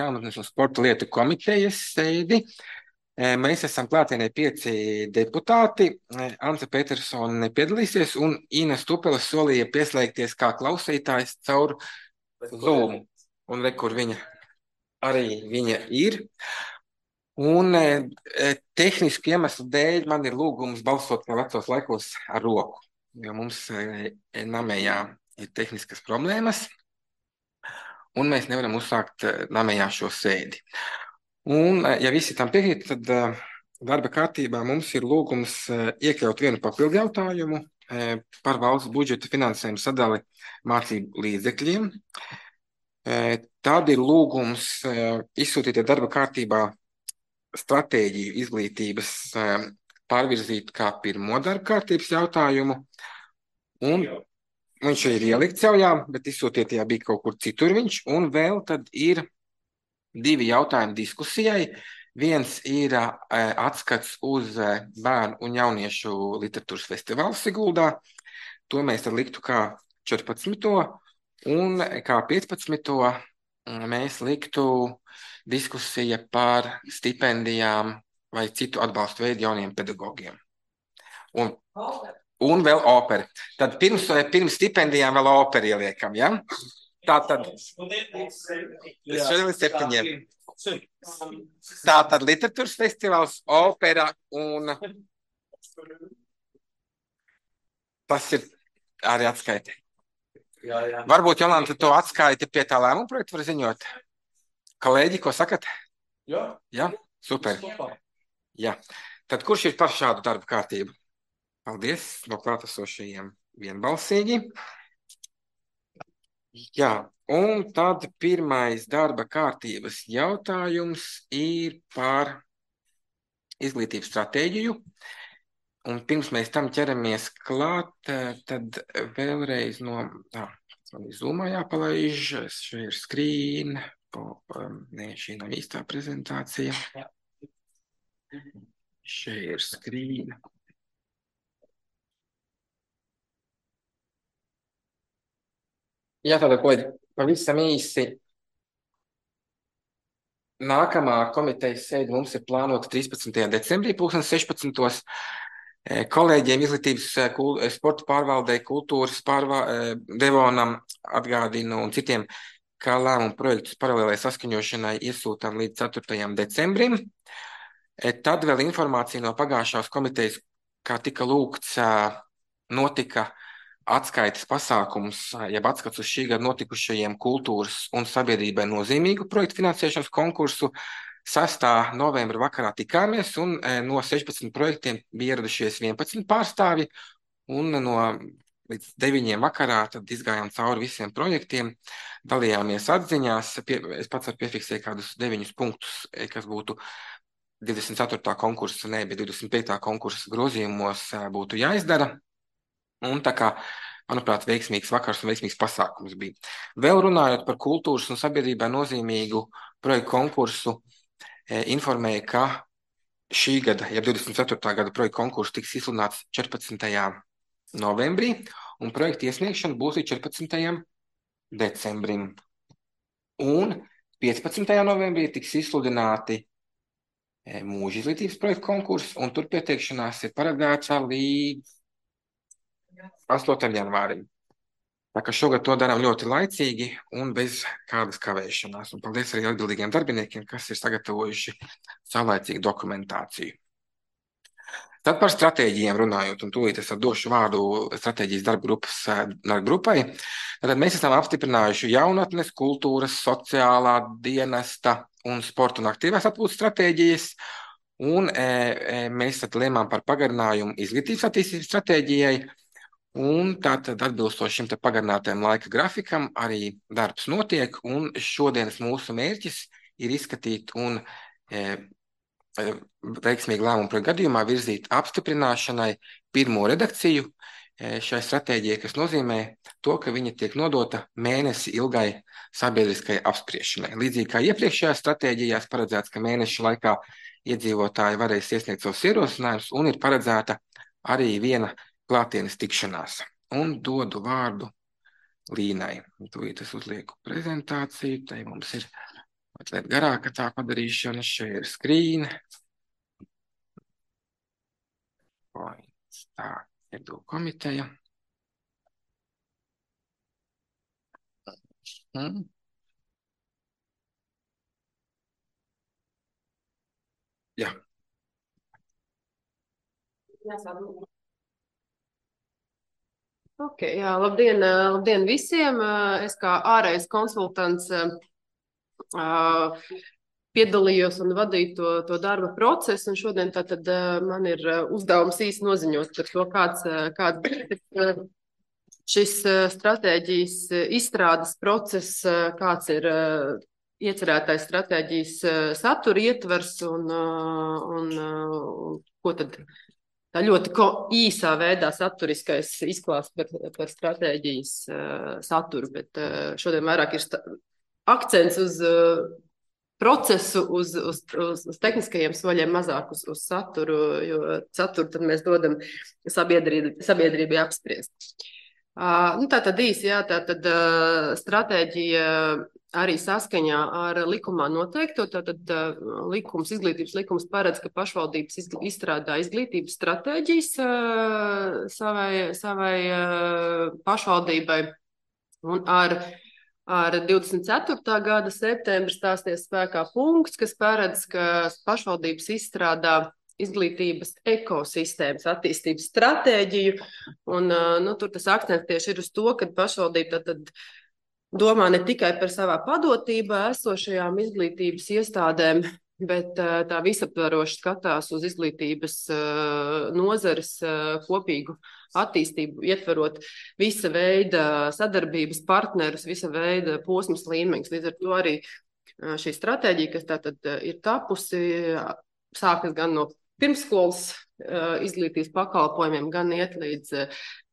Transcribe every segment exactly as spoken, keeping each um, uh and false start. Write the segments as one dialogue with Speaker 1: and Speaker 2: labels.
Speaker 1: Jaunatnes un sporta lietu komitejas sēdi. Mēs esam klātienē pieci deputāti. Ante Petersone piedalīsies un Ina Stupela solīja pieslēgties kā klausītājs caur Zoom. Un re, kur viņa arī viņa ir. Un tehniski iemeslu dēļ man ir lūgums balsot kā vecos laikos ar roku, jo mums namējā ir tehniskas problēmas. Un mēs nevaram uzsākt namējā šo sēdi. Un, ja visi tam piekrīt, tad darba kārtībā mums ir lūgums iekļaut vienu papildu jautājumu par valsts budžeta finansējumu sadali mācību līdzekļiem. Tad ir lūgums izsūtīt darba kārtībā stratēģiju izglītības pārvirzīt kā pirmo darba kārtības jautājumu. Un viņš ir ielikts jau, jā, bet izsūtiet, ja bija kaut kur citur viņš. Un vēl tad ir divi jautājumi diskusijai. Viens ir atskats uz bērnu un jauniešu literatūras festivālu Siguldā. To mēs tad liktu kā četrpadsmito un kā piecpadsmito mēs liktu diskusija par stipendijām vai citu atbalstu veidu jauniem pedagogiem. Un, un vēl operi. Tad pirms, pirms stipendijām vēl operi ieliekam, ja? Tā tad šodien līdz septiņiem. Tā tad literatūras festivāls, opera un tas ir arī atskaiti. Jā, jā. Varbūt, Jolanta, to atskaiti pie tā lēmuma projekta var ziņot. Kolēģi, ko sakat? Jā. Jā, super. Jā. Tad kurš ir par šādu darbu kārtību? Paldies no klātesošajiem vienbalsīgi. Jā, un tad pirmais darba kārtības jautājums ir par izglītības stratēģiju. Un pirms mēs tam ķeramies klāt, tad vēlreiz no... Tā, man ir Zoomā jāpalaiž, šeit ir screen, po, nē, šī nav īstā prezentācija. Šeit ir screen. Jā, tāda ko pavisam īsi. Nākamā komitejas sēde mums ir plānota trīspadsmitajā decembrī, pulksten sešpadsmitos. Kolēģiem izglītības sporta pārvaldei, kultūras pārvaldei, Devonam atgādinu un citiem, kā lēmumu projektus paralēlai saskaņošanai iesūtām līdz ceturtajam decembrim. Tad vēl informācija no pagājušās komitejas, kā tika lūgts, notika atskaites pasākums, jeb atskats uz šī gada notikušajiem kultūras un sabiedrībai nozīmīgu projektu finansēšanas konkursu. sastā novembra vakarā tikāmies un no sešpadsmit projektiem bija ieradušies vienpadsmit pārstāvji un no līdz deviņiem vakarā tad izgājām cauri visiem projektiem, dalījāmies atziņās, pie, es pats varu piefiksēt kādus deviņus punktus, kas būtu divdesmit ceturtā konkursa, ne, bet divdesmit piekta konkursa grozījumos būtu jāizdara. Un tā kā, manuprāt, veiksmīgs vakars un veiksmīgs pasākums bija. Vēl runājot par kultūras un sabiedrībai nozīmīgu projektu konkursu, informēja, ka šī gada, ja divdesmit ceturtā gada projektu konkursu tiks izsludināts četrpadsmitajā novembrī, un projektu iesniegšana būs līdz četrpadsmitajam decembrim. Un piecpadsmitajā novembrī tiks izsludināti mūža izglītības projektu konkursu, un tur pieteikšanās ir paredzēta līdz astotajam janvārim. Tā kā šogad to darām ļoti laicīgi un bez kādas kavēšanās. Un paldies arī atbildīgiem darbiniekiem, kas ir sagatavojuši saulaicīgu dokumentāciju. Tad par stratēģijiem runājot, un tūlīt es došu vārdu stratēģijas darba grupas darba grupai. Tad mēs esam apstiprinājuši jaunatnes, kultūras, sociālā dienesta un sporta un aktīvās atpūtas stratēģijas. Un e, e, mēs tad lēmām par pagarinājumu izglītības attīstības stratēģijai. Un tātad atbilstoši šim te pagarinātajam laika grafikam arī darbs notiek, un šodienas mūsu mērķis ir izskatīt un e, veiksmīgi lēmumu projektu gadījumā virzīt apstiprināšanai pirmo redakciju e, šai stratēģijai, kas nozīmē to, ka viņa tiek nodota mēnesi ilgai sabiedriskai apspriešanai. Līdzīgi kā iepriekšējās stratēģijās paredzēts, ka mēneša laikā iedzīvotāji varēs iesniegt savus ierosinājumus, un ir paredzēta arī viena klātienes tikšanās. Un dodu vārdu Līnai. Tūlīt es uzlieku prezentāciju, tai mums ir Mazliet garāka tā padarīšana. Šeit ir screen. Points. Tā, iedu komiteja. Hmm. Jā.
Speaker 2: Ok, jā, labdien, labdien visiem. Es kā ārējais konsultants piedalījos un vadīju to, to darba procesu, un šodien tātad man ir uzdevums īsti noziņot par to, kāds, kāds bija šis stratēģijas izstrādes process, kāds ir iecerētais stratēģijas satura ietvers un, un, un ko tad tā ļoti īsā veidā saturiskais izklāsts par, par stratēģijas saturu, bet šodien vairāk ir akcents uz procesu, uz, uz, uz, uz tehniskajiem soļiem, mazāk uz, uz saturu, jo saturu tad mēs dodam sabiedrībai, sabiedrībai apspriest. Uh, nu, tā tad īsi, jā, tā tad uh, stratēģija arī saskaņā ar likumā noteikto, tātad uh, likums, izglītības likums paredz, ka pašvaldības izgl izstrādā izglītības stratēģijas uh, savai, savai uh, pašvaldībai, un ar, ar divdesmit ceturtā gada septembri stāsties spēkā punkts, kas paredz, ka pašvaldības izstrādā izglītības ekosistēmas attīstības stratēģiju, un nu, tur tas akcents tieši ir uz to, ka pašvaldība tad domā ne tikai par savā padotībā esošajām izglītības iestādēm, bet tā visaptvaroši skatās uz izglītības nozares kopīgu attīstību, ietverot visa veida sadarbības partnerus, visa veida posmas līmeņus. Līdz ar to arī šī stratēģija, kas tātad ir tapusi, sākas gan no pirmsskolas izglītības pakalpojumiem, gan iet līdz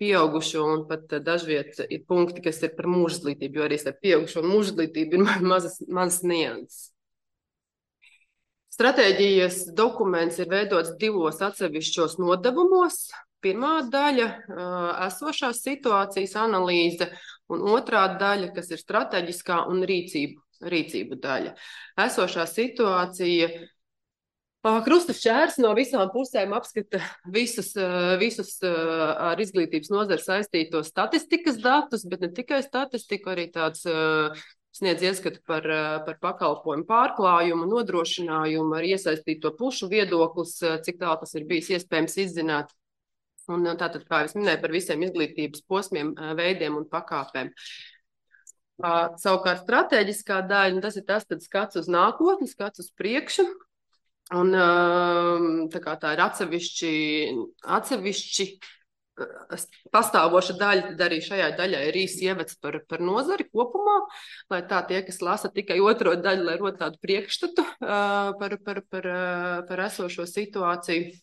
Speaker 2: pieaugušo, un pat dažviet ir punkti, kas ir par mūža izglītību, jo arī ar pieaugušo un mūža izglītību ir mazas, mazas nianses. Stratēģijas dokuments ir veidots divos atsevišķos nodevumos. Pirmā daļa – esošās situācijas analīze, un otrā daļa, kas ir strateģiskā un rīcību, rīcību daļa. Esošā situācija Krusta šķērs no visām pusēm apskata visus, visus ar izglītības nozari saistītos statistikas datus, bet ne tikai statistiku, arī tāds sniedz ieskatu par, par pakalpojumu pārklājumu, nodrošinājumu, ar iesaistīto pušu viedoklis, cik tālu tas ir bijis iespējams izzināt. Un tātad, kā es minēju, par visiem izglītības posmiem, veidiem un pakāpēm. Savukārt strateģiskā daļa, tas ir tas tad skats uz nākotni, skats uz priekšu. Un tā kā tā ir atsevišķi, atsevišķi pastāvoša daļa, tad arī šajā daļā ir īsi ievads par, par nozari kopumā, lai tā tie, kas lasa tikai otro daļu, lai rod tādu priekšstatu par, par, par, par esošo situāciju,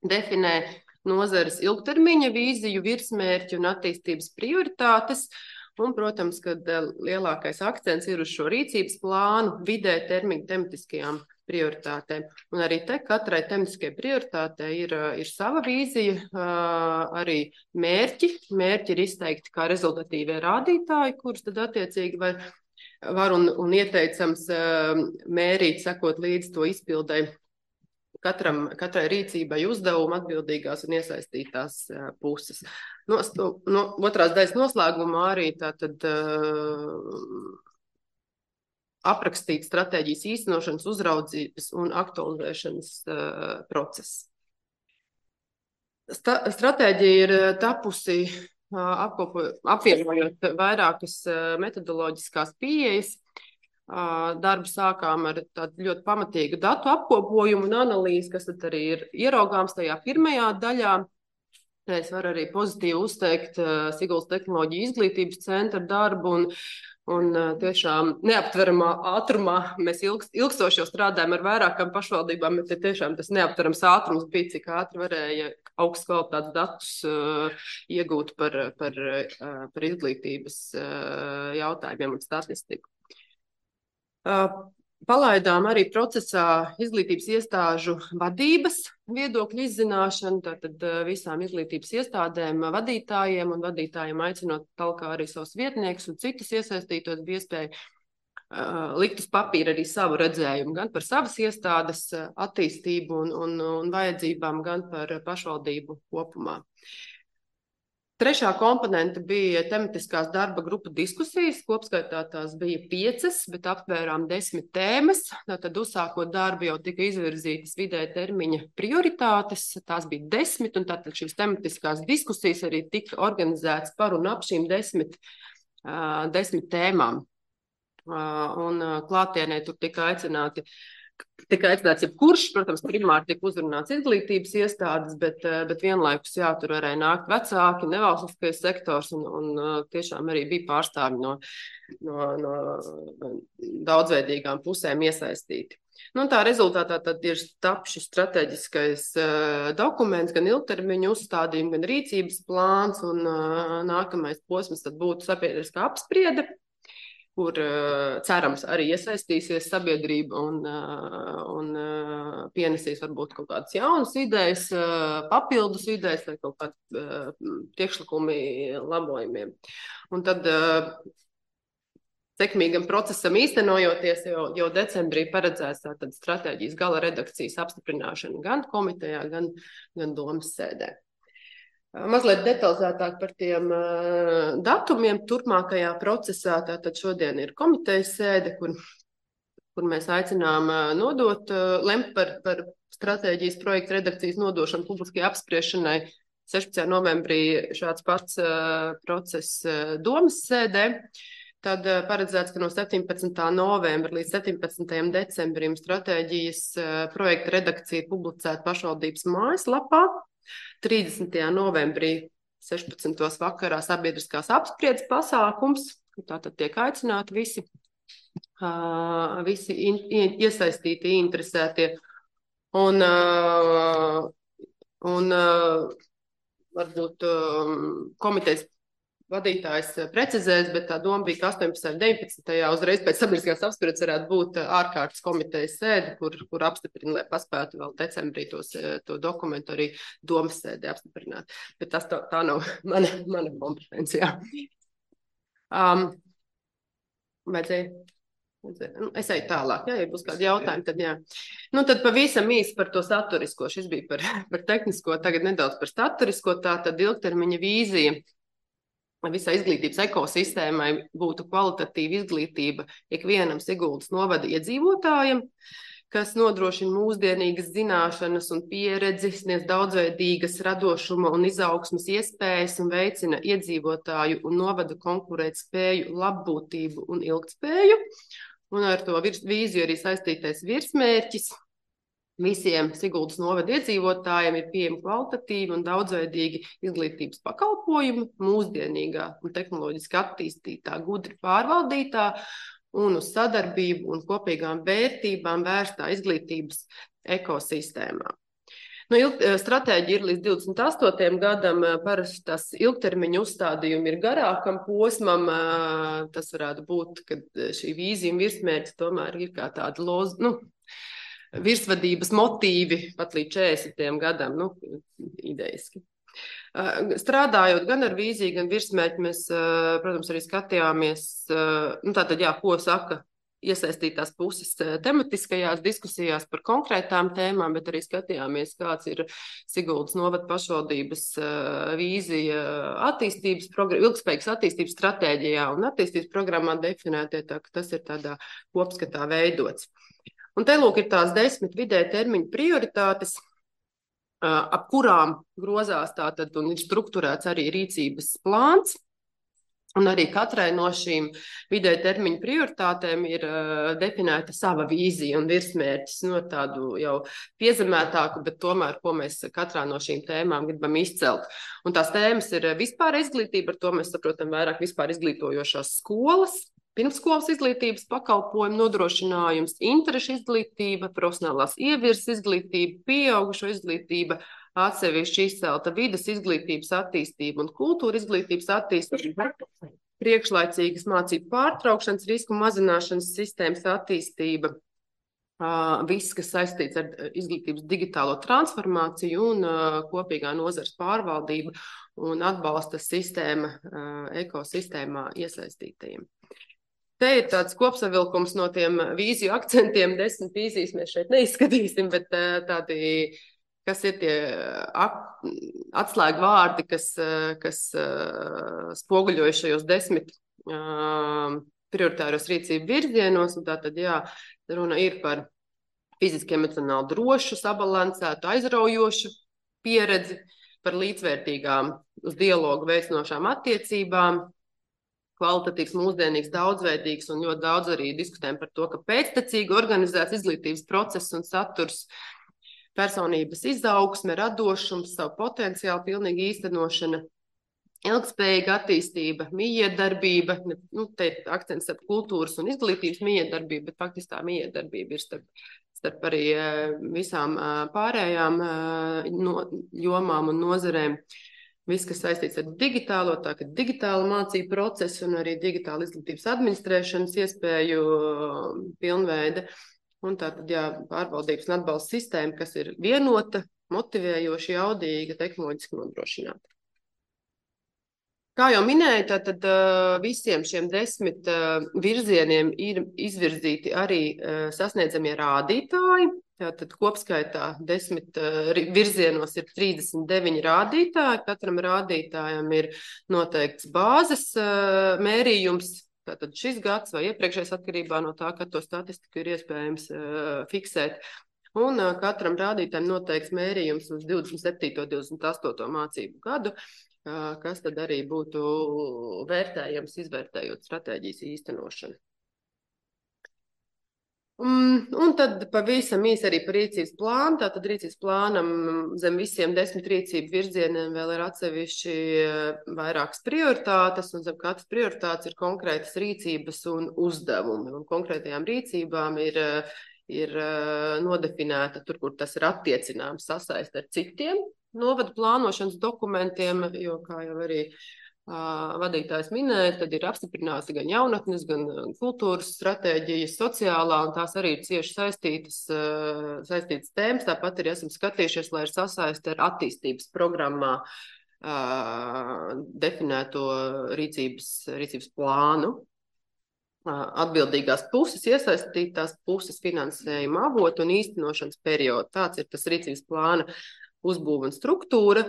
Speaker 2: definē nozares ilgtermiņa vīziju, virsmērķi un attīstības prioritātes. Un, protams, kad lielākais akcents ir uz šo rīcības plānu, vidē termiņu tematiskajām prioritātēm. Un arī te katrai tematiskajai prioritātei ir, ir sava vīzija, arī mērķi. Mērķi ir izteikti kā rezultatīvie rādītāji, kurus tad attiecīgi var, var un, un ieteicams mērīt, sekot līdz to izpildai. Katram, katrai rīcībai uzdevumu atbildīgās un iesaistītās uh, puses. No, no otrās daļas noslēgumā arī tātad uh, aprakstīt stratēģijas īstenošanas, uzraudzības un aktualizēšanas uh, process. Sta stratēģija ir tapusi uh, apkopo, apvienojot vairākas uh, metodoloģiskās pieejas. Darbu sākām ar tādu ļoti pamatīgu datu apkopojumu un analīzi, kas tad arī ir ieraugāms tajā pirmajā daļā. Es varu arī pozitīvi uzteikt Siguldas tehnoloģiju izglītības centra darbu un, un tiešām neaptveramā ātrumā. Mēs ilgst, ilgstoši jau strādājam ar vairākām pašvaldībām, bet tiešām tas neaptverams ātrums bija, cik ātri varēja augsts kvalitātes datus uh, iegūt par, par, uh, par izglītības uh, jautājumiem un statistiku. Palaidām arī procesā izglītības iestāžu vadības viedokļu izzināšanu, tātad visām izglītības iestādēm, vadītājiem un vadītājiem aicinot talkā arī savus vietniekus un citus iesaistītos bija iespēja likt uz papīra arī savu redzējumu, gan par savas iestādes attīstību un, un, un vajadzībām, gan par pašvaldību kopumā. Trešā komponente bija tematiskās darba grupu diskusijas. Kopskaitā tās bija piecas, bet aptvērām desmit tēmas. Tad uzsākot darbu jau tika izvirzītas vidēja termiņa prioritātes. Tās bija desmit, un tātad šīs tematiskās diskusijas arī tika organizētas par un ap šīm desmit, uh, desmit tēmām. Uh, un uh, klātienē tur tika aicināti Tika aicināts jebkurš, protams, primāri tika uzrunāts izglītības iestādes, bet, bet vienlaikus jā, tur varēja nākt vecāki, nevalstiskais sektors un, un tiešām arī bija pārstāvi no, no, no daudzveidīgām pusēm iesaistīti. Nu, tā rezultātā tad ir tap šis strateģiskais uh, dokuments, gan ilgtermiņu uzstādījumi, gan rīcības plāns, un uh, nākamais posms tad būtu sabiedriskā apspriede, kur uh, cerams arī iesaistīsies sabiedrība un, uh, un uh, pienesīs varbūt kaut kādas jaunas idejas, uh, papildus idejas vai kaut kādi uh, priekšlikumi labojumiem. Un tad uh, sekmīgam procesam īstenojoties, jau, jau decembrī paredzēts tātad stratēģijas gala redakcijas apstiprināšana gan komitejā, gan, gan domas sēdē. Mazliet detalizētāk par tiem uh, datumiem turpmākajā procesā. Tātad šodien ir komitejas sēde, kur, kur mēs aicinām uh, nodot, uh, lemt par, par stratēģijas projekta redakcijas nodošanu publiskajai apspriešanai. sešpadsmitajā novembrī šāds pats uh, process uh, domas sēdē. Tad uh, paredzēts, ka no septiņpadsmitā novembra līdz septiņpadsmitajam decembrim stratēģijas uh, projekta redakcija publicēta pašvaldības mājaslapā. trīsdesmitajā novembrī sešpadsmitajā vakarā sabiedriskās apspriedes pasākums. Tātad tiek aicināti visi, uh, visi in, in, iesaistīti, interesētie. Un, uh, un uh, varbūt um, komitejas vadītājs precizēs, bet tā doma bija, ka astoņpadsmitajā un deviņpadsmitajā uzreiz pēc sabiedriskās apspriedes varētu būt ārkārtas komitejas sēde, kur, kur apstiprina, lai paspētu vēl decembrī tos, to dokumentu arī domas sēdē apstiprināt. Bet tas tā, tā nav mana, mana kompetencija. Um, vajadzēja, vajadzēja. Nu, es eju tālāk, jā, ja būs kādi jautājumi, tad jā. Nu, tad pavisam īsi par to saturisko. Šis bija par, par tehnisko, tagad nedaudz par saturisko, tā tad ilgtermiņa vīzija. Visai izglītības ekosistēmai būtu kvalitatīva izglītība ikvienam Siguldas novada iedzīvotājiem, kas nodrošina mūsdienīgas zināšanas un pieredzi, sniedz daudzveidīgas radošuma un izaugsmes iespējas un veicina iedzīvotāju un novada konkurētspēju, labbūtību un ilgtspēju. Un ar to virs, vīziju arī saistītais virsmērķis. Visiem Siguldas novada iedzīvotājiem ir pieejami kvalitatīvi un daudzveidīgi izglītības pakalpojumi, mūsdienīgā un tehnoloģiski attīstītā, gudri pārvaldītā un uz sadarbību un kopīgām vērtībām vērstā izglītības ekosistēmā. Nu, ilg, stratēģija ir līdz divdesmit astotajam gadam, parasti tas ilgtermiņa uzstādījumi ir garākam posmam. Tas varētu būt, ka šī vīzija un virsmērķis tomēr ir kā tāda loz, nu, virsvadības motīvi pat līdz četrdesmitajam gadam, nu, idejiski. Strādājot gan ar vīziju, gan virsmērķi, mēs, protams, arī skatījāmies, nu, tātad, jā, ko saka iesaistītās puses tematiskajās diskusijās par konkrētām tēmām, bet arī skatījāmies, kāds ir Siguldas novada pašvaldības vīzija attīstības, ilgspējīgas attīstības stratēģijā un attīstības programmā definētie, tā ka tas ir tādā kopskatā veidots. Un te lūk ir tās desmit vidēja termiņa prioritātes, ap kurām grozās tātad un ir strukturēts arī rīcības plāns. Un arī katrai no šīm vidēja termiņa prioritātēm ir uh, definēta sava vīzija un virsmērķis, no tādu jau piezemētāku, bet tomēr, ko mēs katrā no šīm tēmām gribam izcelt. Un tās tēmas ir vispār izglītība, ar to mēs saprotam vairāk vispār izglītojošās skolas, pirmsskolas izglītības pakalpojumu nodrošinājums, interešu izglītība, profesionālās ievirzes izglītība, pieaugušo izglītība, atsevišķi izcelta vides izglītības attīstība un kultūra izglītības attīstība, priekšlaicīgas mācību pārtraukšanas, risku mazināšanas sistēmas attīstība, viss, kas saistīts ar izglītības digitālo transformāciju un kopīgā nozares pārvaldība un atbalsta sistēma ekosistēmā iesaistītajiem. Te ir tāds kopsavilkums no tiem vīziju akcentiem, desmit vīzijas mēs šeit neizskatīsim, bet tādi, kas ir tie atslēgu vārdi, kas, kas spoguļoja šajos desmit prioritāros rīcību virzienos, un tātad, jā, runa ir par fiziski emocionāli drošu, sabalansētu, aizraujošu pieredzi, par līdzvērtīgām uz dialogu veicinošām attiecībām, kvalitatīvs, mūsdienīgs, daudzveidīgs un ļoti daudz arī diskutējam par to, ka pēctecīgi organizēts izglītības process un saturs, personības izaugsme, radošums, savu potenciālu pilnīgi īstenošana, ilgspējīga attīstība, mijiedarbība, nu, te ir akcents starp kultūras un izglītības mijiedarbība, bet faktiski tā mijiedarbība ir starp, starp arī visām pārējām no, jomām un nozarēm. Viss, kas saistīts ar digitālo, tā ka digitāla mācību procesu un arī digitāla izglītības administrēšanas iespēju pilnveida. Un tā tad, jā, pārvaldības un atbalsta sistēma, kas ir vienota, motivējoša, jaudīga, tehnoloģiski nodrošināta. Kā jau minēju, tad visiem šiem desmit virzieniem ir izvirzīti arī sasniedzamie rādītāji. Tātad kopskaitā desmit virzienos ir trīsdesmit deviņi rādītāji. Katram rādītājam ir noteikts bāzes mērījums. Tātad šis gads vai iepriekšējais atkarībā no tā, kad to statistiku ir iespējams fiksēt. Un katram rādītājam noteikts mērījums uz divdesmit septīto un divdesmit astoto mācību gadu, kas tad arī būtu vērtējams, izvērtējot stratēģijas īstenošanu. Un, un tad pavisam īsi arī par rīcības plānu. Tātad rīcības plānam zem visiem desmit rīcību virzieniem vēl ir atsevišķi vairākas prioritātes, un zem katras prioritātes ir konkrētas rīcības un uzdevumi. Un konkrētajām rīcībām ir, ir nodefinēta tur, kur tas ir attiecināms sasaist ar citiem novadu plānošanas dokumentiem, jo, kā jau arī uh, vadītājs minēja, tad ir apstiprināts gan jaunatnes, gan kultūras stratēģijas, sociālā, un tās arī ir cieši saistītas, uh, saistītas tēmas. Tāpat arī esam skatījušies, lai ir sasaist ar attīstības programmā uh, definēto rīcības, rīcības plānu. Uh, atbildīgās puses, iesaistītās puses finansējuma avotu un īstenošanas periodu. Tāds ir tas rīcības plāna uzbūve un struktūra.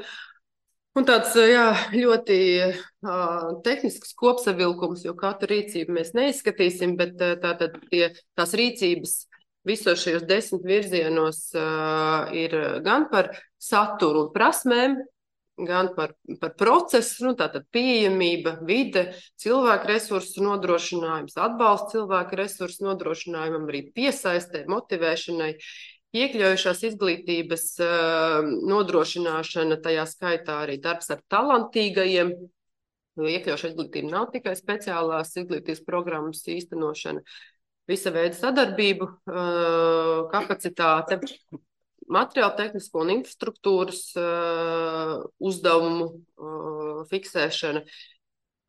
Speaker 2: Un tāds, jā, ļoti uh, tehnisks kopsavilkums, jo katru rīcību mēs neizskatīsim, bet tātad tie, tās rīcības visos šajos desmit virzienos uh, ir gan par saturu un prasmēm, gan par, par procesu, nu, tātad pieejamība, vide, cilvēku resursu nodrošinājums, atbalsts cilvēku resursu nodrošinājumam, arī piesaistē, motivēšanai, iekļaujušās izglītības uh, nodrošināšana, tajā skaitā arī darbs ar talantīgajiem, jo iekļaujušā izglītība nav tikai speciālās izglītības programmas īstenošana, visa veida sadarbību, uh, kapacitāte, materiāla tehnisko un infrastruktūras uh, uzdevumu uh, fiksēšana,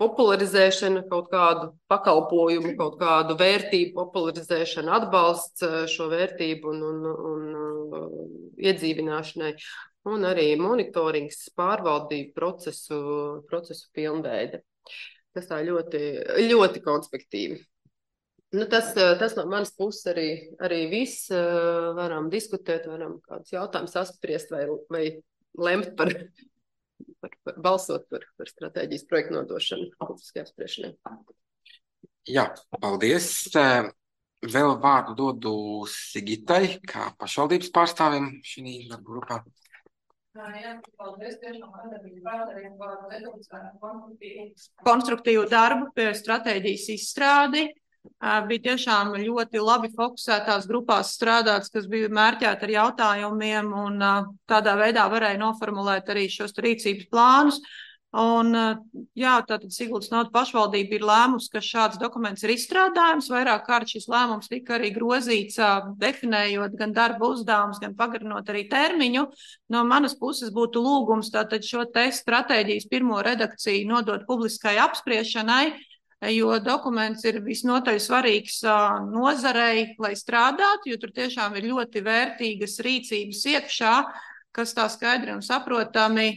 Speaker 2: popularizēšana, kaut kādu pakalpojumu, kaut kādu vērtību popularizēšana, atbalsts šo vērtību un, un, un iedzīvināšanai, un arī monitorings, pārvaldību procesu, procesu pilnveide. Tas tā ļoti, ļoti konspektīvi. Nu, tas, tas no manas puses arī, arī viss. Varam diskutēt, varam kādus jautājumus apspriest vai, vai lemt par... Par, par balsot par, par stratēģijas projektu nodošanu publiskajā apspriešanai.
Speaker 1: Jā, paldies. Vēl vārdu dodu Sigitai, kā pašvaldības pārstāvim šī darba grupā.
Speaker 3: Jā, paldies. Tiešām konstruktīvu darbu pie stratēģijas izstrādi. Bija tiešām ļoti labi fokusētās grupās strādāts, kas bija mērķēti ar jautājumiem, un tādā veidā varēja noformulēt arī šos rīcības plānus. Un, jā, tātad Siguldas novada pašvaldība ir lēmusi, ka šāds dokuments ir izstrādājums. Vairāk kārt šis lēmums tika arī grozīts, definējot gan darba uzdevumus, gan pagarinot arī termiņu. No manas puses būtu lūgums tātad šo te stratēģijas pirmo redakciju nodot publiskai apspriešanai, jo dokuments ir visnotaļ svarīgs nozarei, lai strādātu, jo tur tiešām ir ļoti vērtīgas rīcības iekšā, kas tā skaidri un saprotami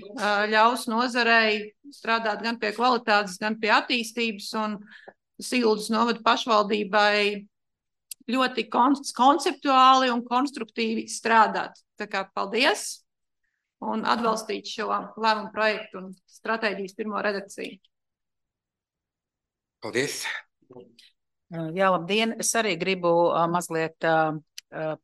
Speaker 3: ļaus nozarei strādāt gan pie kvalitātes, gan pie attīstības, un Sildas novada pašvaldībai ļoti konceptuāli un konstruktīvi strādāt. Tā kā paldies un atbalstīt šo lēmumu projektu un stratēģijas pirmo redakciju.
Speaker 1: Paldies!
Speaker 4: Jā, labdien! Es arī gribu uh, mazliet uh,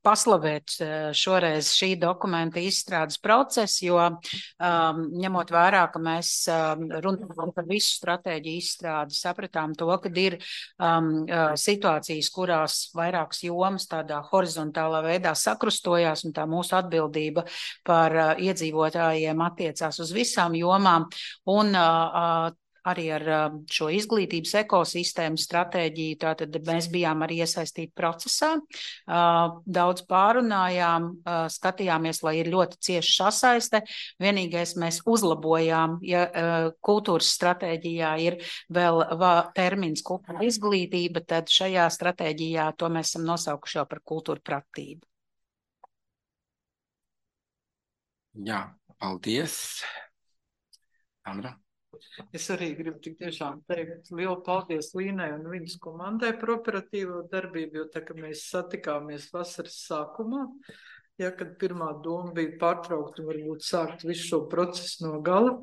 Speaker 4: paslavēt šoreiz šī dokumenta izstrādes procesu, jo um, ņemot vērā, ka mēs um, runājam par visu stratēģiju izstrādi, sapratām to, ka ir um, situācijas, kurās vairākas jomas tādā horizontālā veidā sakrustojās, un tā mūsu atbildība par uh, iedzīvotājiem attiecās uz visām jomām, un uh, arī ar šo izglītības ekosistēmu stratēģiju, tātad mēs bijām arī iesaistīti procesā, daudz pārunājām, skatījāmies, lai ir ļoti cieši sasaiste. Vienīgais mēs uzlabojām, ja kultūras stratēģijā ir vēl termins kultūra izglītība, tad šajā stratēģijā to mēs esam nosaukuši jau par kultūra pratību.
Speaker 1: Jā, paldies. Andra?
Speaker 5: Es arī gribu tik tiešām teikt lielu paldies Līnai un viņas komandai par operatīvo darbību, jo tā, ka mēs satikāmies vasaras sākumā, ja, kad pirmā doma bija pārtraukt un varbūt sākt visu šo procesu no gala,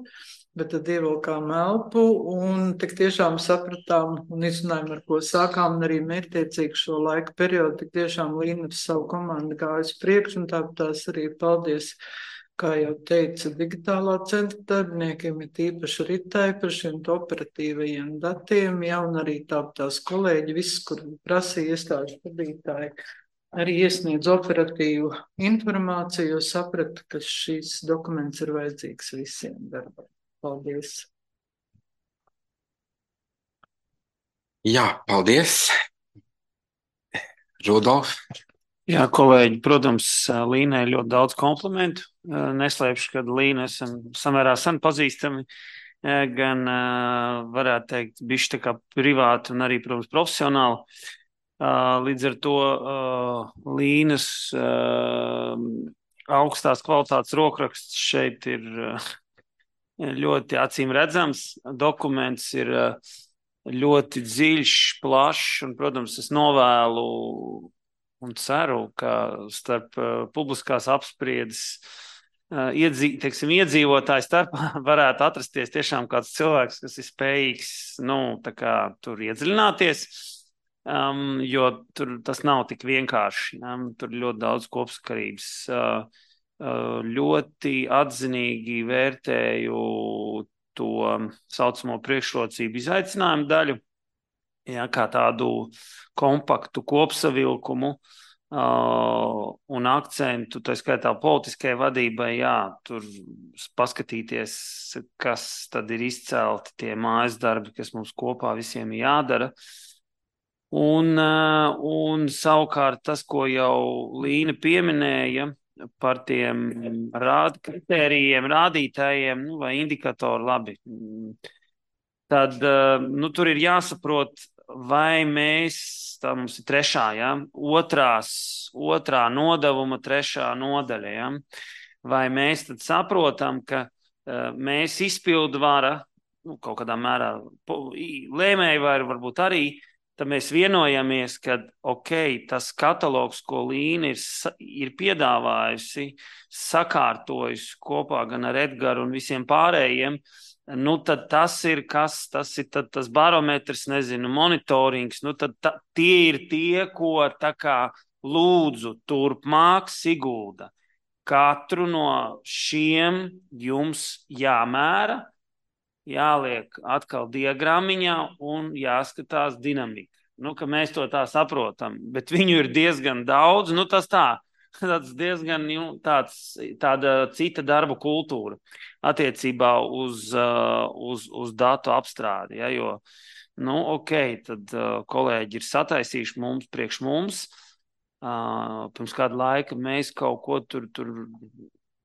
Speaker 5: bet tad ievilkām elpu un tik tiešām sapratām un izrunājām, ar ko sākām, un arī mērķtiecīgi šo laika periodu, tik tiešām Līna ar savu komandu gājas priekš, un tāpēc tās arī paldies, kā jau teica, digitālā centra darbiniekiem, ir tīpaši Ritai par šiem operatīvajiem datiem, ja, un arī tāpat tās kolēģi, viss, kur prasīja iestāžu vadītāji, arī iesniedz operatīvu informāciju, jo sapratu, ka šīs dokuments ir vajadzīgs visiem darbam. Paldies!
Speaker 1: Jā, paldies! Rudolf?
Speaker 6: Jā, kolēģi, protams, Līnai ļoti daudz komplimentu. Neslēpšu, ka Līna esam samērā sen pazīstami, gan varētu teikt, bišķi tā kā privāti un arī, protams, profesionāli. Līdz ar to Līnas augstās kvalitātes rokraksts šeit ir ļoti acīm redzams. Dokuments ir ļoti dziļš, plašs, un, protams, es novēlu un ceru, ka starp uh, publiskās apspriedes uh, iedzī, teiksim, iedzīvotāju starpā varētu atrasties tiešām kāds cilvēks, kas ir spējīgs, nu, tā kā tur iedziļināties, um, jo tur tas nav tik vienkārši. Um, tur ļoti daudz kopsakarības. Uh, uh, ļoti atzinīgi vērtēju to saucamo priekšrocību izaicinājumu daļu, ja, kā tādu kompaktu kopsavilkumu uh, un akcentu, tā skaitā politiskajai vadībai, jā, tur paskatīties, kas tad ir izcelti tie mājas darbi, kas mums kopā visiem jādara. Un, uh, un savukārt tas, ko jau Līna pieminēja par tiem rād, kritērijiem, rādītājiem, nu, vai indikatoru, labi, tad uh, nu, tur ir jāsaprot, vai mēs, tā mums ir trešā, ja, otrās, otrā nodevuma trešā nodaļa, ja, vai mēs tad saprotam, ka uh, mēs izpildu vara, nu, kaut kādā mērā lēmēji vai varbūt arī, tad mēs vienojamies, ka, ok, tas katalogs, ko Līna ir, ir piedāvājusi, sakārtojusi kopā gan ar Edgaru un visiem pārējiem, nu, tad tas ir kas, tas ir tad, tas barometrs, nezinu, monitorings, nu, tad ta, tie ir tie, ko tā kā lūdzu turpmāk Sigulda. Katru no šiem jums jāmēra, jāliek atkal diagrammiņā un jāskatās dinamika. Nu, ka mēs to tā saprotam, bet viņu ir diezgan daudz, nu, tas tā. Tāds diezgan nu, tāds, tāda cita darba kultūra attiecībā uz, uh, uz, uz datu apstrādi. Ja, jo, nu, ok, tad uh, kolēģi ir sataisījuši mums, priekš mums. Uh, pirms kāda laika mēs kaut ko tur, tur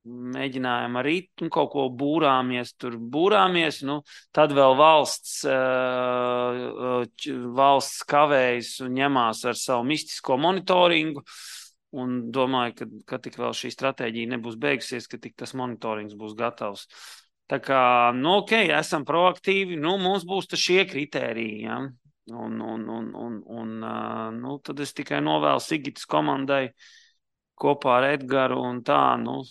Speaker 6: mēģinājām arī un kaut ko būrāmies, tur būrāmies. Nu, tad vēl valsts, uh, valsts kavējas un ņemās ar savu mistisko monitoringu. Un domāju, ka, ka tik vēl šī stratēģija nebūs beigusies, ka tik tas monitorings būs gatavs. Tā kā, nu, ok, esam proaktīvi, nu, mums būs šie kritēriji, ja? Un, un, un, un, un nu, tad es tikai novēlu Sigitas komandai kopā ar Edgaru un tā, nu,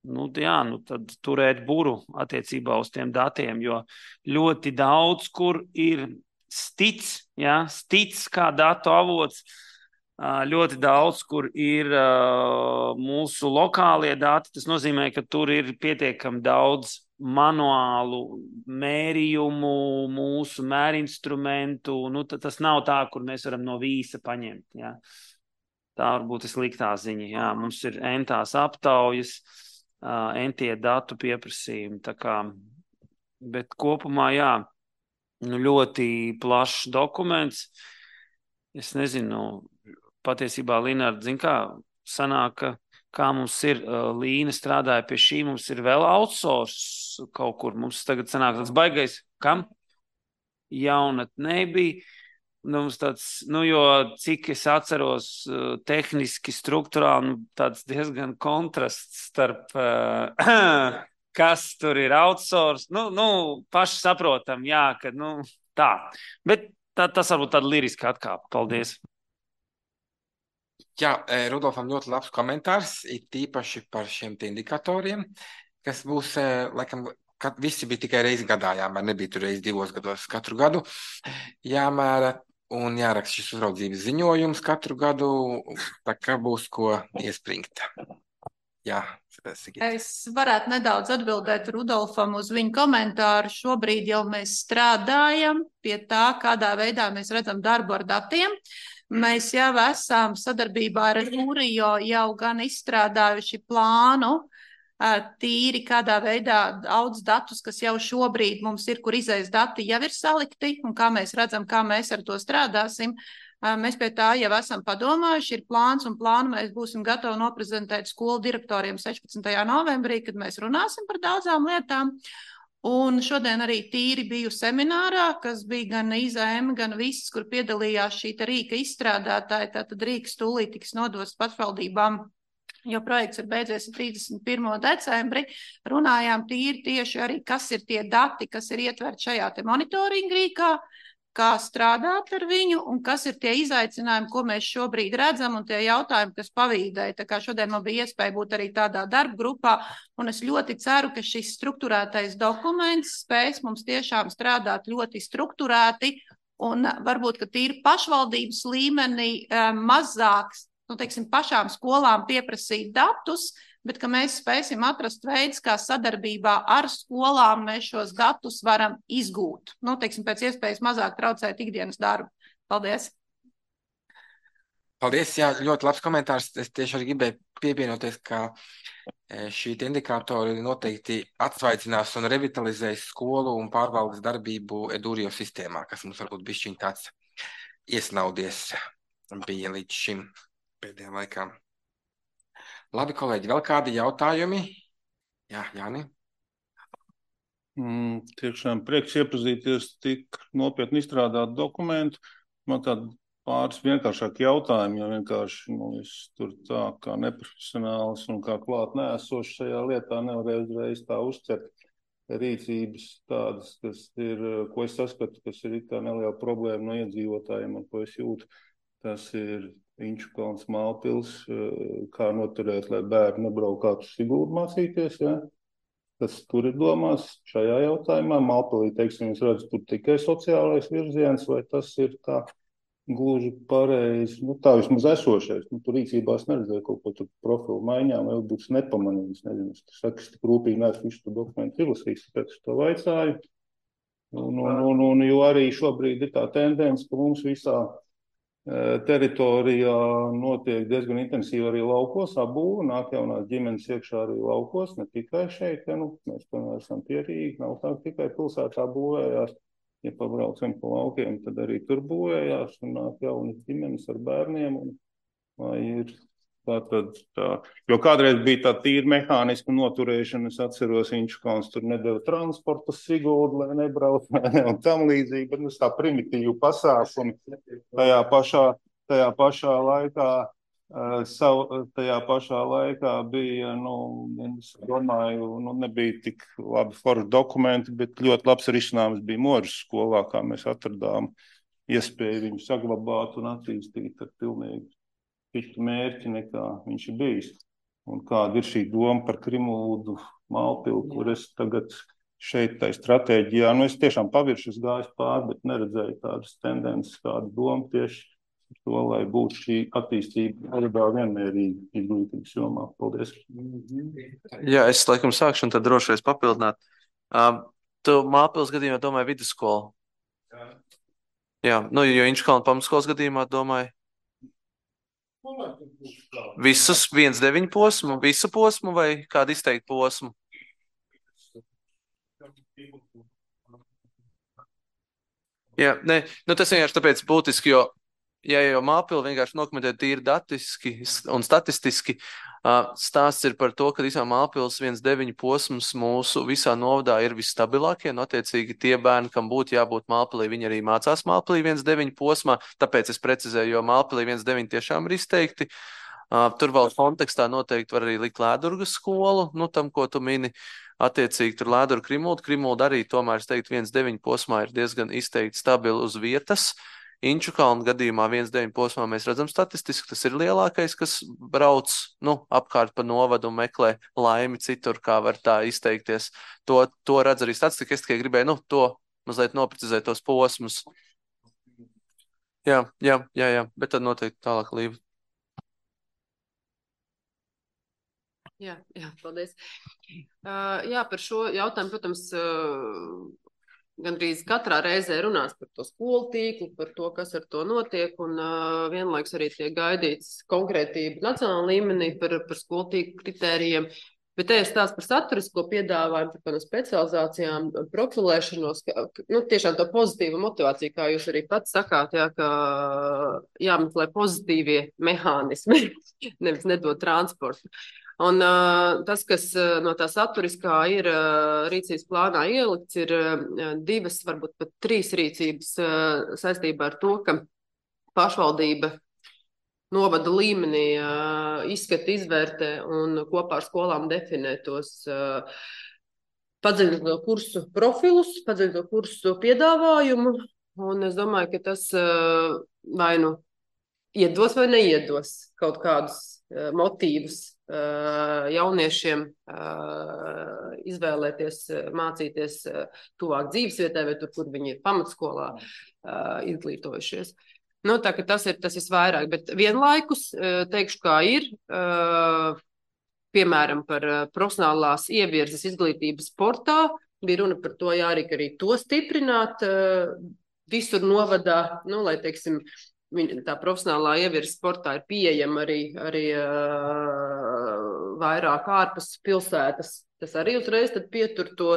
Speaker 6: nu, jā, nu, tad turēt buru attiecībā uz tiem datiem, jo ļoti daudz, kur ir stic, ja, stic kā datu avots, ļoti daudz, kur ir uh, mūsu lokālie dati. Tas nozīmē, ka tur ir pietiekami daudz manuālu mērījumu, mūsu mērinstrumentu. Nu, tas nav tā, kur mēs varam no vīsa paņemt. Ja. Tā varbūt ir sliktā ziņa. Jā. Mums ir entās aptaujas, uh, entie datu pieprasījumi. Tā kā, bet kopumā, jā, nu, ļoti plašs dokuments. Es nezinu, patiesībā, Linārd, zin kā, sanāk, ka, kā mums ir, uh, Līna strādāja pie šī, mums ir vēl outsource kaut kur, mums tagad sanāk tāds baigais, kam? Jaunatnē bija, nu, mums tāds, nu, jo cik es atceros uh, tehniski, struktūrāli, nu, tāds diezgan kontrasts starp, uh, kas tur ir outsource, nu, nu, paši saprotam, jā, ka, nu, tā, bet tā, tas varbūt tāda liriska atkāpa, paldies.
Speaker 1: Jā, Rudolfam ļoti labs komentārs, ir tīpaši par šiem indikatoriem, kas būs, laikam, kad visi bija tikai reizi gadā jāmēra, nebija tur reizi divos gados katru gadu jāmēra un jāraksta šis uzraudzības ziņojums katru gadu, tā kā būs ko iespringt. Jā, Sigita.
Speaker 3: Es varētu nedaudz atbildēt Rudolfam uz viņu komentāru. Šobrīd jau mēs strādājam pie tā, kādā veidā mēs redzam darbu ar datiem. Mēs jau esam sadarbībā ar Jūriju jau gan izstrādājuši plānu, tīri kādā veidā daudz datus, kas jau šobrīd mums ir, kur izējas dati jau ir salikti, un kā mēs redzam, kā mēs ar to strādāsim. Mēs pie tā jau esam padomājuši, ir plāns, un plānu mēs būsim gatavi noprezentēt skolu direktoriem sešpadsmitajā novembrī, kad mēs runāsim par daudzām lietām. Un šodien arī tīri biju seminārā, kas bija gan I Z M, gan viss, kur piedalījās šī rīka izstrādātāji. Tātad rīks tūlīt tiks nodots pašvaldībām, jo projekts ir beidzies trīsdesmit pirmo decembri. Runājām tīri tieši arī, kas ir tie dati, kas ir ietverti šajā te monitoringa rīkā, kā strādāt ar viņu un kas ir tie izaicinājumi, ko mēs šobrīd redzam un tie jautājumi, kas pavīdēja. Tā kā šodien man bija iespēja būt arī tādā darba grupā un es ļoti ceru, ka šis strukturētais dokuments spēs mums tiešām strādāt ļoti strukturēti un varbūt, ka tīri pašvaldības līmenī mazāks, nu, teiksim, pašām skolām pieprasīt datus, bet ka mēs spēsim atrast veids, kā sadarbībā ar skolām mēs šos datus varam izgūt. Nu, teiksim, pēc iespējas mazāk traucēt ikdienas darbu. Paldies!
Speaker 1: Paldies, jā, ļoti labs komentārs. Es tieši arī gribēju pievienoties, ka šī indikātori noteikti atsvaicinās un revitalizēs skolu un pārvaldes darbību Edūrio sistēmā, kas mums varbūt bišķiņ tāds iesnaudies bija līdz šim pēdējā laikā. Labi, kolēģi, vēl kādi jautājumi? Jā, Jāni?
Speaker 7: Mm, tiešām prieks iepazīties tik nopietni izstrādāt dokumentu. Man tādi pāris vienkāršāki jautājumi, jo vienkārši nu, es tur tā kā neprofesionāls un kā klāt neesošs šajā lietā nevarēju uzreiz tā uzcert rīcības tādas, kas ir, ko es saskatu, kas ir tā neliela problēma no iedzīvotājiem, un ko es jūtu. Tas ir Inčukalns, Mālpils, kā noturēt, lai bērni nebraukātu uz Siguldu mācīties, ja? Tas tur ir domās šajā jautājumā. Mālpilī, teiksim, es redzu, tur tikai sociālais virziens, vai tas ir tā gluži pareizi, nu tā vismaz esošais. Nu, tur rīcībās neredzēju kaut ko tur profilu maiņām, vai būs nepamanījis, nezinu, es saku, es tik rūpīgi neesmu visu dokumentu izlasījis, tāpēc es to vaicāju. Un, un, un, un jo arī šobrīd ir tā tendence, ka mums visā teritorijā notiek diezgan intensīvi arī laukos, apbūve, nāk jaunās ģimenes iekšā arī laukos, ne tikai šeit, ja, nu, mēs tomēr esam pierīgi, nav tā tikai pilsētā būvējās, ja pabraucam pa laukiem, tad arī tur būvējās, un nāk jaunas ģimenes ar bērniem, un vai ir tā tad tā, jo kādreiz bija tā tīra mehāniska noturēšana, es atceros, Inčukalns tur nedeva transportu Siguldu, lai nebrauc, ne, un tam līdzīgi, bet nu, tā primitīvu pasākumi tajā pašā, tajā pašā laikā, uh, sav, tajā pašā laikā bija, nu, es domāju, nu, nebija tik labi forši dokumenti, bet ļoti labs risinājums bija Moržas skolā, kā mēs atradām iespēju viņu saglabāt un attīstīt ar pilnīgi citu mērķi, nekā viņš ir bijis. Un kāda ir šī doma par Krimuldu Mālpilu, kur es tagad šeit tai stratēģijā, nu es tiešām pavirši es gāju pāri, bet neredzēju tādas tendences, kādu domu tieši par to, lai būtu šī attīstība arī vienmērīga izglītības jomā. Paldies.
Speaker 8: Jā, es laikam sākšu un tad drošais papildināt. Um, tu Mālpils gadījumā domāji vidusskolu? Jā. Jā, nu, jo Inčkalna pamatskolas gadījumā domāju visus viens deviņi posmu, visu posmu vai kādu izteiktu posmu? Jā, ne, nu tas vienkārši tāpēc būtiski, jo, ja jau Mālpilu vienkārši nokomentēt tīri datiski un statistiski, stāsts ir par to, ka visā Mālpils viens deviņi posms mūsu visā novadā ir visstabilākie, un attiecīgi tie bērni, kam būtu jābūt Mālpilī, viņi arī mācās Mālpilī viens deviņi posmā, tāpēc es precizēju, jo Mālpilī viens deviņi tiešām ir izteikti. Tur vēl kontekstā noteikti var arī likt Lēdurgas skolu, nu tam, ko tu mini, attiecīgi tur Lēdurga Krimulda, Krimulda arī tomēr, es teiktu, viens deviņi posmā ir diezgan izteikti stabili uz vietas. Inčukalna gadījumā viens deviņi posmā mēs redzam statistiski, tas ir lielākais, kas brauc, nu, apkārt pa novadu un meklē laimi citur, kā var tā izteikties. To, to redz arī statistika, es tikai gribēju, nu, to mazliet noprecizēt tos posmus. Jā, jā, jā, jā, bet tad noteikti tālāk Līva.
Speaker 2: Jā, jā, paldies. Uh, jā, par šo jautājumu, protams, uh, gandrīz katrā reizē runās par to skolu tīklu, par to, kas ar to notiek, un uh, vienlaiks arī tiek gaidīts konkrētība nacionāla līmenī par, par skolu tīklu kritērijiem. Bet te ir stāsts par saturisko piedāvājumu, par kādām specializācijām, profilēšanos, ka, nu, tiešām to pozitīvu motivāciju, kā jūs arī pats sakāt, jā, ka jāmeklē pozitīvie mehānismi, nevis nedot transportu. Un uh, tas, kas uh, no tā saturiskā ir uh, rīcības plānā ielikts, ir uh, divas, varbūt pat trīs rīcības uh, saistībā ar to, ka pašvaldība novada līmenī uh, izskata, izvērtē un kopā ar skolām definē tos uh, padziļināto kursu profilus, padziļināto kursu piedāvājumu. Un es domāju, ka tas uh, vai nu iedos vai neiedos kaut kādus uh, motīvus jauniešiem izvēlēties, mācīties tuvāk dzīvesvietai vai tur, kur viņi ir pamatskolā izglītojušies. Nu, tā ka tas ir, tas ir vairāk, bet vienlaikus teikšu, kā ir, piemēram, par profesionālās ievirzes izglītības sportā, bija runa par to, jā, arī, arī to stiprināt visur novadā, nu, lai, teiksim, tā profesionālā ievirza sportā ir pieejama arī, arī uh, vairāk ārpus pilsētas. Tas arī uzreiz tad pietur to,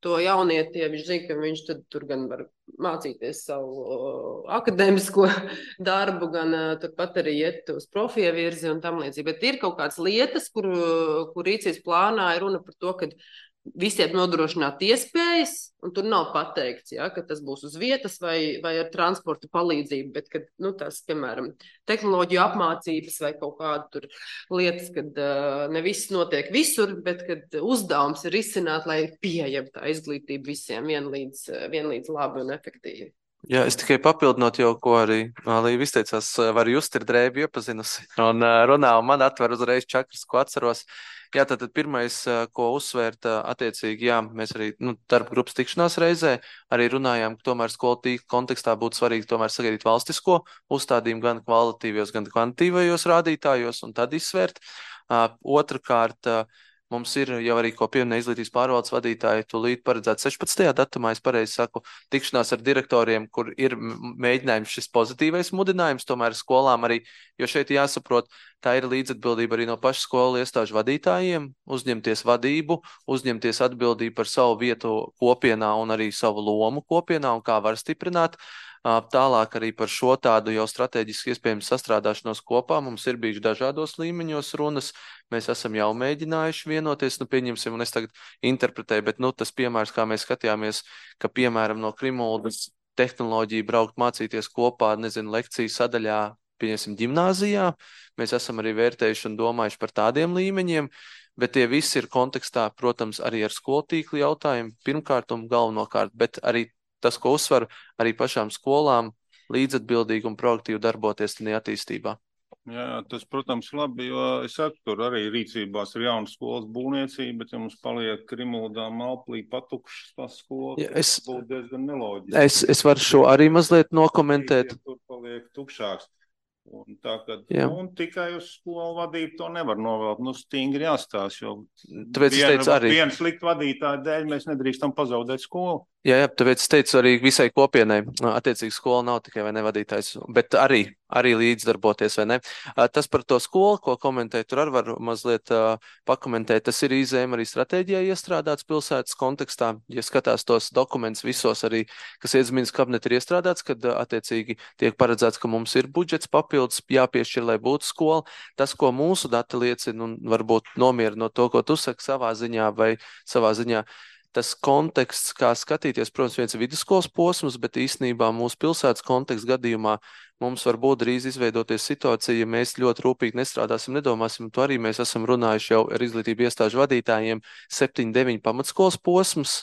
Speaker 2: to jaunieti, ja viņš zina, ka viņš tad tur gan var mācīties savu uh, akadēmisko darbu, gan uh, turpat arī iet uz profievirzi un tam līdzīgi. Bet ir kaut kādas lietas, kur, kur rīcības plānā ir runa par to, ka visiem nodrošināt iespējas, un tur nav pateikts, ja, ka tas būs uz vietas vai, vai ar transporta palīdzību, bet, kad, nu, tās, piemēram, tehnoloģiju apmācības vai kaut kāda tur lietas, kad uh, ne viss notiek visur, bet, kad uzdevums ir izcināt, lai pieejam tā izglītība visiem vienlīdz, vienlīdz labi un efektīvi.
Speaker 8: Jā, es tikai papildinot jau, ko arī Līva izteicās, var just ir drēbi iepazinusi un runā, un man atver uzreiz čakras, ko atceros. Jā, tātad pirmais, ko uzsvērt, attiecīgi, jā, mēs arī, nu, darba grupas tikšanās reizē arī runājām, ka tomēr skolu tīkla kontekstā būtu svarīgi tomēr sagaidīt valstisko uzstādījumu gan kvalitatīvajos, gan kvantitīvajos rādītājos un tad izsvērt. Uh, otrakārt, uh, mums ir jau arī, ko pieminēja izglītības pārvaldes vadītāji, tūlīt paredzēt sešpadsmitajā datumā, es pareizi saku, tikšanās ar direktoriem, kur ir mēģinājums šis pozitīvais mudinājums, tomēr skolām arī, jo šeit jāsaprot, tā ir līdzatbildība arī no pašu skolu iestāžu vadītājiem, uzņemties vadību, uzņemties atbildību par savu vietu kopienā un arī savu lomu kopienā un kā var stiprināt. Tālāk arī par šo tādu jau strateģiski iespējams sastrādāšanos kopā. Mums ir bijuši dažādos līmeņos runas. Mēs esam jau mēģinājuši vienoties, nu pieņemsim, un es tagad interpretēju, bet nu tas piemērs, kā mēs skatījāmies, ka piemēram no Krimuldas tehnoloģija braukt mācīties kopā, nezinu, lekciju sadaļā, pieņemsim, ģimnāzijā. Mēs esam arī vērtējuši un domājuši par tādiem līmeņiem, bet tie visi ir kontekstā, protams, arī ar skolu tīklu jautājumu pirmkārt un galvenokārt, bet arī tas, ko uzsver arī pašām skolām, līdzatbildīgi un proaktīvi darboties tajā attīstībā.
Speaker 7: Jā, tas, protams, labi, jo es saku, tur arī rīcībās ir jauna skolas būvniecība, bet ja mums paliek Krimuldā, Malplī patukšas tās skolas,
Speaker 8: Ja, es,
Speaker 7: tas būtu diezgan neloģiski.
Speaker 8: es, es varu šo arī mazliet nokomentēt.
Speaker 7: Tur paliek tukšāks. Un tā, ka
Speaker 8: Jā.
Speaker 7: nu, tikai uz skolu vadību to nevar novelt. Nu, stingri jāstās, jo
Speaker 8: Tāpēc es teicu arī.
Speaker 7: viena slikta vadītāja dēļ mēs nedrīkstam pazaudēt skolu.
Speaker 8: Jā, jā, tāpēc es teicu arī visai kopienai, attiecīgi skola nav tikai vai nevadītājs, bet arī, arī līdzdarboties, vai ne. Tas par to skolu, ko komentēju, tur arī var mazliet uh, pakomentēt, tas ir izējumi arī stratēģijā iestrādāts pilsētas kontekstā. Ja skatās tos dokumentus visos arī, kas iedzimības kabineti ir iestrādāts, kad uh, attiecīgi tiek paredzēts, ka mums ir budžets papildus jāpiešķir, lai būtu skola. Tas, ko mūsu dati liecina, un varbūt nomierina no to, ko tu saki savā ziņā vai savā ziņā, tas konteksts, kā skatīties, protams, viens ir vidusskolas posms, bet īstenībā mūsu pilsētas konteksta gadījumā mums var būt drīz izveidoties situācija, ja mēs ļoti rūpīgi nestrādāsim, nedomāsim, to arī mēs esam runājuši jau ar izglītību iestāžu vadītājiem, septiņi deviņi pamatskolas posms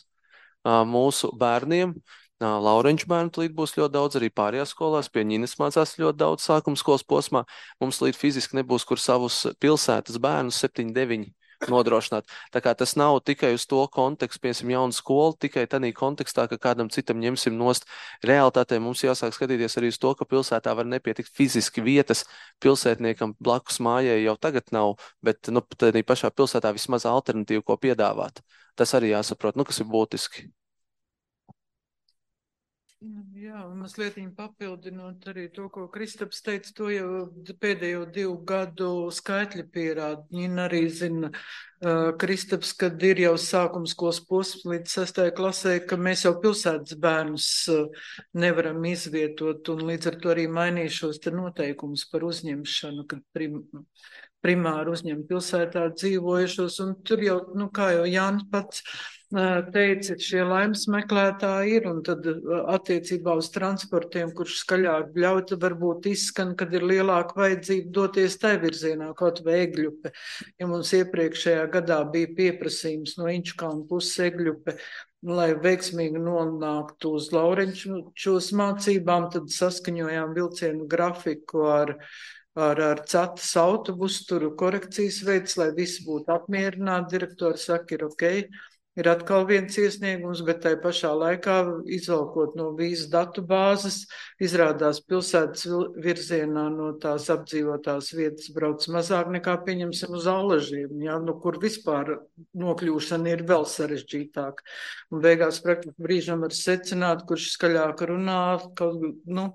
Speaker 8: mūsu bērniem. Laurenču bērnu līdz būs ļoti daudz, arī pārējās skolās, pie Ņinas mācās ļoti daudz sākuma skolas posmā. Mums līdz fiziski nebūs, kur savus pilsētas bērnus septiņi deviņi nodrošināt. Tā kā tas nav tikai uz to kontekstu, piemēram, jaunu skolu, tikai tādā kontekstā, ka kādam citam ņemsim nost. Realitātē mums jāsāk skatīties arī uz to, ka pilsētā var nepietikt fiziski vietas. Pilsētniekam blakus mājai jau tagad nav, bet nu, tādā pašā pilsētā vismaz alternatīvu, ko piedāvāt. Tas arī jāsaprot, nu, kas ir būtiski.
Speaker 5: Jā, mazliet papildinot arī to, ko Kristaps teica, to jau pēdējo divu gadu skaitļi pierāda. Viņa arī zina, uh, Kristaps, kad ir jau sākums skolas posms līdz sestajai klasē, ka mēs jau pilsētas bērnus uh, nevaram izvietot, un līdz ar to arī mainīšos te noteikumus par uzņemšanu, kad prim, primāri uzņem pilsētā dzīvojušos, un tur jau, nu kā jau Jānis pats teica, šie laimes meklētāji ir, un tad attiecībā uz transportiem, kurš skaļāk bļauj, varbūt izskan, kad ir lielāka vajadzība doties tai virzienā, kaut vai Egļupe. Ja mums iepriekšējā gadā bija pieprasījums no Inčukalna puses Egļupe, lai veiksmīgi nonāktu uz Laurenčos mācībām, tad saskaņojām vilcienu grafiku ar ar, ar cetas autobusu, tur korekcijas veids, lai visi būtu apmierināti. Direktori saka, ir ok. Ir atkal viens iesniegums, bet tai pašā laikā izvalkot no vīzu datu bāzes, izrādās pilsētas virzienā no tās apdzīvotās vietas brauc mazāk nekā pieņemsim uz Allažiem, ja, nu, kur vispār nokļūšana ir vēl sarežģītāk. Un beigās praktiski brīžam var secināt, kurš skaļāk runā kaut, nu,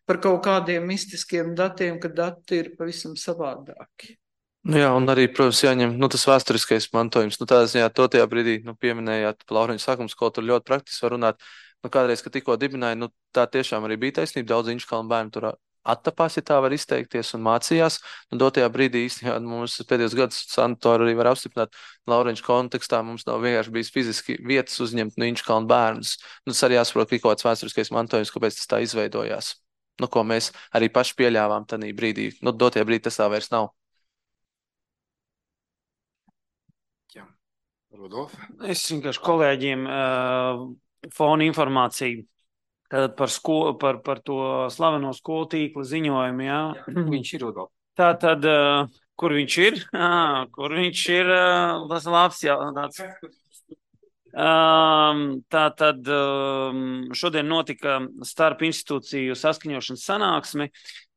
Speaker 5: par kaut kādiem mistiskiem datiem, ka dati ir pavisam savādāki.
Speaker 8: Nu jā, un arī, protams, jāņem nu, tas vēsturiskais mantojums. Nu, tādā ziņā, to tajā brīdī nu, pieminējāt Laureņu sākuma skolu, tur ļoti praktiski var runāt. Nu, kādreiz, kad tikko dibināja, nu, tā tiešām arī bija taisnība. Daudz Inčukalna bērnu tur attapās, ja tā var izteikties, un mācījās. Nu, dotajā brīdī īstenībā mums pēdējos gadus Santora arī var apstiprināt Laureņu kontekstā. Mums nav vienkārši bijis fiziski vietas uzņemt no Inčukalna bērnus. Nu, tas arī jāsaprot, ka kaut kāds vēsturiskais mantojums, kāpēc tas tā izveidojās. Nu, ko mēs arī paši pieļāvām tanī brīdī. Nu, dotajā brīdī tas tā vairs nav.
Speaker 1: Rudolf?
Speaker 6: Es vienkārši kolēģiem uh, fona informāciju tātad par, sko, par, par to slaveno skolu tīkla ziņojumu. Jā.
Speaker 1: Jā, viņš ir Rudolf.
Speaker 6: Tātad, uh, kur viņš ir? Ah, kur viņš ir? Uh, tas labs jautājums. Um, tātad um, šodien notika starp institūciju saskaņošanas sanāksmi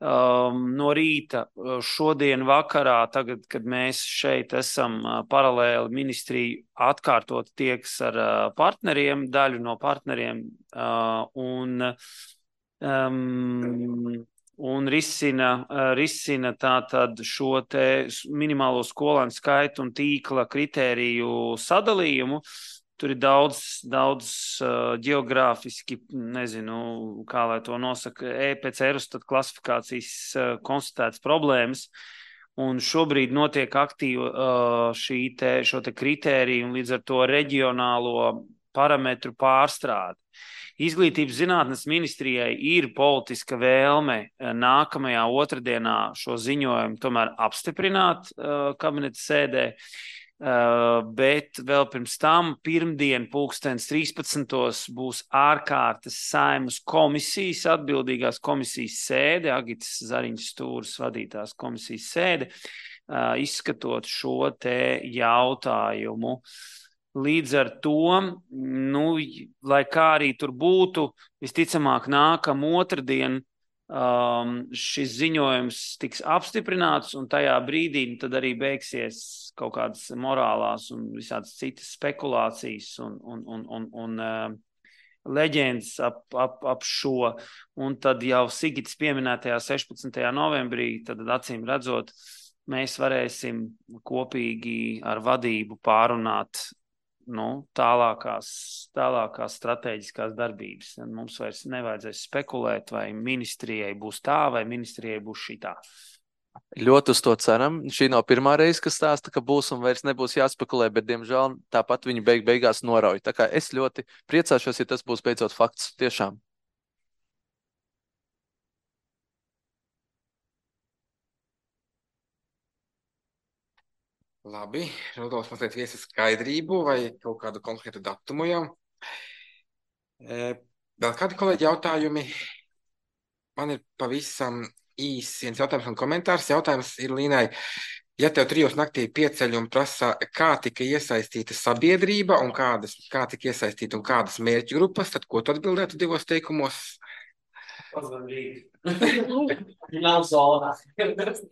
Speaker 6: um, no rīta šodien vakarā, tagad, kad mēs šeit esam uh, paralēli ministriju atkārtot tieks ar uh, partneriem, daļu no partneriem uh, un, um, un risina, uh, risina tātad šo te minimālo skolēnu skaitu un tīkla kritēriju sadalījumu. Tur ir daudz, daudz uh, geogrāfiski, nezinu, kā lai to nosaka, E P C Eurostat klasifikācijas uh, konstatētas problēmas. Un šobrīd notiek aktīva uh, šī te, šo te kritēriju un līdz ar to reģionālo parametru pārstrādi. Izglītības zinātnes ministrijai ir politiska vēlme nākamajā otrdienā šo ziņojumu tomēr apstiprināt uh, kabineta sēdē. Uh, bet vēl pirms tam pirmdien pulkstens trīspadsmitos būs ārkārtas Saeimas komisijas, atbildīgās komisijas sēde, Agitas Zariņas Stūras vadītās komisijas sēde, uh, izskatot šo te jautājumu. Līdz ar to, nu, lai kā arī tur būtu, visticamāk nākam otrdien um, šis ziņojums tiks apstiprināts, un tajā brīdī tad arī beigsies kaut kādas morālās un visādas citas spekulācijas un, un, un, un, un uh, leģendas ap, ap, ap šo. Un tad jau Sigits pieminētajā sešpadsmitajā novembrī, tad acīm redzot, mēs varēsim kopīgi ar vadību pārunāt nu, tālākās, tālākās strateģiskās darbības. Mums vairs nevajadzēs spekulēt, vai ministrijai būs tā, vai ministrijai būs šitā.
Speaker 8: Ļoti uz to ceram. Šī nav pirmā reize, kas stāsta, ka būs un vairs nebūs jāspekulē, bet, diemžēl, tāpat viņi beig beigās norauj. Tā kā es ļoti priecāšos, ja tas būs beidzot fakts. Tiešām.
Speaker 1: Labi, Rudolfs mazliet viesa skaidrību vai kaut kādu konkrētu datumu jau. E, vēl kādi kolēģi jautājumi? Man ir pavisam īsi viens jautājums un komentārs. Jautājums ir Līnai. Ja tev trijos naktī pieceļ un prasa, kā tika iesaistīta sabiedrība un kādas, kā tika iesaistīta un kādas mērķu grupas, tad ko tu atbildētu divos teikumos?
Speaker 9: Nav zona.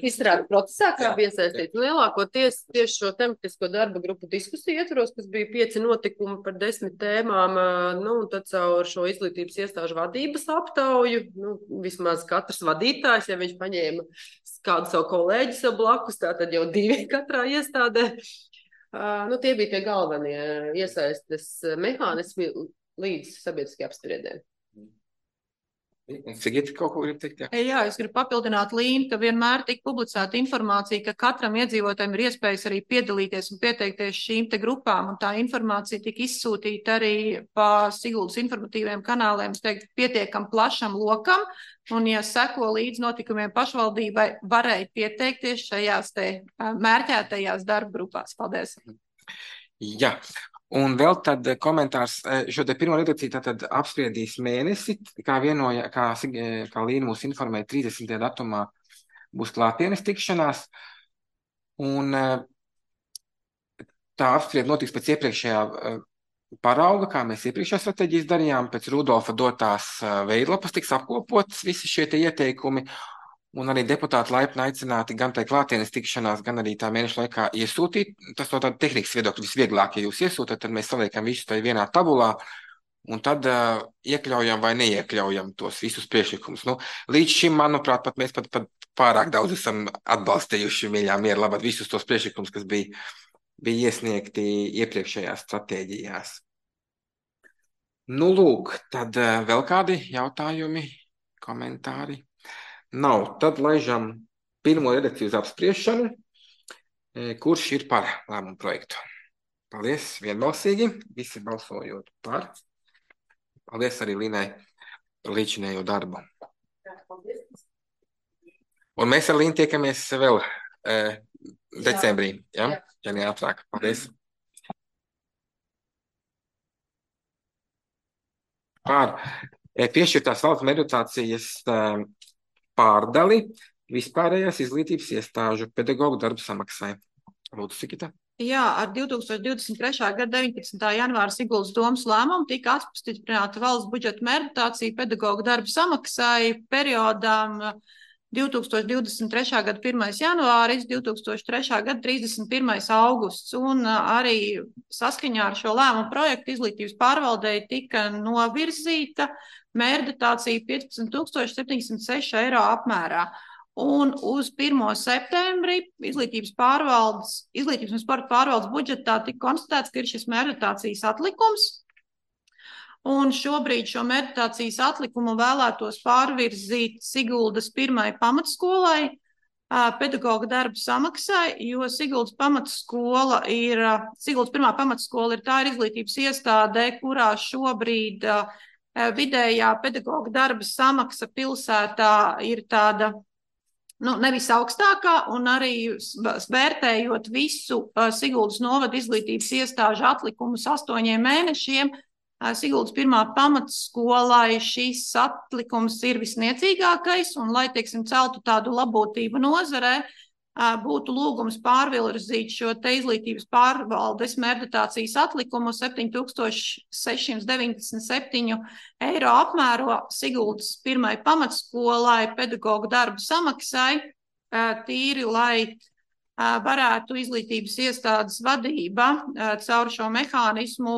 Speaker 2: Izstrādes procesā, kā bija iesaistīts lielākoties tieši šo tematisko darba grupu diskusiju ietvaros, kas bija pieci notikumi par desmit tēmām, nu, un tad caur šo izglītības iestāžu vadības aptauju, nu, vismaz katrs vadītājs, ja viņš paņēma kādu savu kolēģi sev blakus, tā tad jau divi katrā iestādē. Uh, nu, tie bija tie galvenie iesaistes mehānismi līdz sabiedriskajai apspriedē.
Speaker 1: Sigita kaut ko grib teikt? Jā,
Speaker 3: jā es gribu papildināt Līnu, ka vienmēr tika publicēta informācija, ka katram iedzīvotājiem ir iespējas arī piedalīties un pieteikties šīm te grupām, un tā informācija tika izsūtīta arī pa Siguldas informatīviem kanāliem, es teiktu, pietiekam plašam lokam, un, ja seko līdz notikumiem pašvaldībai, varēja pieteikties šajās te mērķētajās darba grupās. Paldies!
Speaker 1: Jā. Un vēl tad komentārs, šo te pirmo redakciju tātad apspriedīs mēnesi, kā vienoja, kā, kā Līna mūs informēja, trīsdesmitajā datumā būs klātienes tikšanās, un tā apspried notiks pēc iepriekšējā parauga, kā mēs iepriekšējā stratēģijas darījām, pēc Rudolfa dotās veidlapas tiks apkopotas visi šie te ieteikumi, un arī deputāti laipni aicināti gan tai klātienes tikšanās, gan arī tā mēneša laikā iesūtīt. Tas no tāda tehnikas viedokļa visvieglāk, ja jūs iesūtat, tad mēs saliekam visu tai vienā tabulā, un tad uh, iekļaujam vai neiekļaujam tos visus priekšlikumus. Nu, līdz šim, manuprāt, pat mēs pat, pat pārāk daudz esam atbalstījuši, mīļā miera labāk, visus tos priekšlikumus, kas bija, bija iesniegti iepriekšējās stratēģijās. Nu, lūk, tad uh, vēl kādi jautājumi, komentāri? Nav. Tad laižam pirmo redakciju uz apspriešanu, kurš ir par lēmumu projektu. Paldies, vienbalsīgi, visi balsojot par. Paldies arī Līnai par līdzinējo darbu. Un mēs ar Līnu tiekamies vēl eh, decembrī, ja? Ja neatrāk. Paldies. Par eh, piešķirtās valsts meditācijas eh, pārdali vispārējās izglītības iestāžu pedagogu darbu samaksai. Lūdzu, Sigita.
Speaker 3: Jā, ar divi tūkstoši divdesmit trešā gada deviņpadsmitā janvāra Siguldas domas lēmumu tika apstiprināta valsts budžeta meditācija pedagogu darbu samaksai periodām divi tūkstoši divdesmit trešā gada pirmais janvāris, divi tūkstoši trešā gada trīsdesmit pirmais augusts, un arī saskaņā ar šo lēmumu projektu izglītības pārvaldei tika novirzīta meditācija piecpadsmit tūkstoši septiņsimt seši eiro apmērā. Un uz pirmo septembri izglītības pārvaldes, izglītības un sporta pārvaldes budžetā tika konstatēts, ka ir šis meditācijas atlikums. Un šobrīd šo meditācijas atlikumu vēlētos pārvirzīt Siguldas pirmai pamatskolai, pedagoga darba samaksai, jo Siguldas pamatskola ir, Siguldas pirmā pamatskola ir tā ir izglītības iestādē, kurā šobrīd vidējā pedagoga darba samaksa pilsētā ir tāda nu, nevis augstākā, un arī vērtējot visu uh, Siguldas novada izglītības iestāžu atlikumus astoņiem mēnešiem, uh, Siguldas pirmā pamatskolai šis atlikums ir visniecīgākais, un lai, teiksim, celtu tādu labotību nozarē, uh, būtu lūgums pārvirzīt šo te izglītības pārvaldes mērķdotācijas atlikumu septiņi tūkstoši seši simti deviņdesmit septiņi eiro apmēro Siguldas pirmai pamatskolai pedagoģu darbu samaksai, tīri, lai varētu izglītības iestādes vadība caur šo mehānismu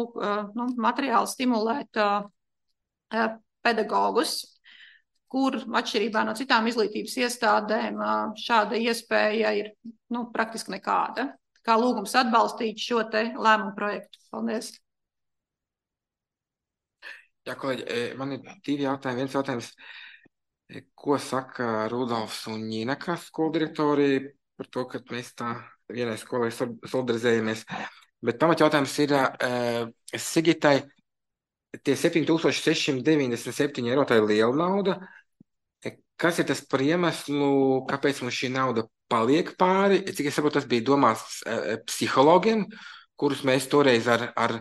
Speaker 3: nu, materiāli stimulēt pedagogus, kur atšķirībā no citām izglītības iestādēm šāda iespēja ir nu, praktiski nekāda. Kā lūgums atbalstīt šo te lēmumu projektu. Paldies.
Speaker 1: Jā, kolēģi, man ir divi jautājumi. Viens jautājums, ko saka Rudolfs un Ņina, kā skolu direktori, par to, ka mēs tā vienai skolai solidarizējamies. Bet pamat jautājums ir uh, Sigitai, tie septiņi tūkstoši seši simti deviņdesmit septiņi eiro, tā ir liela nauda. Kas ir tas par iemeslu, kāpēc mums šī nauda paliek pāri? Cik es saprotu, tas bija domāts uh, psihologiem, kurus mēs toreiz ar, ar,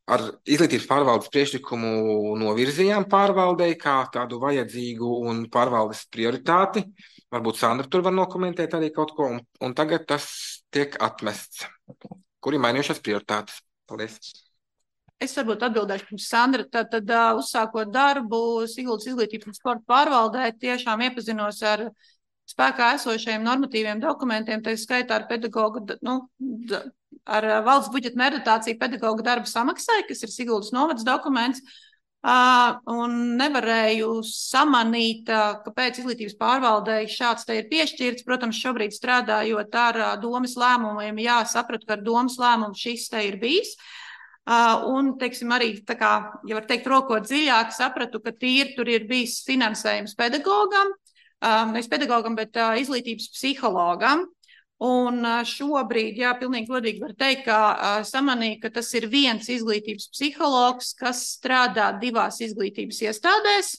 Speaker 1: ar izglītības pārvaldes priekšlikumu novirzījām pārvaldei kā tādu vajadzīgu un pārvaldes prioritāti. Varbūt Sandra tur var nokomentēt arī kaut ko, un, un tagad tas tiek atmests. Kur ir mainījušās prioritātes? Paldies.
Speaker 3: Es varbūt atbildēšu pirms Sandra. Tad, tad uh, uzsākot darbu Siguldas izglītības un sporta pārvaldē, tiešām iepazinos ar spēkā esošajiem normatīviem dokumentiem, tā skaitā ar pedagogu, nu, ar valsts budžeta mērķdotāciju pedagogu darba samaksai, kas ir Siguldas novads dokuments, uh, un nevarēju samanīt, uh, kāpēc izglītības pārvaldei šāds te ir piešķirts. Protams, šobrīd strādājot ar uh, domas lēmumiem, jā, sapratu, ka ar domas lēmumu šis te ir bijis. Uh, un, teiksim, arī, tā kā, ja var teikt, rokot dziļāk, sapratu, ka tīri tur ir bijis finansējums pedagogam, uh, nevis pedagogam, bet uh, izglītības psihologam. Un uh, šobrīd, jā, pilnīgi godīgi var teikt, ka uh, samanīja, ka tas ir viens izglītības psihologs, kas strādā divās izglītības iestādēs,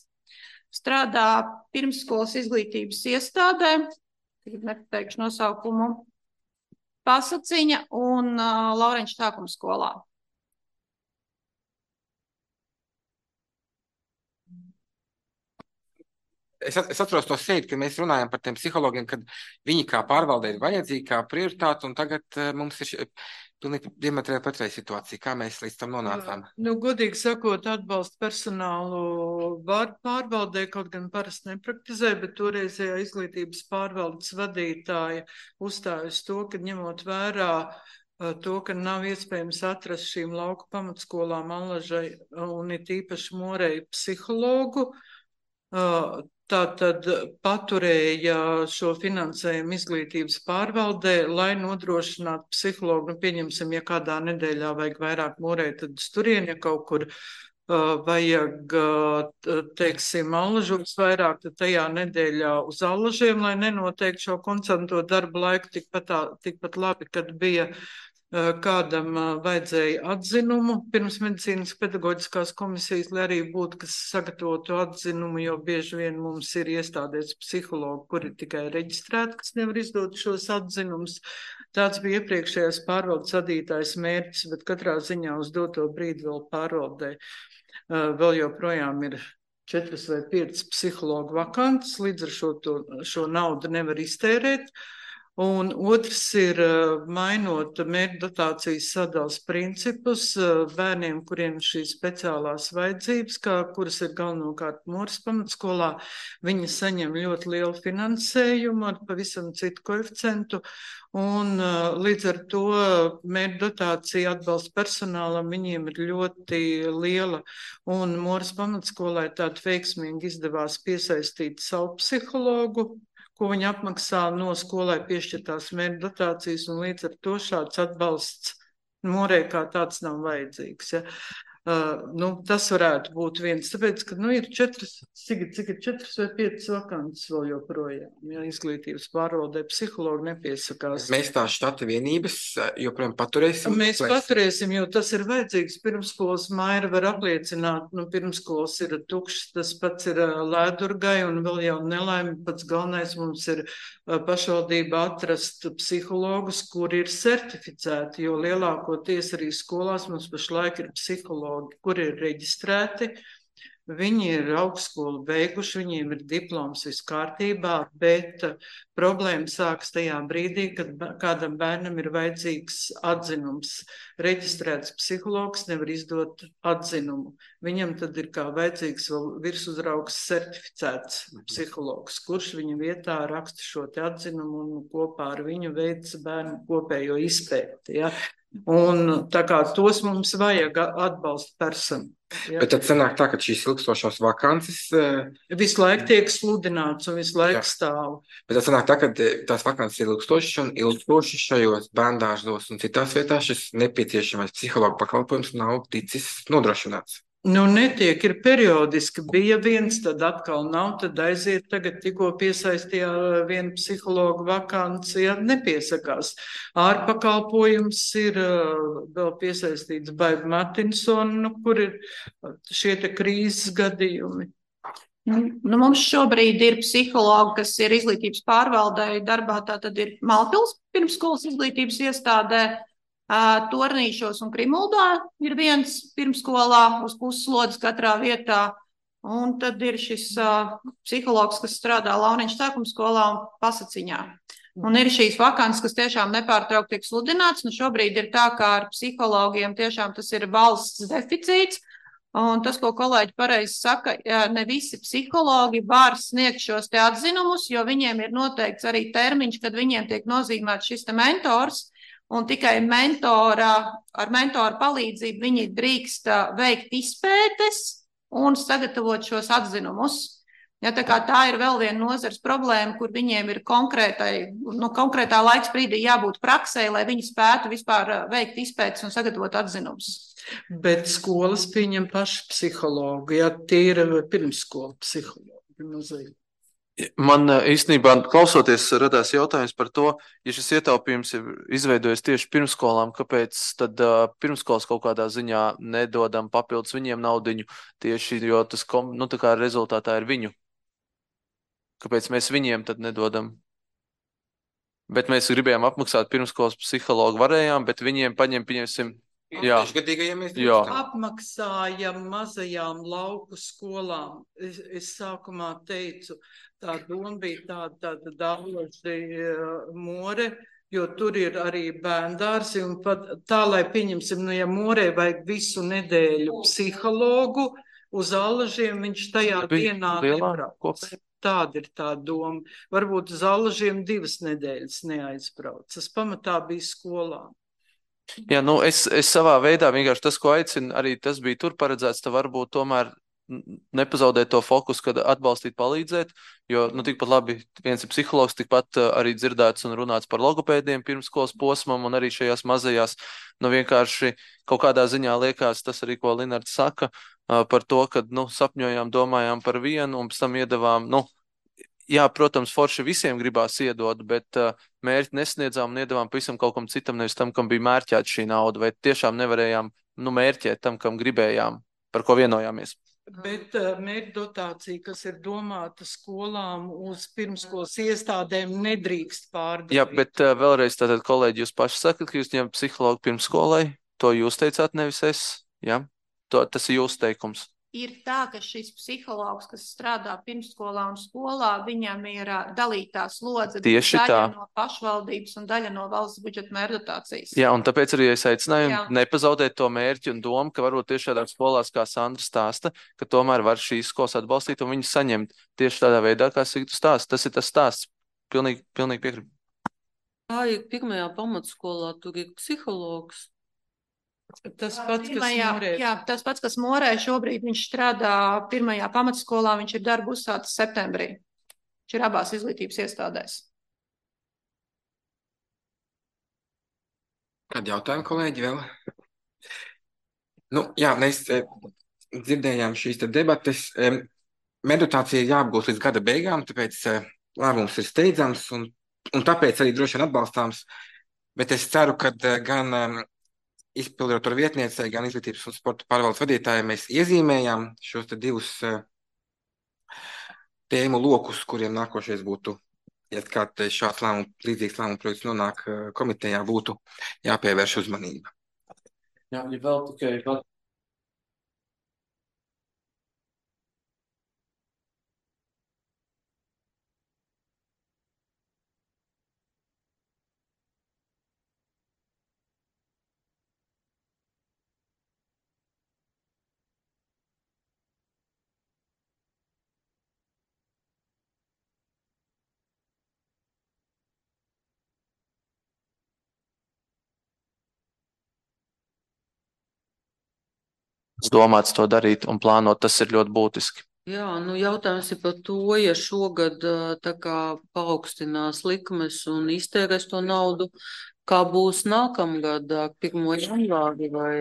Speaker 3: strādā pirmsskolas izglītības iestādē, tagad nepateikšu nosaukumu, Pasaciņa un uh, Laurenča sākuma skolā.
Speaker 1: Es, es atceros to sēdi, kad mēs runājam par tiem psihologiem, kad viņi kā pārvaldē ir vajadzīgi, kā prioritāte, un tagad uh, mums ir pilnīgi diametrāli pretēja situācija. Kā mēs līdz tam nonācām?
Speaker 5: Nu, godīgi sakot, atbalsta personālu pārvaldē, kaut gan parasti nepraktizē, bet toreizējā izglītības pārvaldes vadītāja uzstājas to, ka ņemot vērā uh, to, ka nav iespējams atrast šīm lauku pamatskolām Allažai un it īpaši Morei psihologu, uh, Tātad paturēja šo finansējumu izglītības pārvaldē, lai nodrošinātu psihologu. Nu, pieņemsim, ja kādā nedēļā vajag vairāk Morē, tad uz turieni, ja kaut kur uh, vajag, uh, teiksim, Allažos vairāk, tad tajā nedēļā uz Allažiem, lai nenoteikti šo koncentrēto darbu laiku tikpat, tā, tikpat labi, kad bija kādam vajadzēja atzinumu pirms medicīnas pedagoģiskās komisijas, lai arī būtu, kas sagatavotu atzinumu, jo bieži vien mums ir iestādēs psihologi, kuri tikai reģistrēti, kas nevar izdot šos atzinumus. Tāds bija iepriekšējās pārvaldes vadītājs mērķis, bet katrā ziņā uz doto brīdi vēl pārvaldē vēl joprojām ir četras vai piecas psihologu vakantas, līdz ar šo, to, šo naudu nevar iztērēt. Un otrs ir mainot mērķdotācijas sadales principus bērniem, kuriem šīs speciālās vajadzības, kā, kuras ir galvenokārt Moras pamatskolā, viņi saņem ļoti lielu finansējumu ar pavisam citu koeficientu, un līdz ar to mērķdotācija atbalsta personālam viņiem ir ļoti liela, un Moras pamatskolai tādu veiksmīgi izdevās piesaistīt savu psihologu, ko viņi apmaksā no skolai piešķirtās mērķdotācijas, un līdz ar to šāds atbalsts Morē kā tāds nav vajadzīgs. Ja. Uh, nu, tas varētu būt viens, tāpēc, ka nu, ir četras, cik, cik ir četras vai piecas vakances vēl joprojām. Ja, izglītības pārvaldē psihologi nepiesakās.
Speaker 1: Mēs tās štata vienības joprojām paturēsim.
Speaker 5: Mēs paturēsim, jo tas ir vajadzīgs. Pirmskolas Maira var apliecināt, nu, pirmskolas ir tukšs, tas pats ir Lēdurgai un vēl jau nelaimi. Pats galvenais mums ir pašvaldība atrast psihologus, kuri ir certificēti, jo lielākoties arī skolās mums pašlaik ir psihologi, kuri ir reģistrēti, viņi ir augstskolu beiguši, viņiem ir diploms viss kārtībā, bet problēma sākas tajā brīdī, kad kādam bērnam ir vajadzīgs atzinums. Reģistrēts psihologs nevar izdot atzinumu. Viņam tad ir kā vajadzīgs vēl virsuzraugs certificēts psihologs, kurš viņa vietā raksta šo te atzinumu un kopā ar viņu veic bērnu kopējo izpēti. Ja? Un tā kā tos mums vajag atbalsta personu. Ja?
Speaker 1: Bet tad sanāk tā, ka šīs ilgstošās vakances
Speaker 5: visu laiku tiek sludināts un visu laiku jā. Stāv.
Speaker 1: Bet tad sanāk tā, ka tās vakances ir ilgstošas un ilgstoši šajos bērndārzos un citās vietās šis nepieciešamais psihologa pakalpojums nav ticis nodrošināts.
Speaker 5: Nu, netiek, ir periodiski, bija viens, tad atkal nav, tad aiziet, tagad tikko piesaistījā vienu psihologu vakanci, ja nepiesakās. Ārpakalpojums ir vēl piesaistīts Baiba Martinsona, nu, kur ir šie te krīzes gadījumi.
Speaker 3: Nu, mums šobrīd ir psihologi, kas ir izglītības pārvaldē darbā, tā tad ir Malpils pirmskolas izglītības iestādē, Tornīšos un Krimuldā ir viens pirmskolā uz pusslodzes katrā vietā, un tad ir šis uh, psihologs, kas strādā Launiņš sākumskolā un Pasaciņā. Un ir šīs vakances, kas tiešām nepārtraukti tiek sludināts, un šobrīd ir tā, kā ar psihologiem tiešām tas ir valsts deficīts, un tas, ko kolēģi pareizi saka, ne visi psihologi var sniegt šos te atzinumus, jo viņiem ir noteikts arī termiņš, kad viņiem tiek nozīmēts šis te mentors, un tikai mentora, ar mentora palīdzību viņi drīkst veikt izpētes un sagatavot šos atzinumus. Ja, tā, tā ir vēl viena nozars problēma, kur viņiem ir konkrētai, nu, konkrētā laiks brīdī jābūt praksē, lai viņi spētu vispār veikt izpētes un sagatavot atzinumus.
Speaker 5: Bet skolas pieņem paši psihologu, ja tie ir pirmskola psihologi.
Speaker 8: Man īstenībā klausoties radās jautājums par to, ja šis ietaupījums ir izveidojies tieši pirmskolām, kāpēc tad uh, pirmskolas kaut kādā ziņā nedodam papildus viņiem naudiņu tieši, jo tas nu, tā kā rezultātā ir viņu. Kāpēc mēs viņiem tad nedodam? Bet mēs gribējām apmaksāt pirmskolas psihologu varējām, bet viņiem paņem, pieņemsim, jā. Jā.
Speaker 5: Apmaksājam mazajām lauku skolām. Es, es sākumā teicu, tā doma bija tāda, tāda Dāloži More, jo tur ir arī bērndārsi, un pat tā, lai pieņemsim, nu, ja Morē vajag visu nedēļu psihologu, uz Allažiem viņš tajā dienā nebrauc. Tāda ir tā doma. Varbūt uz Allažiem divas nedēļas neaizbrauc. Tas pamatā bija skolām.
Speaker 8: Jā, nu es, es savā veidā vienkārši tas, ko aicinu, arī tas bija tur paredzēts, tad varbūt tomēr nepazaudēt to fokusu, kad atbalstīt, palīdzēt, jo, nu, tikpat labi, viens ir psihologs, tikpat arī dzirdēts un runāts par logopēdiem pirmskolas posmam un arī šajās mazajās, nu, vienkārši kaut kādā ziņā liekas tas arī, ko Linards saka, par to, kad, nu, sapņojām, domājām par vienu un pēc tam iedavām, nu, jā, protams, forši visiem gribās iedot, bet uh, mērķi nesniedzām un iedavām pavisam kaut kam citam, nevis tam, kam bija mērķēta šī nauda, vai tiešām nevarējām, nu, mērķēt tam, kam gribējām, par ko vienojāmies.
Speaker 5: Bet uh, mērķdotācija, kas ir domāta skolām uz pirmskolas iestādēm, nedrīkst pārdalīt.
Speaker 8: Jā, bet uh, vēlreiz tātad, kolēģi, jūs paši sakat, ka jūs ņemat psihologu pirmskolai, to jūs teicāt, nevis es, jā? To, tas ir jūsu teikums.
Speaker 3: Ir tā, ka šis psihologs, kas strādā pirmskolā un skolā, viņam ir dalītā slodze,
Speaker 8: tieši
Speaker 3: daļa
Speaker 8: tā.
Speaker 3: No pašvaldības un daļa no valsts budžeta mērķdotācijas.
Speaker 8: Jā, un tāpēc arī es aicināju Jā. nepazaudēt to mērķi un domu, ka varbūt tieši tādās skolās, kā Sandra stāsta, ka tomēr var šīs skolas atbalstīt un viņus saņemt tieši tādā veidā, kā Sigtu stāsta. Tas ir tas stāsts. Pilnīgi, pilnīgi piekrītu.
Speaker 10: Tā ir pirmajā pamatskolā, tur ir psihologs.
Speaker 5: Tas pats, kas
Speaker 3: Pirmajā,
Speaker 5: Morē.
Speaker 3: Jā, tas pats, kas Morē šobrīd viņš strādā pirmajā pamatskolā, viņš ir darbu uzsācis septembrī. Viņš ir abās izglītības iestādēs.
Speaker 1: Kādi jautājumi, kolēģi, vēl? Nu, jā, mēs e, dzirdējām šīs te debates. E, meditācija ir jāapgūst līdz gada beigām, tāpēc e, lēmums ir steidzams un, un tāpēc arī droši vien atbalstāms. Bet es ceru, ka e, gan e, izpilddirektora vietniecei, gan izglītības un sporta pārvaldes vadītājai mēs iezīmējām šos te divus e, tēmu lokus, kuriem nākošais būtu, ja kāds šāds lēmums, līdzīgs lēmuma projekts nonāk e, komitejā, būtu jāpievērš uzmanība.
Speaker 9: Jā, ja vēl tikai pat
Speaker 8: domāts to darīt un plānot, tas ir ļoti būtiski.
Speaker 10: Jā, nu jautājums ir par to, ja šogad ā, tā kā paaugstinās likmes un iztērēs to naudu, kā būs nākamgad, ā, pirmo janvāri vai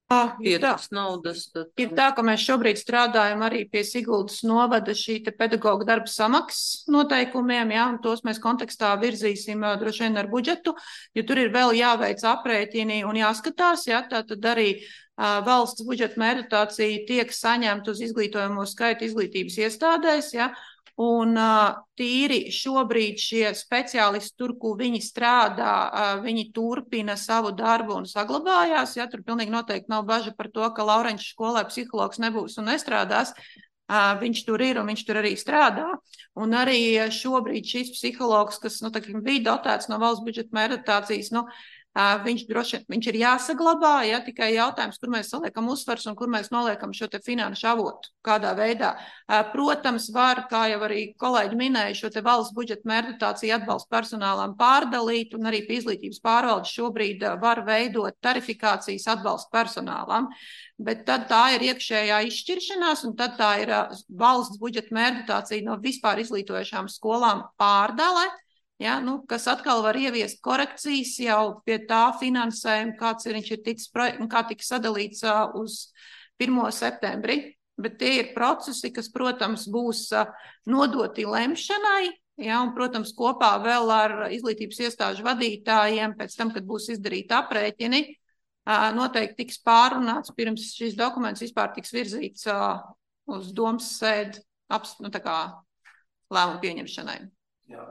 Speaker 3: Ah, ir tā.
Speaker 10: pietas naudas, tad
Speaker 3: Ir tā, ka mēs šobrīd strādājam arī pie Siguldas novada šī te pedagoga darba samaksas noteikumiem, jā, un tos mēs kontekstā virzīsim ā, droši vien ar budžetu, jo tur ir vēl jāveic aprēķini un jāskatās, jā, tā tad arī ā, valsts budžeta meditācija tiek saņemta uz izglītojamo skaitu izglītības iestādēs, jā, un ā, tīri šobrīd šie speciālisti tur, kur viņi strādā, ā, viņi turpina savu darbu un saglabājās, jā, tur pilnīgi noteikti nav baža par to, ka Laurenča skolē psihologs nebūs un nestrādās. Uh, viņš tur ir un viņš tur arī strādā. Un arī šobrīd šis psihologs, kas nu, tā, bija dotēts no valsts budžeta meditācijas, nu, uh, viņš, droši, viņš ir jāsaglabā, ja tikai jautājums, kur mēs saliekam uzsvars un kur mēs noliekam šo te finanšu avotu, kādā veidā. Uh, protams, var, kā jau arī kolēģi minēja, šo te valsts budžeta meditāciju atbalstu personālām pārdalīt, un arī pie izglītības pārvaldes šobrīd uh, var veidot tarifikācijas atbalstu personālam. Bet tad tā ir iekšējā izšķiršanās, un tad tā ir uh, valsts budžeta meditācija no vispār izglītojošām skolām pārdale, ja, nu, kas atkal var ieviest korekcijas jau pie tā finansējuma, kāds ir, viņš ir ticis, kā tika sadalīts uh, uz pirmo septembri. Bet tie ir procesi, kas, protams, būs uh, nodoti lemšanai, ja, un, protams, kopā vēl ar izglītības iestāžu vadītājiem, pēc tam, kad būs izdarīti aprēķini, noteikti tiks pārunāts, pirms šis dokuments vispār tiks virzīts uh, uz domas sēdi nu, tā kā lēmumu pieņemšanai.
Speaker 8: Jā.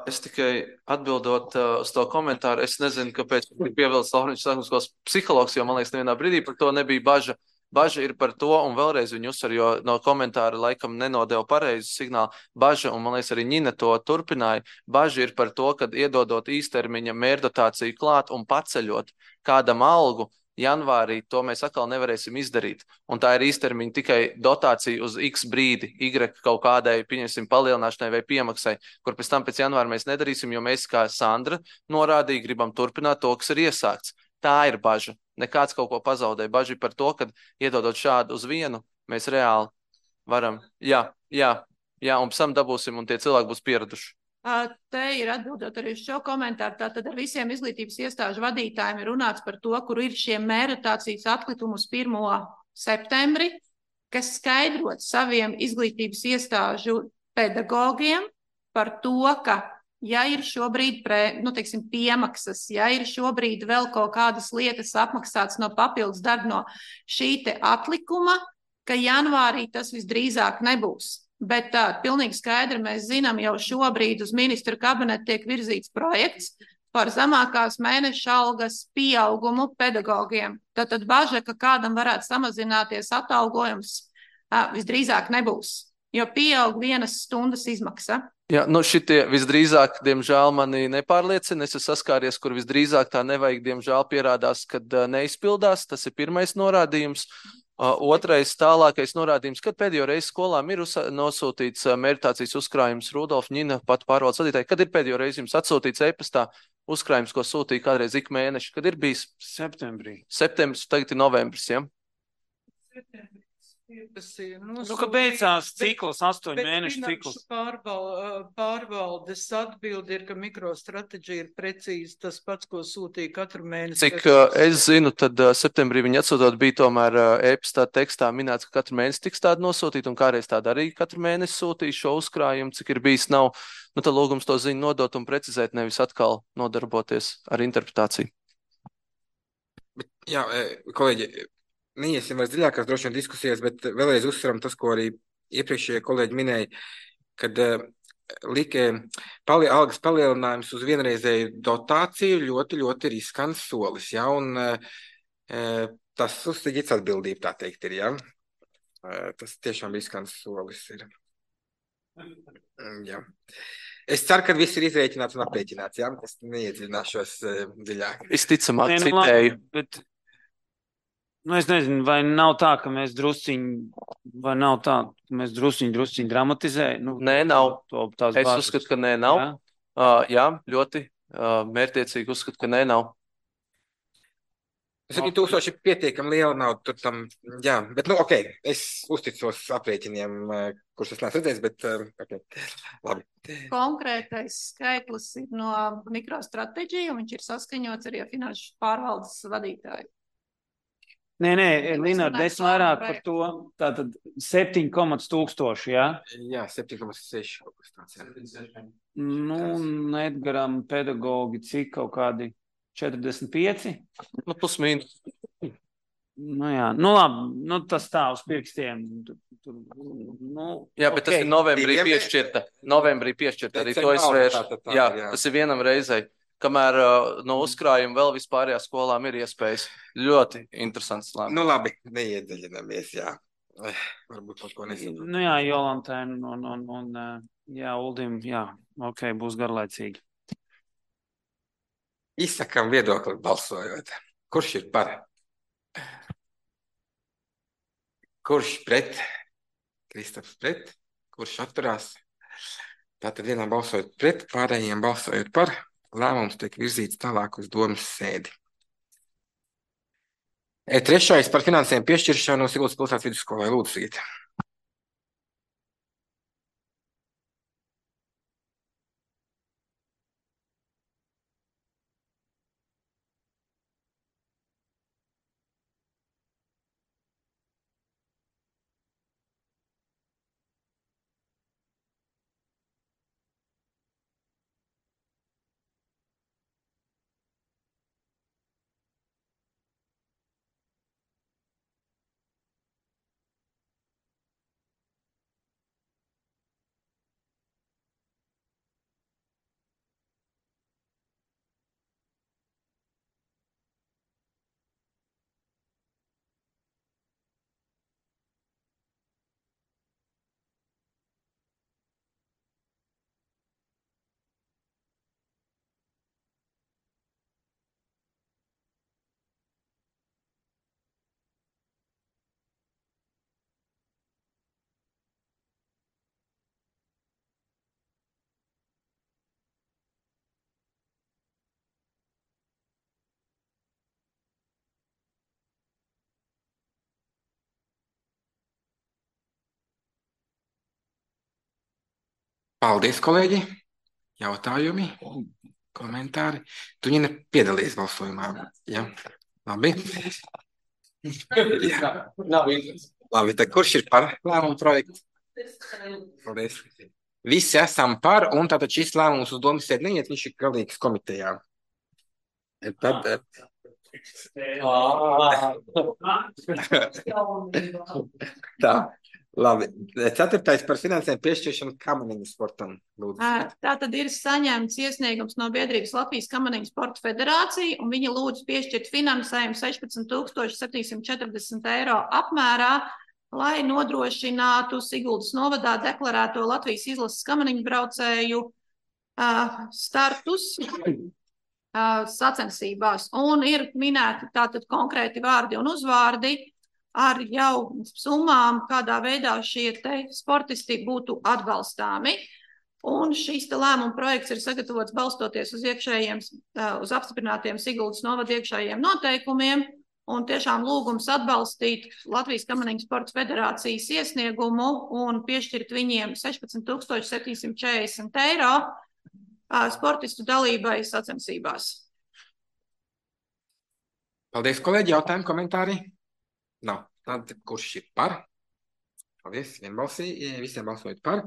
Speaker 8: Es tikai atbildot uh, uz to komentāru, es nezinu, kāpēc ir pievilcis Laurenča sākuma skolas psihologs, jo man liekas, nevienā brīdī par to nebija baža. Baža ir par to, un vēlreiz viņu uzsver, jo no komentāra laikam nenodeva pareizu signālu. Baža, un man liekas, arī Ņina to turpināja, baža ir par to, kad iedodot īstermiņa mērdotāciju klāt un paceļot kādam algu, janvārī to mēs atkal nevarēsim izdarīt. Un tā ir īstermiņa tikai dotācija uz X brīdi, Y kaut kādai, pieņemsim, palielināšanai vai piemaksai, kur pēc tam pēc janvāra mēs nedarīsim, jo mēs, kā Sandra norādīja, gribam turpināt to, kas ir iesākts. Tā ir baža. Nekāds kaut ko pazaudē. Baža ir par to, ka iedodot šādu uz vienu, mēs reāli varam, jā, jā, jā, un pēc tam dabūsim, un tie cilvēki būs pieraduši.
Speaker 3: Te ir atbildot arī uz šo komentāru. Tātad ar visiem izglītības iestāžu vadītājiem ir runāts par to, kur ir šie mērotācijas atkritumi uz pirmo septembri, kas skaidrot saviem izglītības iestāžu pedagogiem par to, ka ja ir šobrīd pre, nu, teiksim, piemaksas, ja ir šobrīd vēl kaut kādas lietas apmaksāts no papildus darba no šī te atlikuma, ka janvārī tas visdrīzāk nebūs. Bet tā, pilnīgi skaidri mēs zinām, jau šobrīd uz ministru kabinetu tiek virzīts projekts par zemākās mēneša algas pieaugumu pedagogiem. Tātad baža, ka kādam varētu samazināties atalgojums, visdrīzāk nebūs, jo pieaug vienas stundas izmaksa.
Speaker 8: Jā, nu šitie visdrīzāk, diemžēl, mani nepārliecina. Es esmu saskāries, kur visdrīzāk tā nevajag, diemžēl, pierādās, kad neizpildās. Tas ir pirmais norādījums. Uh, otrais tālākais norādījums, kad pēdējo reizi skolām ir uz, nosūtīts uh, meditācijas uzkrājums Rudolf Ņina, pat pārvaldes vadītāji. Kad ir pēdējo reizi jums atsūtīts e-pastā uzkrājums, ko sūtīja kādreiz ik mēneši? Kad ir bijis?
Speaker 6: Septembrī.
Speaker 8: Septembris, tagad ir novembris, ja?
Speaker 3: Septembris.
Speaker 5: Nu,
Speaker 6: ka beidzās cikls, astoņu mēnešu cikls.
Speaker 5: Pārval, pārvaldes atbildi ir, ka mikrostrateģija ir precīzi tas pats, ko sūtīja katru mēnesi.
Speaker 8: Cik uh, es zinu, tad uh, septembrī viņi atsūtot bija tomēr uh, e-pastā tekstā minēts, ka katru mēnesi tiks tāda nosūtīta, un kādreiz tāda arī katru mēnesi sūtīja šo uzkrājumu, cik ir bijis nav. Nu, tad lūgums to ziņu nodot un precizēt, nevis atkal nodarboties ar interpretāciju.
Speaker 1: Bet, jā, kolēģi, neiesim vairs dziļākās droši vien diskusijas, bet vēlreiz uzsveram tas, ko arī iepriekšējie kolēģi minēja, kad uh, lika pali, algas palielinājums uz vienreizēju dotāciju ļoti, ļoti riskants solis, ja, un uh, tas uz Sigits atbildība, tā teikt, ir, ja. Uh, tas tiešām riskants solis ir. Jā. Es ceru, ka viss ir izrēķināts un aprēķināts, jā, es neiedziļināšos uh, dziļāk.
Speaker 8: Visticamāk,
Speaker 6: Nē, nu,
Speaker 8: citēju.
Speaker 6: labi, bet... Nu, es nezinu, vai nav tā, ka mēs drusciņi, vai nav tā, ka mēs drusciņi, drusciņi dramatizējam? Nu,
Speaker 8: Nē, nav.
Speaker 6: To, tās
Speaker 8: es
Speaker 6: bažas.
Speaker 8: uzskatu, ka nē, nav.
Speaker 6: Jā?
Speaker 8: Uh, jā, ļoti uh, mērķiecīgi uzskatu, ka nē, nav.
Speaker 1: septiņi tūkstoši ir pietiekami liela nauda, tur tam, jā, bet, nu, ok, es uzticos aprēķiniem, kurus es neesmu redzējis, bet, ok, labi.
Speaker 3: Konkrētais skaitlis ir no mikrostrateģija, un viņš ir saskaņots arī ar finanšu pārvaldes vadītāju.
Speaker 6: Nē, nē, Linārd, es vairāk par to, tātad septiņi komats tūkstoši, jā?
Speaker 1: Jā, septiņi komats seši kaut kas tāds, jā.
Speaker 6: Nu, Edgaram pedagogi cik kaut kādi četrdesmit pieci?
Speaker 8: Nu, plus mīnus.
Speaker 6: Nu jā, nu labi, nu tas tā uz pirkstiem. Tur, tur, nu,
Speaker 8: jā, bet okay. Tas ir novembrī piešķirta. Novembrī piešķirta, arī to es vēršu. Tā, tā, tā, jā, jā, tas ir vienam reizei. Kamēr uh, no uzkrājuma vēl vispārējā skolām ir iespējas. Ļoti interesants lēmums.
Speaker 1: Nu labi, neiedziļinamies, jā. Varbūt kaut ko nesaprotu.
Speaker 6: Nu jā, Jolantai un, un, un, un jā, Uldim, jā, ok, būs garlaicīgi.
Speaker 1: Izsakam viedokli balsojot. Kurš ir par? Kurš pret? Kristaps pret? Kurš atturās? Tātad vienam balsojot pret, pārējiem balsojot par. Lēmums tiek virzīts tālāk uz domas sēdi. E, trešais par finansējumu piešķiršanu Siguldas pilsētas vidusskolai. Lūdzu, Sigita. Paldies, kolēģi. Jautājumi, komentāri. Tu viņa piedalījies balsojumā. Jā, labi. Jā. Labi, tad kurš ir par lēmumu projektu? Paldies. Visi esam par, un tātad šis lēmums uz domas sēdi neiet, viņš ir galīgs komitejā. Tad... Tā. Labi. Ceturtais par finansējumu piešķiršanu kamaniņu sportam. Lūdzu.
Speaker 3: Tā tad ir saņemts iesniegums no biedrības Latvijas kamaniņu sporta federācija, un viņi lūdz piešķirt finansējumu sešpadsmit tūkstoši septiņsimt četrdesmit eiro apmērā, lai nodrošinātu Siguldas novadā deklarēto Latvijas izlases kamaniņu braucēju uh, startus uh, sacensībās. Un ir minēti tātad konkrēti vārdi un uzvārdi, ar jau summām, kādā veidā šie te sportisti būtu atbalstāmi. Un šīs te lēmuma projekts ir sagatavots balstoties uz iekšējiem, uz apstiprinātiem Siguldas novada iekšējiem noteikumiem, Un tiešām lūgums atbalstīt Latvijas Kamaniņu sporta federācijas iesniegumu un piešķirt viņiem sešpadsmit tūkstoši septiņsimt četrdesmit eiro sportistu dalībai sacensībās.
Speaker 1: Paldies, kolēģi. Jautājumi, komentāri? Nav. Tad kurš ir par? Paldies, vienbalsī, visiem balsojot par.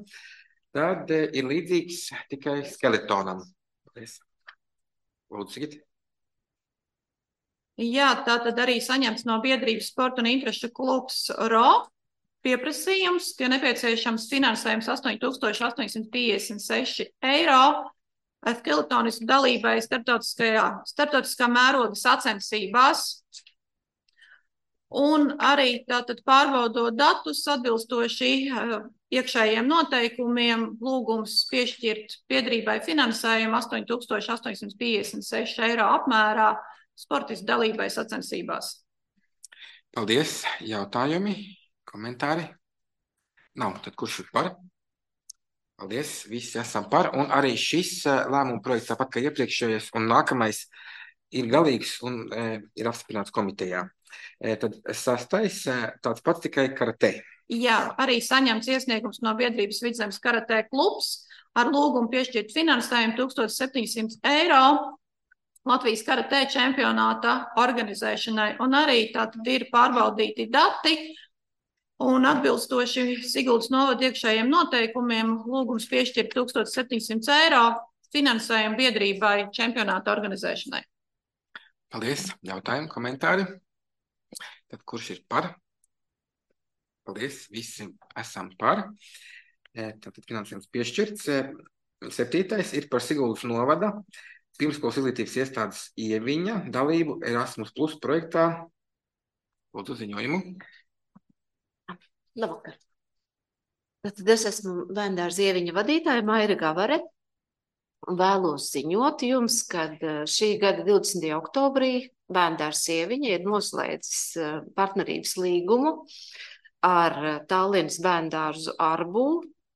Speaker 1: Tad ir līdzīgs tikai skeletonam. Paldies. Lūdzu, Sigit.
Speaker 3: Jā, tā tad arī saņemts no biedrības sporta un interešu klubs R O pieprasījums, ka nepieciešams finansējums astoņi tūkstoši astoņsimt piecdesmit seši eiro skeletonisku dalībai starptautiskajā, starptautiskā mēroga sacensībās. Un arī tātad pārbaudot datus atbilstoši iekšējiem noteikumiem, lūgums piešķirt biedrībai finansējumu astoņi tūkstoši astoņsimt piecdesmit seši eiro apmērā sportistu dalībai sacensībās.
Speaker 1: Paldies. Jautājumi, komentāri? Nav. Tad kurš ir par? Paldies. Visi esam par. Un arī šis lēmuma projekts, tāpat kā iepriekšējais un nākamais, ir galīgs un e, ir apstiprināts komitejā. E, tad sastais tāds pats tikai karatē.
Speaker 3: Jā, arī saņemts iesniegums no biedrības Vidzemes karatē klubs ar lūgumu piešķirt finansējumu tūkstoš septiņsimt eiro Latvijas karatē čempionāta organizēšanai. Un arī tātad ir pārbaudīti dati un atbilstoši Siguldas novada iekšējiem noteikumiem lūgums piešķirt tūkstoš septiņsimt eiro finansējumu biedrībai čempionāta organizēšanai.
Speaker 1: Paldies. Jautājumi, komentāri? Tad kurš ir par? Paldies. Visi esam par. Tātad finansējums piešķirts. Septītais ir par Siguldas novada pirmskolas izglītības iestādes Ieviņa dalību Erasmus Plus projektā. Lūdzu ziņojumu.
Speaker 11: Labvakar. Tad es esmu Bērndārza Ieviņa vadītāja Maira Gavare un vēlos ziņot jums, kad šī gada divdesmitajā oktobrī Bērndārza Ieviņa ir noslēdzis partnerības līgumu ar Tallinas bērndārzu Arbu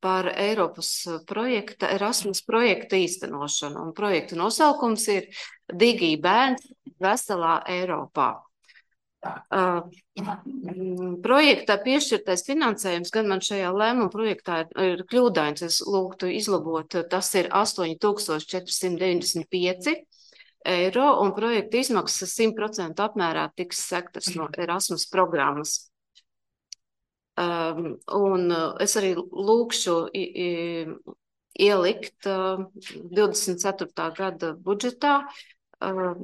Speaker 11: par Eiropas projekta, Erasmus projekta īstenošanu. Un projekta nosaukums ir Digi bērns veselā Eiropā. Uh, projektā piešķirtais finansējums, gan man šajā lēmuma projektā ir, ir kļūdains, es lūgtu izlabot, tas ir astoņi tūkstoši četri simti deviņdesmit pieci eiro, un projekta izmaksas simt procentu apmērā tiks sektas no Erasmus programmas. Um, un es arī lūkšu i, i, ielikt uh, divdesmit ceturtā gada budžetā uh,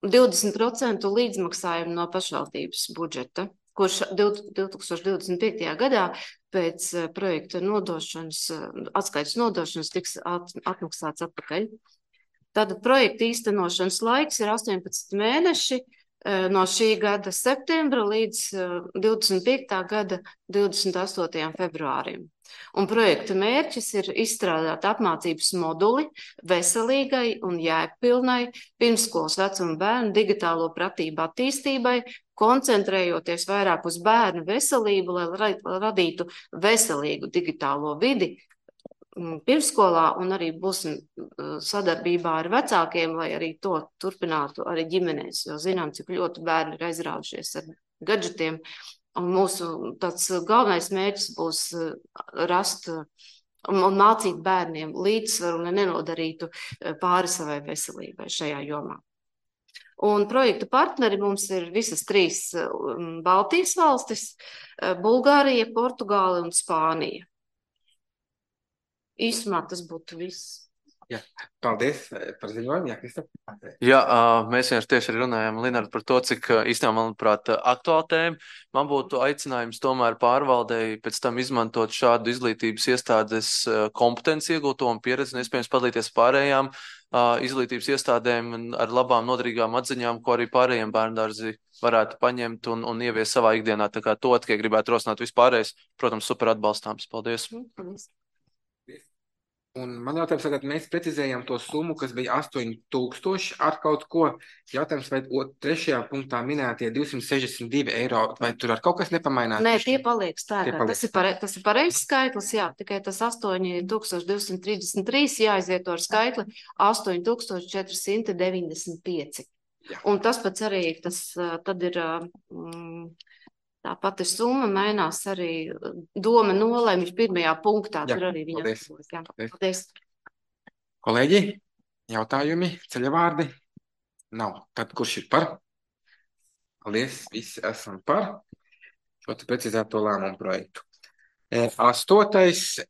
Speaker 11: divdesmit procentu līdzmaksājumu no pašvaldības budžeta, kurš divi tūkstoši divdesmit piektajā gadā pēc uh, projekta nodošanas, uh, atskaites nodošanas tiks at, atmaksāts atpakaļ. Tātad projekta īstenošanas laiks ir astoņpadsmit mēneši, no šī gada septembra līdz divdesmit piektā gada divdesmit astotajam februārim. Un projekta mērķis ir izstrādāt apmācības moduli veselīgai un jēgpilnai pirmsskolas vecuma bērnu digitālo pratību attīstībai, koncentrējoties vairāk uz bērnu veselību, lai radītu veselīgu digitālo vidi pirmsskolā, un arī būsim sadarbībā ar vecākiem, lai arī to turpinātu arī ģimenēs, jo zinām, cik ļoti bērni ir aizraujušies ar gadžetiem. Un mūsu tāds galvenais mērķis būs rast un mācīt bērniem līdzsvaru, lai nenodarītu pāri savai veselībai šajā jomā. Un projekta partneri mums ir visas trīs Baltijas valstis - Bulgārija, Portugāla un Spānija. Īsumā tas būtu viss.
Speaker 1: Jā, paldies par ziņojumu. Jā, Kristap.
Speaker 8: Jā, mēs vienkārši tieši arī runājām, Linard, par to, cik īstenībā, manuprāt, aktuāla tēma. Man būtu aicinājums tomēr pārvaldēji pēc tam izmantot šādu izglītības iestādes kompetenci iegūto un pieredzi, un iespējams padalīties pārējām izglītības iestādēm ar labām, noderīgām atziņām, ko arī pārējiem bērndārzi varētu paņemt un, un ievies savā ikdienā. Tā kā to tikai gribētu rosināt vispārējais, protams, super atbalstāms. Paldies.
Speaker 11: Paldies.
Speaker 1: Un man jautājums, tagad mēs precizējam to summu, kas bija astoņi tūkstoši ar kaut ko. Jautājums, vai trešajā punktā minētie divsimt sešdesmit divi eiro, vai tur ar kaut kas nepamainās?
Speaker 11: Nē, tie paliek spēkā. Tas ir, pare, tas ir pareizs skaitlis, jā, tikai tas astoņi tūkstoši divsimt trīsdesmit trīs jāizvieto ar skaitli astoņi tūkstoši četri simti deviņdesmit pieci. Un tas pats arī, tas tad ir, mm, tā pati summa mainās arī doma nolēma pirmajā punktā,
Speaker 1: Jā,
Speaker 11: tur arī viņa.
Speaker 1: paldies.
Speaker 11: Jā,
Speaker 1: Paldies.
Speaker 11: paldies.
Speaker 1: Kolēģi, jautājumi, ceļavārdi? Nav. Tad kurš ir par? Paldies, visi esam par šo te precizēto lēmumu projektu. E, astotais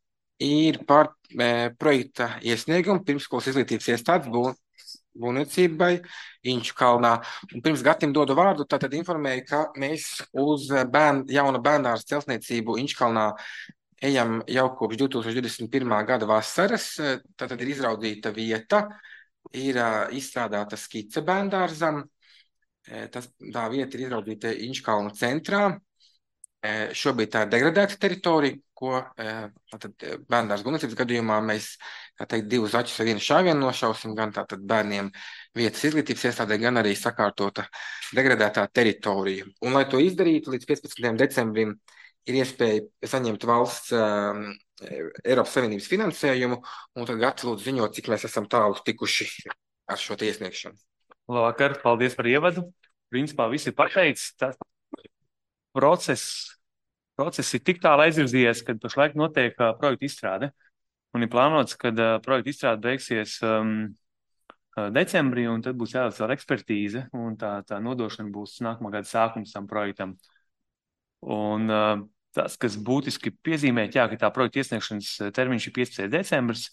Speaker 1: ir par e, projekta iesniegumu pirmskolas izglītības iestādes bū, būvniecībai Inču kalnā. Un pirms Gatim dodu vārdu, tātad informēju, ka mēs uz bērn, jauna bērnāras celtniecību Inču kalnā ejam jau kopš divi tūkstoši divdesmit pirmā gada vasaras. Tātad ir izraudzīta vieta, ir uh, izstrādāta skice bērndārzam. E, tas, tā vieta ir izraudzīta Inču kalnu centrā. E, šobrīd tā ir degradēta teritorija, ko e, tātad bērndārs būvniecības gadījumā mēs, tā teikt, divus zaķus ar vienu šāvienu nošausim, gan tātad bērniem vietas izglītības iestādē, gan arī sakārtota degradētā teritorija. Un, lai to izdarītu, līdz piecpadsmitajam decembrim ir iespēja saņemt valsts um, Eiropas Savienības finansējumu, un tad Gati lūdzu ziņot, cik mēs esam tālu tikuši ar šo te iesniegšanu.
Speaker 12: Labvakar, paldies par ievadu. Principā viss ir pateicis. Tas process, process ir tik tālu aizvirzījies, kad pašlaik notiek uh, projekta izstrāde. Un ir plānots, kad uh, projekta izstrāde beigsies um, uh, decembrī, un tad būs jāveic vēl ekspertīze, un tā, tā nodošana būs nākamā gada sākums tam projektam. Un uh, tas, kas būtiski piezīmēt, jā, ka tā projekta iesniegšanas termiņš ir piecpadsmitais decembris,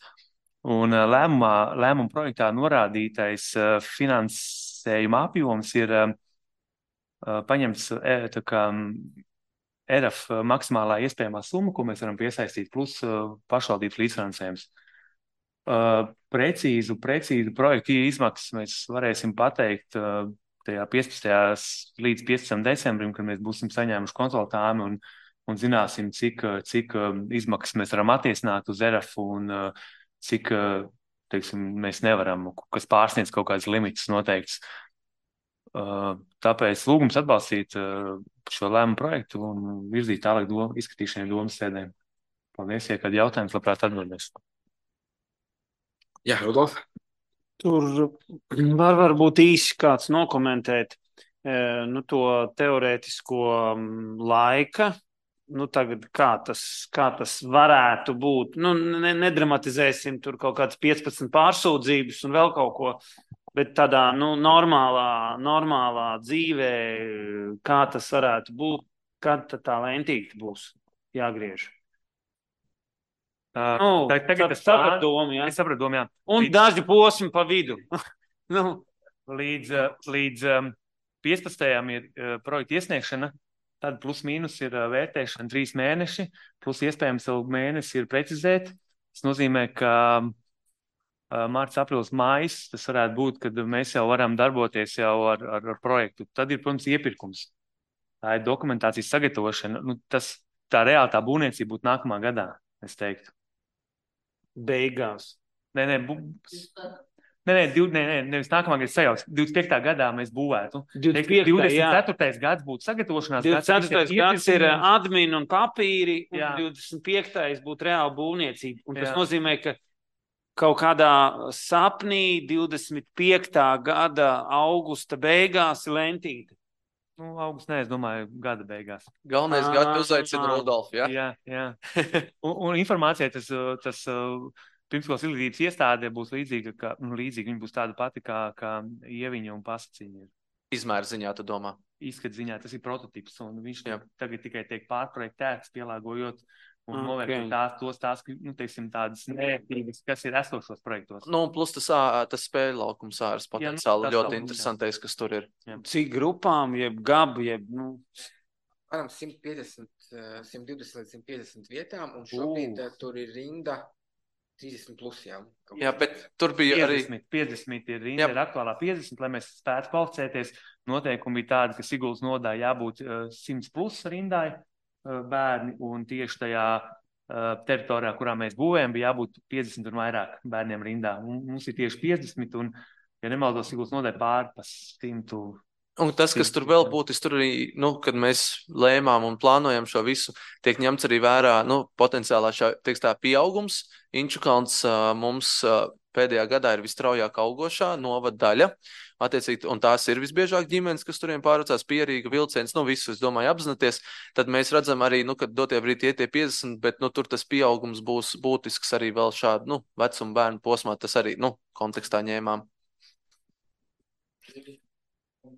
Speaker 12: un uh, lēmumā, lēmuma projektā norādītais uh, finansējuma apjoms ir uh, uh, paņemts uh, tā kā E R F maksimālā iespējamā summa, ko mēs varam piesaistīt, plus uh, pašvaldības līdzfinansējums. Uh, precīzu, precīzu projektu izmaksas mēs varēsim pateikt uh, tajā piecpadsmitajā līdz piecpadsmitajam decembrim, kad mēs būsim saņēmuši konsultājumu un, un zināsim, cik, cik izmaksas mēs varam attiecināt uz E R F un cik, teiksim, mēs nevaram, kas pārsniedz kaut kādas limitus noteikts. Tāpēc lūgums atbalstīt šo lēmumu projektu un virzīt tālāk dom, izskatīšanai domas sēdēm. Paldies, ja kādi jautājums, labprāt atbildēs.
Speaker 1: Jā, Rudolf.
Speaker 6: Tur var varbūt īsi kāds nokomentēt nu, to teorētisko laika. Nu, tagad kā tas, kā tas varētu būt. Nu, ne, nedramatizēsim tur kaut kādas piecpadsmit pārsūdzības un vēl kaut ko, bet tādā nu, normālā, normālā dzīvē, kā tas varētu būt, kad tā lentīte būs jāgriež. Uh, nu, tagad es sapratu domu, jā. Es sapratu domu, jā. Un līdz... daži posmi pa vidu. nu, līdz līdz um, piecpadsmitajam ir uh, projekta iesniegšana, tad plus mīnus ir uh, vērtēšana trīs mēneši, plus iespējams vēl mēnesi ir precizēt. Tas nozīmē, ka uh, mārts, aprīlis, mājas, tas varētu būt, kad mēs jau varam darboties jau ar, ar, ar projektu. Tad ir, protams, iepirkums. Tā ir dokumentācijas sagatavošana. Nu, tas, tā reāli tā būvniecība būtu nākamā gadā, es teiktu. Beigās. Nē, nē, bu... nē, nē, div... nē, nē, nevis nākamā gada sajauks. divdesmit piektā gadā mēs būvētu. divdesmit ceturtais gads būtu sagatavošanās gads. divdesmit ceturtais gads ir admin un papīri, un jā. divdesmit piektais būtu reāla būvniecība. Un tas jā. Nozīmē, ka kaut kādā sapnī divdesmit piektā gada augusta beigās ir lentīte. Nu, augusts, nē, es domāju, gada beigās.
Speaker 8: Galvenais ah, gadu uzaicina Rudolfu, jā?
Speaker 6: Jā, jā. un, un informācija, tas, tas pirmskolas izglītības iestāde būs līdzīga, ka, nu, līdzīga, viņa būs tāda pati, kā, kā Ieviņa un Pasaciņa.
Speaker 8: Izmēra ziņā, tu domā?
Speaker 6: Izskat ziņā, tas ir prototips, un viņš jā. Tagad tikai tiek pārprojektēts, pielāgojot un okay. novērtēt tās, tos tās, nu, teiksim, tādas nērtības, kas ir esošos projektos.
Speaker 8: Nu, plus tas, tas spēļu laukums āras potenciāli jā, nu, ļoti interesantais, jā. Kas tur ir.
Speaker 6: Jā. Cik grupām, jeb gabu, jeb, nu...
Speaker 1: Varam simt piecdesmit, simt divdesmit līdz simt piecdesmit vietām, un šobrīd uh. tur ir rinda trīsdesmit plus, jā.
Speaker 8: Jā, bet tur bija
Speaker 6: piecdesmit, arī... piecdesmit ir rinda, jā. Ir aktuālā piecdesmit, lai mēs spētu kvalificēties. Noteikumi bija tādi, ka Siguldas nodā jābūt uh, simts plus rindai. Bērni, un tieši tajā uh, teritorijā, kurā mēs būvējam, bija jābūt piecdesmit un vairāk bērniem rindā. Un mums ir tieši piecdesmit, un, ja nemaldos, Siguldas nodē pāri pa simtu.
Speaker 8: Un tas, kas tur vēl būtis, tur arī, nu, kad mēs lēmām un plānojam šo visu, tiek ņemts arī vērā, nu, potenciālā šā, teiks tā, pieaugums. Inčukalns uh, mums uh, pēdējā gadā ir vistraujāk augošā novada daļa, attiecīgi, un tās ir visbiežāk ģimenes, kas turiem pārvācās Pierīga, Vilciens, nu visu, es domāju, apzināties, tad mēs redzam arī, nu, kad dotie brīdī iet tie piecdesmit, bet, nu, tur tas pieaugums būs būtisks arī vēl šādu, nu, vecumu bērnu posmā, tas arī, nu, kontekstā ņēmām.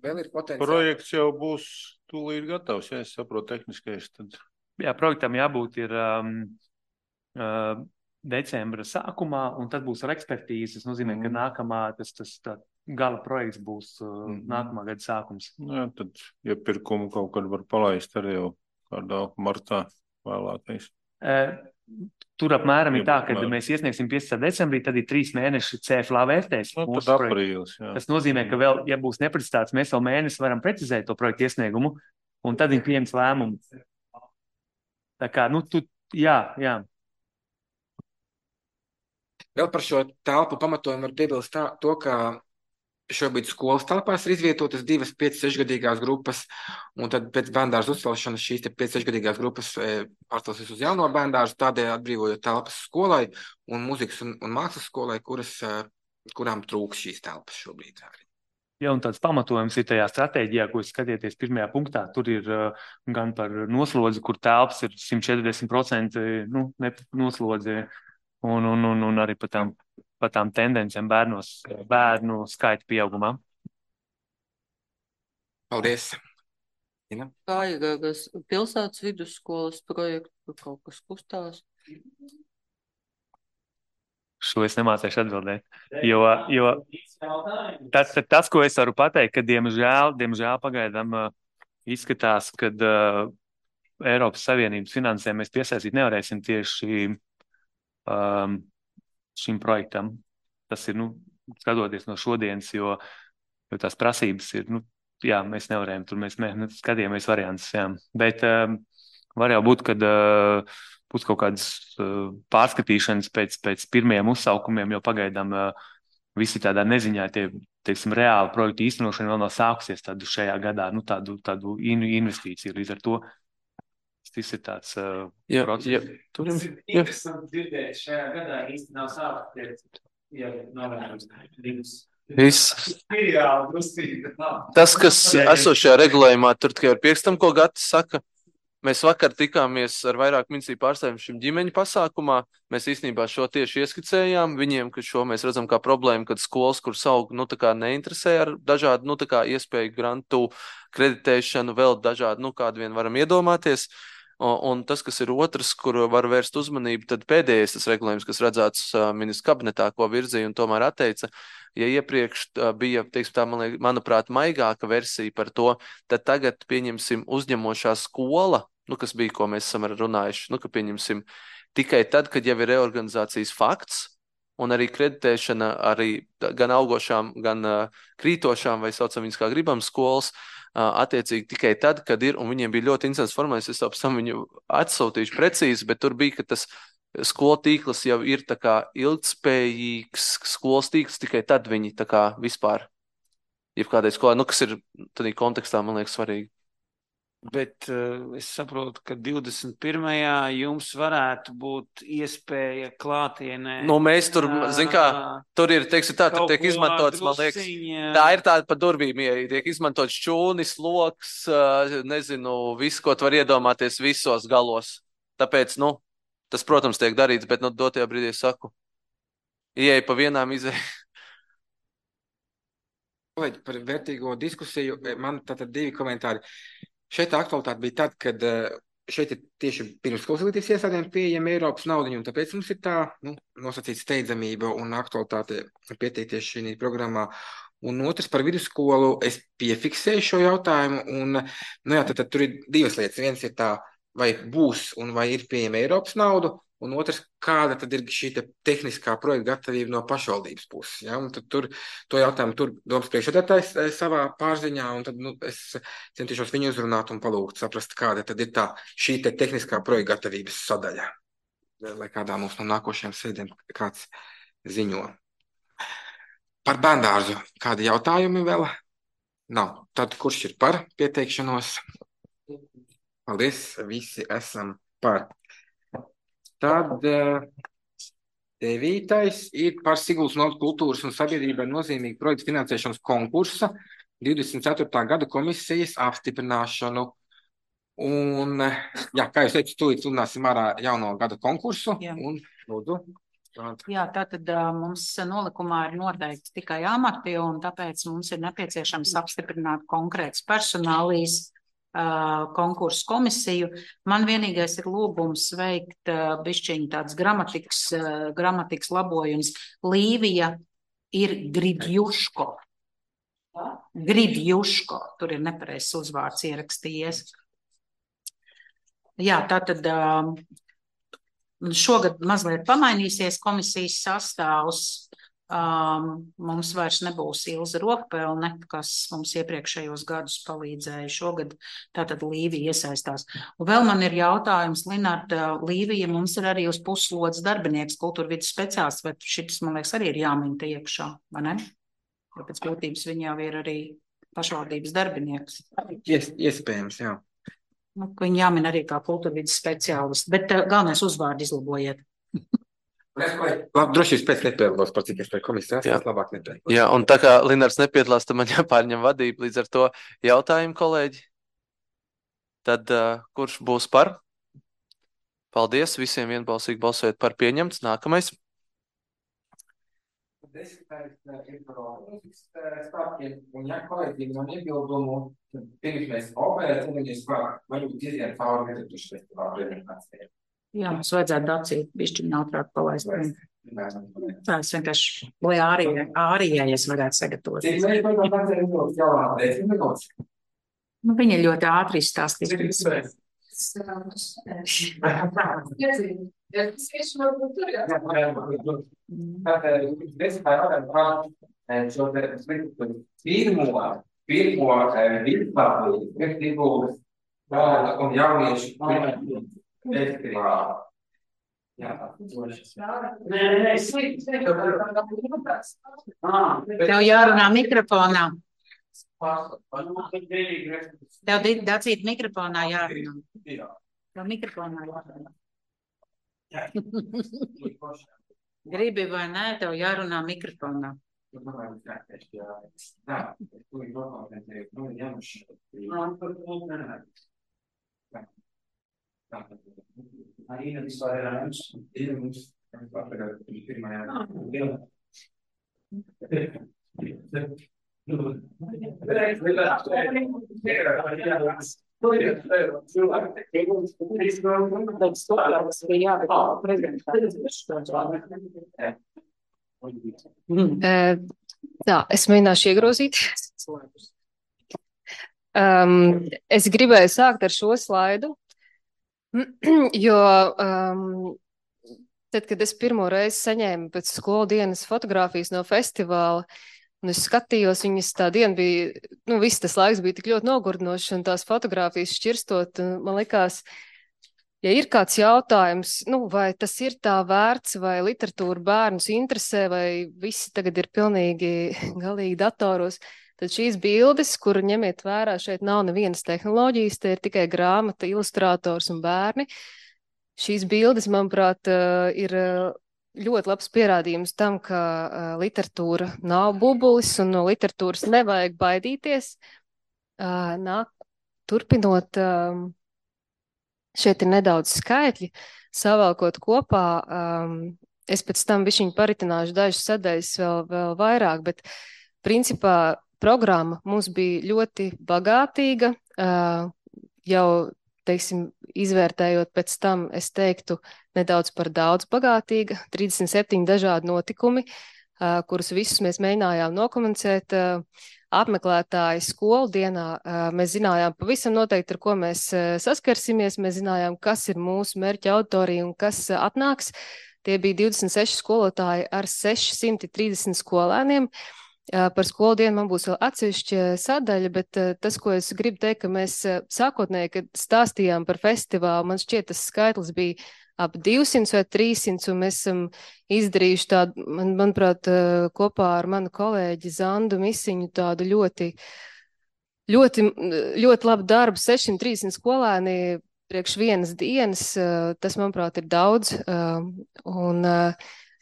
Speaker 1: Vēl ir potenciāli.
Speaker 7: Projekts jau būs tūlīt gatavs, ja es saprotu tehniskais, tad.
Speaker 12: Jā, projektam jābūt ir um, uh, decembra sākumā, un tad būs ar ekspertīzi. Tas nozīmē, mm. ka nākamā, tas, tas tā, gala projekts būs uh, mm. nākamā gada sākums.
Speaker 7: Jā, tad iepirkumu kaut kad var palaist arī jau kādā martā vēlākais.
Speaker 12: Uh, tur apmēram ir tā, ka mēs iesniegsim piecpadsmitā decembrī, tad ir trīs mēneši C F L A vērtēs.
Speaker 7: Nu, tad aprīlis, jā.
Speaker 12: Tas nozīmē, ka vēl, ja būs neprecizitāts, mēs vēl mēnesi varam precizēt to projektu iesniegumu, un tad viņi pieņems lēmumu. Tā kā, nu, tu, jā, jā.
Speaker 1: Vēl par šo telpu pamatojumu var piebilst tā, to, ka šobrīd skolas telpās ir izvietotas divas pieci sešgadīgās grupas, un tad pēc bērndārza uzcelšanas šīs pieci sešgadīgās grupas pārcelsies uz jauno bērndārzu, tādēļ atbrīvojot telpas skolai un mūzikas un, un mākslas skolai, kuras, kurām trūks šīs telpas šobrīd.
Speaker 12: Jā, un tāds pamatojums ir tajā stratēģijā, ko jūs skatieties pirmajā punktā. Tur ir uh, gan par noslodzi, kur telpas ir simt četrdesmit procenti nu, noslodzi, un, un, un, un arī par tām, par tām tendencēm bērnos, bērnu skaita pieaugumā.
Speaker 1: Paldies! Ina?
Speaker 10: Kā ir ar pilsētas vidusskolas projektu, kaut kas kustās?
Speaker 12: Šo es nemācēšu atbildēt, jo, jo tas, tas, ko es varu pateikt, ka diemžēl, diemžēl pagaidām uh, izskatās, ka uh, Eiropas Savienības finansēm mēs piesaistīt nevarēsim tieši um, šim projektam. Tas ir, nu, skatoties no šodienas, jo, jo tās prasības ir, nu, jā, mēs nevarējam, tur mēs, mēs skatījāmies variants, jā. Bet um, var jau būt, kad uh, būs kaut kādas uh, pārskatīšanas pēc, pēc pirmajiem uzsaukumiem, jo pagaidām uh, visi tādā neziņā tie, teiksim, reāli projektu īstenošana vēl nav sākusies tādu šajā gadā, nu, tādu, tādu investīciju. Līdz ar to tas ir tāds uh,
Speaker 8: jā,
Speaker 12: process.
Speaker 8: Jā, tur
Speaker 6: ir interesanti dzirdēt, šajā gadā īsti nav sākusies, ja novērojams divas.
Speaker 8: Viss. Tas, kas esošajā regulējumā, tur tikai ar piekstam, ko Gatis saka. Mēs vakar tikāmies ar vairāk ministriju pārstāvjiem šim ģimeņu pasākumā. Mēs īstenībā šo tieši ieskicējām viņiem, ka šo mēs redzam kā problēmu, kad skolas, kuras aug, nu, tā kā neinteresē ar dažādu, nu, tā kā iespēju grantu kreditēšanu, vēl dažādu, nu, kādu vien varam iedomāties. Un tas, kas ir otrs, kur var vērst uzmanību, tad pēdējais tas regulējums, kas redzēts ministru kabinetā, ko virzīja un tomēr atteica, ja iepriekš bija, teiksim tā, man liek, manuprāt, maigāka versija par to, tad tagad pieņemsim uzņemošā skola, nu, kas bija, ko mēs esam runājuši, nu, ka pieņemsim tikai tad, kad jau ir reorganizācijas fakts, un arī kreditēšana arī gan augošām, gan uh, krītošām, vai saucam viņas kā gribam skolas, uh, attiecīgi tikai tad, kad ir, un viņiem bija ļoti interesants formulējums, es apsam viņu atsautīšu precīzi, bet tur bija, ka tas skolu tīkls jau ir tā kā ilgtspējīgs skolas tīkls, tikai tad viņi tā kā vispār, jebkādai skolai, nu, kas ir tādā kontekstā, man liekas, svarīgi.
Speaker 6: Bet uh, es saprotu, ka divdesmit pirmajā jums varētu būt iespēja klātienē.
Speaker 8: Nu, mēs tur, zin kā, tur ir, teiksim tā, tur tiek izmantots, man liekas, tā ir tāda pa durvīm, ja tiek izmantots šķūnis, loks, uh, nezinu, visu, ko tu var iedomāties visos galos. Tāpēc, nu, tas, protams, tiek darīts, bet, nu, dotajā brīdī saku, ieeja pa vienām izēja.
Speaker 1: Par vērtīgo diskusiju, man tātad divi komentāri. Šeit aktualitāte bija tad, kad šeit ir tieši pirmsskolas izglītības iestādēm pieejama Eiropas naudiņa, un tāpēc mums ir tā, nu, nosacīta steidzamība un aktualitāte pieteikties šī programmā. Un otrs par vidusskolu, es piefiksēju šo jautājumu, un, nu jā, tad, tad tur ir divas lietas. Viens ir tā, vai būs un vai ir pieejama Eiropas naudu, un otrs, kāda tad ir šī te tehniskā projekta gatavība no pašvaldības puses. Ja? Un tad tur, to jautājumu tur domas priekšsēdētājs savā pārziņā, un tad, nu, es centīšos viņu uzrunāt un palūgt saprast, kāda tad ir tā šī te tehniskā projekta gatavības sadaļa, lai kādā mums no nākošajām sēdēm kāds ziņo. Par bērndārzu kādi jautājumi vēl? Nav. Tad kurš ir par pieteikšanos? Paldies, visi esam par. Tad Devītais ir par Siguldas novads kultūras un sabiedrībai nozīmīgu projektu finansēšanas konkursa divdesmit ceturtā gada komisijas apstiprināšanu. Un, jā, kā jūs teicu, tūlīt sludināsim ārā jauno gada konkursu.
Speaker 4: Jā.
Speaker 1: Un, lūdzu.
Speaker 4: Jā, tātad uh, mums nolikumā ir noteikti tikai amati, un tāpēc mums ir nepieciešams apstiprināt konkrētas personālijas uh, konkursu komisiju. Man vienīgais ir lūgums veikt uh, bišķiņu tāds gramatikas, uh, gramatikas labojums. Līvija ir Gribjuško. Gribjuško. Tur ir nepareizs uzvārds ierakstījies. Jā, tātad uh, šogad mazliet pamainīsies komisijas sastāvs. Um, mums vairs nebūs Ilza Rokpelne, kas mums iepriekšējos gadus palīdzēja. Šogad tātad Līvija iesaistās. Un vēl man ir jautājums, Linarda, Līvija mums ir arī uz puslodes darbinieks, kultūra vidas speciālists, bet šis, man liekas, arī ir jāmin te iekšā, vai ne? Jo pēc būtības viņa jau ir arī pašvaldības darbinieks.
Speaker 1: Ies, iespējams, jā.
Speaker 4: Nu, viņi jāmin arī kā kultūra vidas speciālists, bet uh, galvenais uzvārdu izlabojiet.
Speaker 1: Labi, droši vien pēc nepiedalās, par cik es par komisijas, es labāk nepiedalās.
Speaker 8: Jā, un tā kā Linards nepiedalās, tad man jāpārņem vadība, līdz ar to jautājumu, kolēģi. Tad uh, kurš būs par? Paldies, visiem vienbalsīgi balsojot par pieņemts. Nākamais.
Speaker 1: Desmitais ir par mūzikas stāstiem, un ja kolēģiem man iebildumu, pirms mēs operēt, ceļamies par varbūt iziet cauri Literatūras festivāla prezentācijai.
Speaker 4: Jā, mums vajadzētu dacīt, bišķiņ ātrāk palaist. Tā es vienkārši, lai ārījais varētu sagatavot.
Speaker 1: Cik mēs varam dacēt minūtes, jau desmit minūtes?
Speaker 4: Nu, viņi ļoti ātri izstāstīs.
Speaker 1: Pirmo, pirmo līdzlāpību, kas iegūdas bērnu un jauniešu festivālu.
Speaker 4: Tev jārunā mikrofonā. Tev dacīt mikrofonā jārunā. Tev mikrofonā jārunā. Gribi vai nē, tev jārunā mikrofonā.
Speaker 13: Tā, es mēģināšu iegrozīt. Um, es gribēju sākt ar šo slaidu, jo um, tad, kad es pirmo reizi saņēmu pēc skolu dienas fotogrāfijas no festivāla, un es skatījos, viņas tā diena bija, nu, viss tas laiks bija tik ļoti nogurdinošs, un tās fotogrāfijas šķirstot, un man likās, ja ir kāds jautājums, nu, vai tas ir tā vērts, vai literatūra bērnus interesē, vai visi tagad ir pilnīgi galīgi datoros, tad šīs bildes, kur ņemiet vērā, šeit nav nevienas tehnoloģijas, te ir tikai grāmata, ilustrators un bērni. Šīs bildes, manuprāt, ir ļoti labs pierādījums tam, ka uh, literatūra nav bubulis un no literatūras nevajag baidīties. Uh, nāk, turpinot, um, šeit ir nedaudz skaitļi, savalkot kopā, um, es pēc tam bišķiņu paritināšu dažas sadaļas vēl, vēl vairāk, bet principā programma mums bija ļoti bagātīga, uh, jau, teiksim, izvērtējot pēc tam, es teiktu, nedaudz par daudz bagātīga, trīsdesmit septiņi dažādi notikumi, uh, kurus visus mēs mēģinājām nokomunicēt. Uh, apmeklētāji skolu dienā, uh, mēs zinājām pavisam noteikti, ar ko mēs uh, saskarsimies, mēs zinājām, kas ir mūsu mērķa auditorija un kas uh, atnāks. Tie bija divdesmit seši skolotāji ar sešsimt trīsdesmit skolēniem. Par skolu dienu man būs vēl atsevišķa sadaļa, bet tas, ko es gribu teikt, ka mēs sākotnēji, kad stāstījām par festivālu, man šķiet, tas skaitlis bija ap divsimt vai trīsimt, un mēs esam izdarījuši tādu, man, manuprāt, kopā ar manu kolēģi Zandu Misiņu tādu ļoti, ļoti, ļoti labu darbu, sešsimt trīsdesmit skolēni priekš vienas dienas, tas, manuprāt, ir daudz, un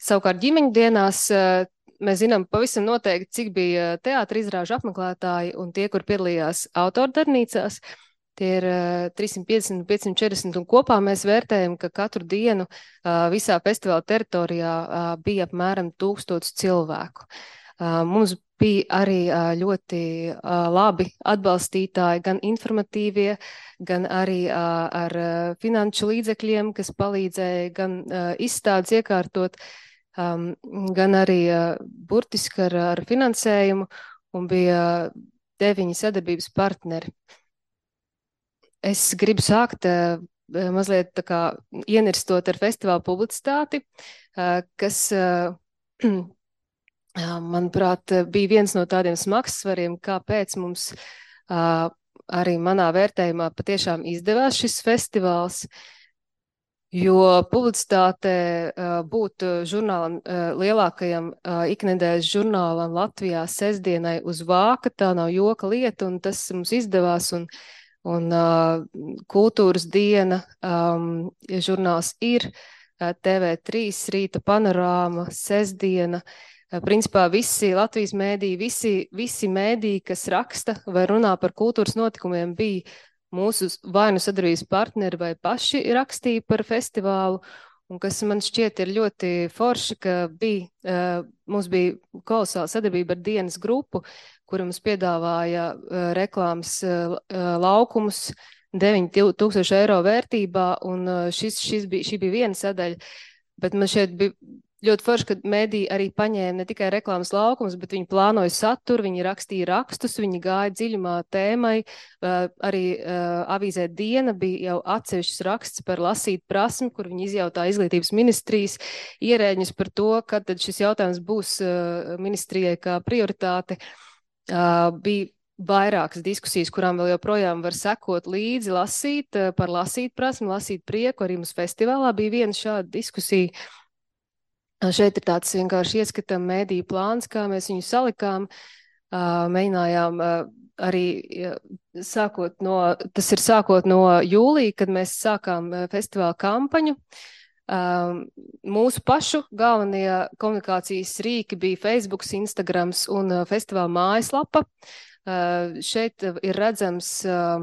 Speaker 13: Savukārt ģimeņu dienās mēs zinām pavisam noteikti, cik bija teātra izrāžu apmeklētāji un tie, kur piedalījās autordarbnīcās. Tie ir trīssimt piecdesmit, piecsimt četrdesmit un kopā mēs vērtējam, ka katru dienu visā festivāla teritorijā bija apmēram tūkstots cilvēku. Mums bija arī ļoti labi atbalstītāji, gan informatīvie, gan arī ar finanšu līdzekļiem, kas palīdzēja gan izstādes iekārtot, gan arī burtiski ar, ar finansējumu, un bija deviņi sadarbības partneri. Es gribu sākt mazliet tā kā ienirstot ar festivālu publicitāti, kas manuprāt, bija viens no tādiem smagsvariem, kāpēc mums uh, arī manā vērtējumā patiešām izdevās šis festivāls, jo publicitāte uh, būt žurnālam, uh, lielākajam uh, iknedēļas žurnālam Latvijā sestdienai uz vāka, tā nav joka lieta, un tas mums izdevās, un, un uh, kultūras diena, um, žurnāls ir, uh, T V trīs, Rīta panorāma, sestdiena, principā visi Latvijas mēdīji, visi, visi mēdīji, kas raksta vai runā par kultūras notikumiem, bija mūsu vai nu sadarbības partneri vai paši rakstīja par festivālu, un kas man šķiet ir ļoti forši, ka bija, mums bija kolosāla sadarbība ar dienas grupu, kura mums piedāvāja reklāmas laukumus deviņi tūkstoši eiro vērtībā, un šis, šis bija, šī bija viena sadaļa, bet man šeit bija ļoti forši, ka mēdī arī paņēma ne tikai reklāmas laukumus, bet viņi plānoja saturu, viņi rakstīja rakstus, viņi gāja dziļumā tēmai, arī avīzē Diena bija jau atsevišķs raksts par lasīt prasmi, kur viņi izjautā izglītības ministrijas ierēģņus par to, kad tad šis jautājums būs ministrijai kā prioritāte. Bija vairākas diskusijas, kurām vēl joprojām var sekot līdzi, lasīt par lasīt prasmi, lasīt prieku, arī mums festivālā bija viena šāda diskusija. Šeit ir tāds vienkārši ieskatām mēdīju plāns, kā mēs viņu salikām, mēģinājām arī sākot no, tas ir sākot no jūlija, kad mēs sākām festivāla kampaņu. Mūsu pašu galvenie komunikācijas rīki bija Facebooks, Instagrams un festivāla mājaslapa. Uh, šeit ir redzams uh,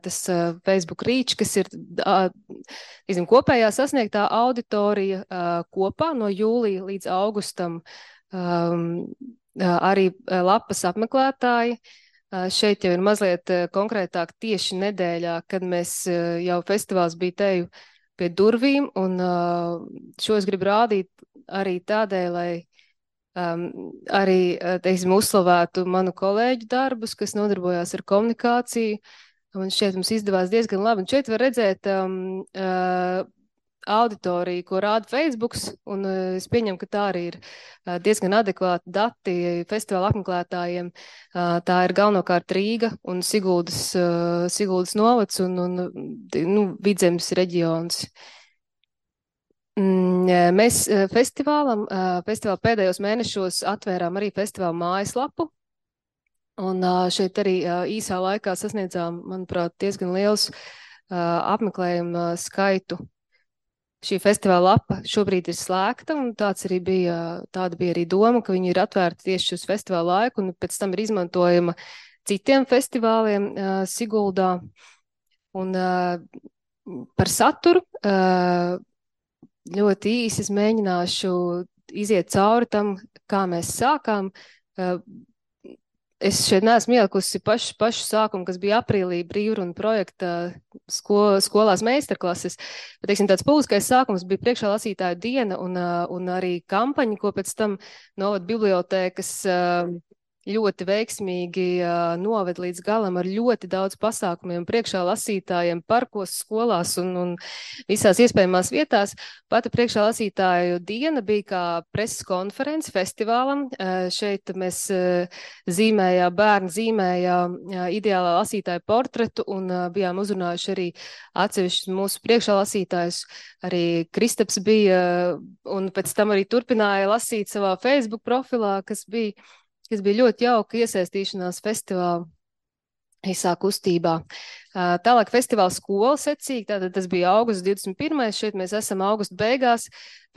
Speaker 13: tas uh, Facebook reach, kas ir uh, izim, kopējā sasniegtā auditorija uh, kopā no jūlija līdz augustam, um, uh, arī uh, lapas apmeklētāji. Uh, šeit jau ir mazliet uh, konkrētāk tieši nedēļā, kad mēs uh, jau festivāls bija teju pie durvīm, un uh, šo es gribu rādīt arī tādēļ, lai Um, arī, teiksim, uzslavētu manu kolēģu darbus, kas nodarbojās ar komunikāciju, un šeit mums izdevās diezgan labi. Un šeit var redzēt um, uh, auditoriju, ko rāda Facebooks, un uh, es pieņemu, ka tā arī ir uh, diezgan adekvāti dati festivāla apmeklētājiem. Uh, tā ir galvenokārt Rīga un Siguldas, uh, Siguldas novads un, un nu, Vidzemes reģions. Mēs festivālam, festivāla pēdējos mēnešos atvērām arī festivāla mājaslapu, un šeit arī īsā laikā sasniedzām, manuprāt, diezgan liels apmeklējumu skaitu. Šī festivāla lapa šobrīd ir slēgta, un tāds arī bija, tāda bija arī doma, ka viņi ir atvērti tieši uz festivāla laiku, un pēc tam ir izmantojama citiem festivāliem Siguldā. Un par saturu ļoti īsi es mēģināšu iziet cauri tam, kā mēs sākām. Es šeit neesmu ielikusi pašu, pašu sākumu, kas bija aprīlī brīvruna projekta sko, skolās meistarklases. Bet, teiksim, tāds publiskais sākums bija priekšā lasītāju diena un, un arī kampaņa, ko pēc tam novada bibliotēkas ļoti veiksmīgi uh, noved līdz galam ar ļoti daudz pasākumiem priekšā lasītājiem, parkos, skolās un, un visās iespējamās vietās. Pati priekšā lasītāju diena bija kā preses konference festivālam. Uh, šeit mēs uh, zīmējām, bērni zīmējām uh, ideālā lasītāja portretu un uh, bijām uzrunājuši arī atsevišķus mūsu priekšā lasītājus. Arī Kristaps bija uh, un pēc tam arī turpināja lasīt savā Facebook profilā, kas bija kas bija ļoti jauka iesaistīšanās festivāla. īsā kustībā. Tālāk festivāla skola secīgi, tātad tas bija augusts divdesmit pirmais, šeit mēs esam augusta beigās.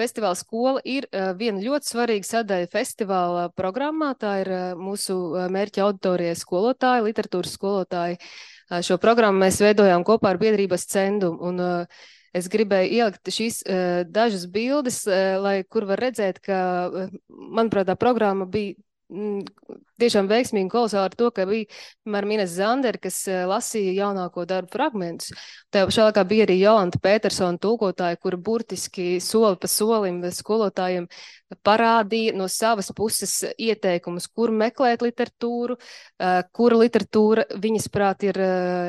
Speaker 13: Festivāla skola ir viena ļoti svarīga sadaļa festivāla programmā, tā ir mūsu mērķa auditorija skolotāji, literatūras skolotāji. Šo programmu mēs veidojām kopā ar biedrības cendumu, un es gribēju ielikt šīs dažas bildes, lai kur var redzēt, ka, manuprāt, tā programma bija tiešām veiksmīgi un kolosāli ar to, ka bija, piemēram, Ines Zanderi, kas lasīja jaunāko darbu fragmentus. Tajā pašā laikā bija arī Jolanta Petersona tulkotāja, kura burtiski soli pa solim skolotājiem parādīja no savas puses ieteikumus, kur meklēt literatūru, kura literatūra viņas prāt ir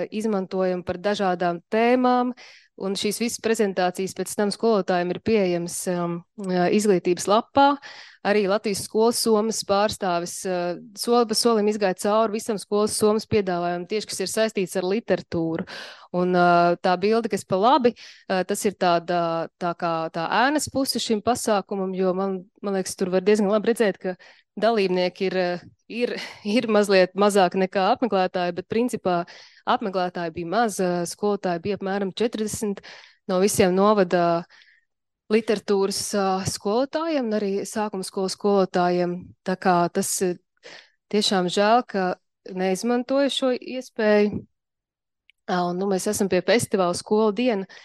Speaker 13: izmantojama par dažādām tēmām. Un šīs visas prezentācijas pēc tam skolotājiem ir pieejams um, izglītības lapā. Arī Latvijas skolas somas pārstāvis uh, soli pa solim izgāja cauri visam skolas somas piedāvājumam, tieši kas ir saistīts ar literatūru. Un uh, tā bilde, kas pa labi, uh, tas ir tāda, tā kā tā ēnas puse šim pasākumam, jo man, man liekas, tur var diezgan labi redzēt, ka dalībnieki ir, ir, ir mazliet mazāk nekā apmeklētāji, bet principā apmeklētāji bija maz, skolotāji bija apmēram četrdesmit no visiem novada literatūras skolotājiem un arī sākuma skolas skolotājiem. Tā kā tas tiešām žēl, ka neizmantoja šo iespēju. Un, nu, mēs esam pie festivāla skola diena,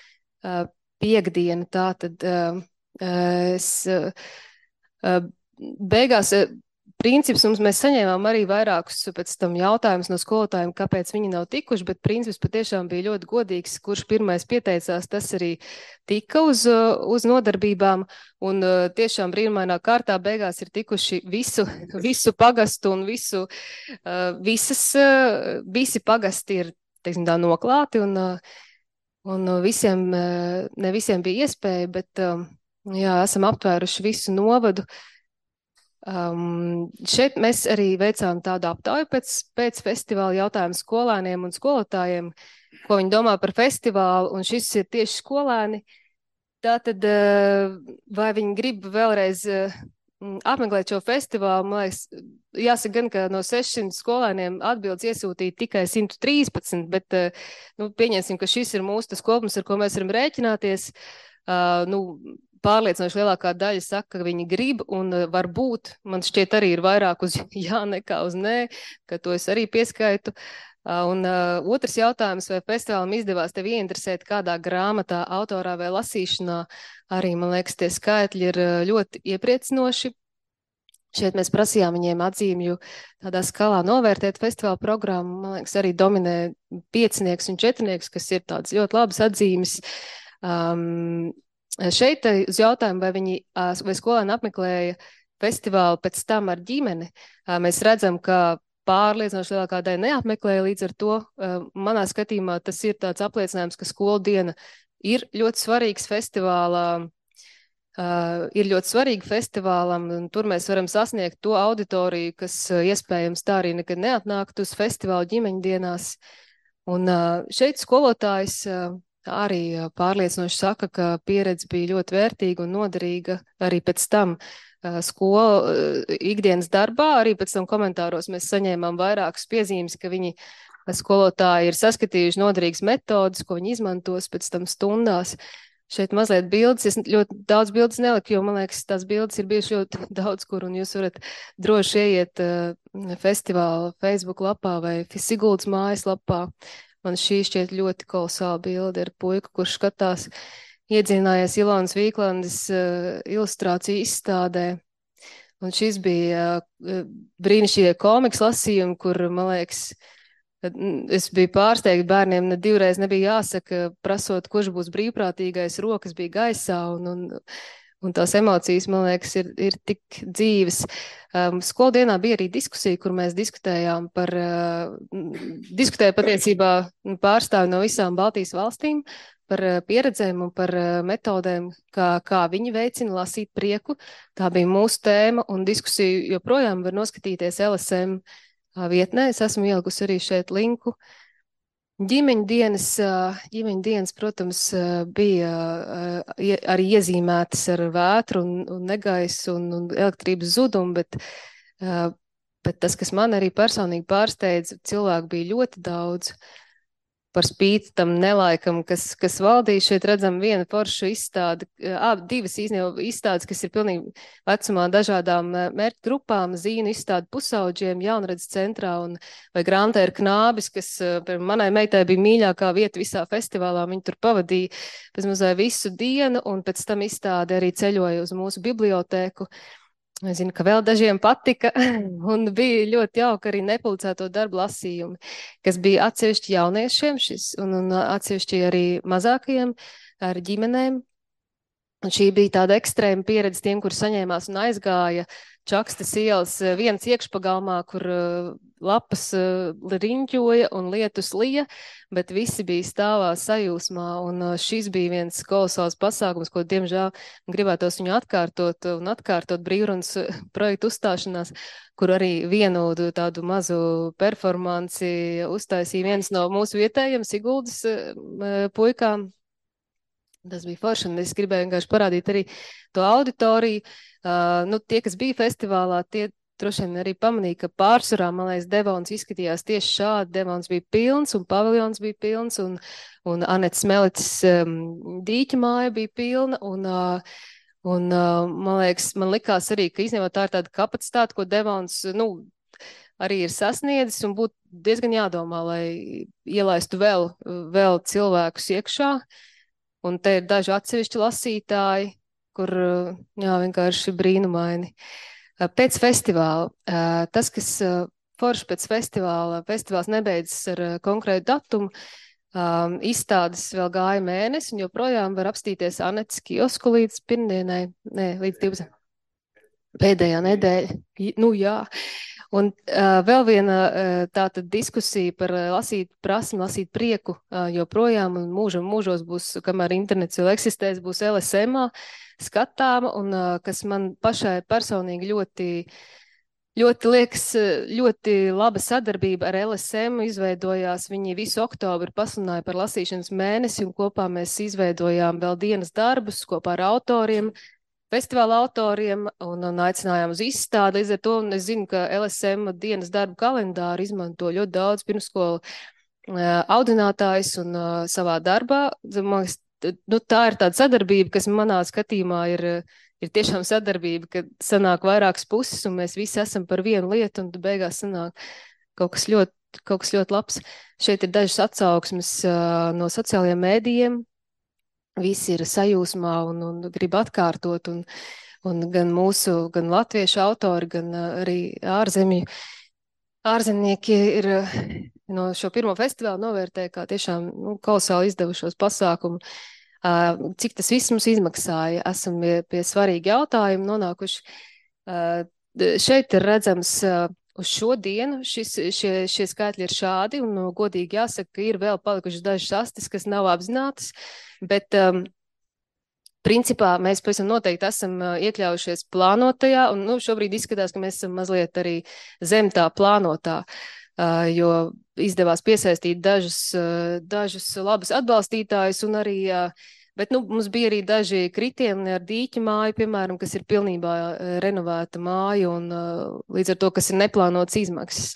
Speaker 13: piekdiena, tā tad es beigās princips mums mēs saņēmām arī vairākus pēc tam jautājumus no skolotājiem, kāpēc viņi nav tikuši, bet princips patiešām bija ļoti godīgs, kurš pirmais pieteicās, tas arī tika uz, uz nodarbībām, un tiešām brīnumainā kārtā beigās ir tikuši visu, visu pagastu un visu, visas, visi pagasti ir, teiksim tā, noklāti, un, un visiem, ne visiem bija iespēja, bet jā, esam aptvēruši visu novadu. Um, šeit mēs arī veicām tādu aptauju pēc, pēc festivāla jautājumu skolēniem un skolotājiem, ko viņi domā par festivālu, un šis ir tieši skolēni. Tātad, uh, vai viņi grib vēlreiz uh, apmeklēt šo festivālu, man liekas, jāsaka gan, ka no sešsimt skolēniem atbildes iesūtīja tikai simt trīspadsmit, bet, uh, nu, pieņemsim, ka šis ir mūsu tas kopums, ar ko mēs varam rēķināties. Uh, nu, pārliecinoši lielākā daļa saka, ka viņi grib, un varbūt, man šķiet arī ir vairāk uz jā nekā uz nē, ka to es arī pieskaitu. Un uh, otrs jautājums, vai festivālam izdevās tevi ieinteresēt kādā grāmatā, autorā vai lasīšanā, arī, man liekas, tie skaitļi ir ļoti iepriecinoši. Šeit mēs prasījām viņiem atzīmju tādā skalā novērtēt festivāla programmu, man liekas, arī dominē piecinieks un četrnieks, kas ir tādas ļoti labas atzīmes. Um, Šeit uz jautājumu, vai viņi, vai skolēni apmeklēja festivālu pēc tam ar ģimeni, mēs redzam, ka pārliecinoši lielākā daļa neapmeklēja, līdz ar to manā skatījumā tas ir tāds apliecinājums, ka skolu diena ir ļoti svarīgs festivālā, ir ļoti svarīga festivālam, un tur mēs varam sasniegt to auditoriju, kas iespējams tā arī nekad neatnāktu uz festivālu ģimeņdienās. Un šeit skolotājs arī pārliecinoši saka, ka pieredze bija ļoti vērtīga un noderīga arī pēc tam skolu ikdienas darbā. Arī pēc tam komentāros mēs saņēmām vairākas piezīmes, ka viņi skolotāji ir saskatījuši noderīgas metodas, ko viņi izmantos pēc tam stundās. Šeit mazliet bildes, es ļoti daudz bildes neliku, jo man liekas, tās bildes ir bijuši ļoti daudz kur, un jūs varat droši ieiet festivāla Facebook lapā vai Siguldas mājas lapā. Man šī šķiet ļoti kolosāla bilde ar puiku, kurš skatās iedzinājies Ilonas Vīklandes uh, ilustrāciju izstādē. Un šis bija uh, brīnišķīgie komiks lasījumi, kur, man liekas, es biju pārsteigta, bērniem ne divreiz nebija jāsaka, prasot, kurš būs brīvprātīgais, rokas bija gaisā, un, un, un tās emocijas, man liekas, ir, ir tik dzīves. Um, Skoldienā bija arī diskusija, kur mēs diskutējām par, uh, diskutēja patiesībā pārstāvi no visām Baltijas valstīm par uh, pieredzēm un par uh, metodēm, kā, kā viņi veicina lasīt prieku. Tā bija mūsu tēma, un diskusiju joprojām var noskatīties L S M uh, vietnē. Es esmu ielikusi arī šeit linku. Ģimeņu dienas, ģimeņu dienas, protams, bija arī iezīmētas ar vētru un, un negaisu un, un elektrības zudumu, bet Bet tas, kas man arī personīgi pārsteidza, cilvēku bija ļoti daudz. Par spīti tam nelaikam, kas, kas valdīja, šeit redzam vienu foršu izstādi, ā, divas īstenībā izstādes, kas ir pilnīgi vecumā dažādām mērķu grupām, zīnu izstādi pusauģiem, jaunredzes centrā, un vai Grantē ir knābis, kas manai meitai bija mīļākā vieta visā festivālā, viņi tur pavadīja pēc mazai visu dienu, un pēc tam izstāde arī ceļoja uz mūsu bibliotēku. Es zinu, ka vēl dažiem patika, un bija ļoti jauka arī nepublicēto darbu lasījumi, kas bija atsevišķi jauniešiem šis, un, un atsevišķi arī mazākajiem ar ģimenēm. Un šī bija tāda ekstrēma pieredze tiem, kur saņēmās un aizgāja Čakstas ielas viens iekšpagalmā, kur lapas riņķoja un lietus lija, bet visi bija stāvā sajūsmā, un šis bija viens kolosāls pasākums, ko, diemžēl, gribētos viņu atkārtot un atkārtot brīvrunas projektu uzstāšanās, kur arī vienu tādu mazu performanci uztaisīja viens no mūsu vietējiem Siguldas puikām. Tas bija forši, un es gribēju vienkārši parādīt arī to auditoriju. Uh, nu, tie, kas bija festivālā, tie droši vien arī pamanīja, ka pārsvarā, man liekas, Devons izskatījās tieši šādi. Devons bija pilns, un paviljons bija pilns, un, un Anetes Melicis um, dīķa māja bija pilna, un, uh, un uh, man liekas, man likās arī, ka īstenībā tā ir tāda kapacitāte, ko Devons, nu, arī ir sasniedzis, un būtu diezgan jādomā, lai ielaistu vēl, vēl cilvēkus iekšā. Un te ir daži atsevišķi lasītāji, kur, jā, vienkārši brīnumaini. Pēc festivāla, tas, kas forši pēc festivāla, festivāls nebeidzas ar konkrētu datumu, izstādes vēl gāja mēnesi, un joprojām var apstīties Anetes kiosku līdz pirmdienai, ne, līdz divdesmit. Pēdējā nedēļa, nu jā. Un uh, vēl viena uh, tāda diskusija par uh, lasīt prasmi, lasīt prieku uh, joprojām, un mūžam mūžos būs, kamēr internets vēl eksistēs, būs L S M-ā skatāma, un uh, kas man pašai personīgi ļoti, ļoti liekas, ļoti laba sadarbība ar L S M izveidojās. Viņi visu oktobru pasludināja par lasīšanas mēnesi, un kopā mēs izveidojām vēl dienas darbus kopā ar autoriem, festivāla autoriem, un, un aicinājām uz izstādi. Līdz ar to, un es zinu, ka L S M dienas darbu kalendāru izmanto ļoti daudz pirmskolu uh, audinātājs un uh, savā darbā. Man liekas, nu, tā ir tāda sadarbība, kas manā skatījumā ir, ir tiešām sadarbība, kad sanāk vairākas puses, un mēs visi esam par vienu lietu, un beigās sanāk kaut kas ļoti, kaut kas ļoti labs. Šeit ir dažas atsauksmes uh, no sociālajiem mēdījiem. Visi ir sajūsmā un, un grib atkārtot, un, un gan mūsu, gan latviešu autori, gan arī ārzemju, ārzemnieki ir no šo pirmo festivālu novērtē kā tiešām nu, kolosāli izdevušos pasākumu. Uh, cik tas viss mums izmaksāja, esam pie, pie svarīgi jautājumi nonākuši. Uh, šeit ir redzams uh, uz šo dienu, šis, šie, šie skaitļi ir šādi, un uh, godīgi jāsaka, ka ir vēl palikušas dažas astes, kas nav apzinātas. Bet, um, principā, mēs pavisam noteikti esam uh, iekļaujušies plānotajā, un nu, šobrīd izskatās, ka mēs esam mazliet arī zem tā plānotā, uh, jo izdevās piesaistīt dažus, uh, dažus labus atbalstītājus, un arī, uh, bet nu, mums bija arī daži kritieni ar dīķa māju, piemēram, kas ir pilnībā uh, renovēta māja, un uh, līdz ar to, kas ir neplānots izmaksas.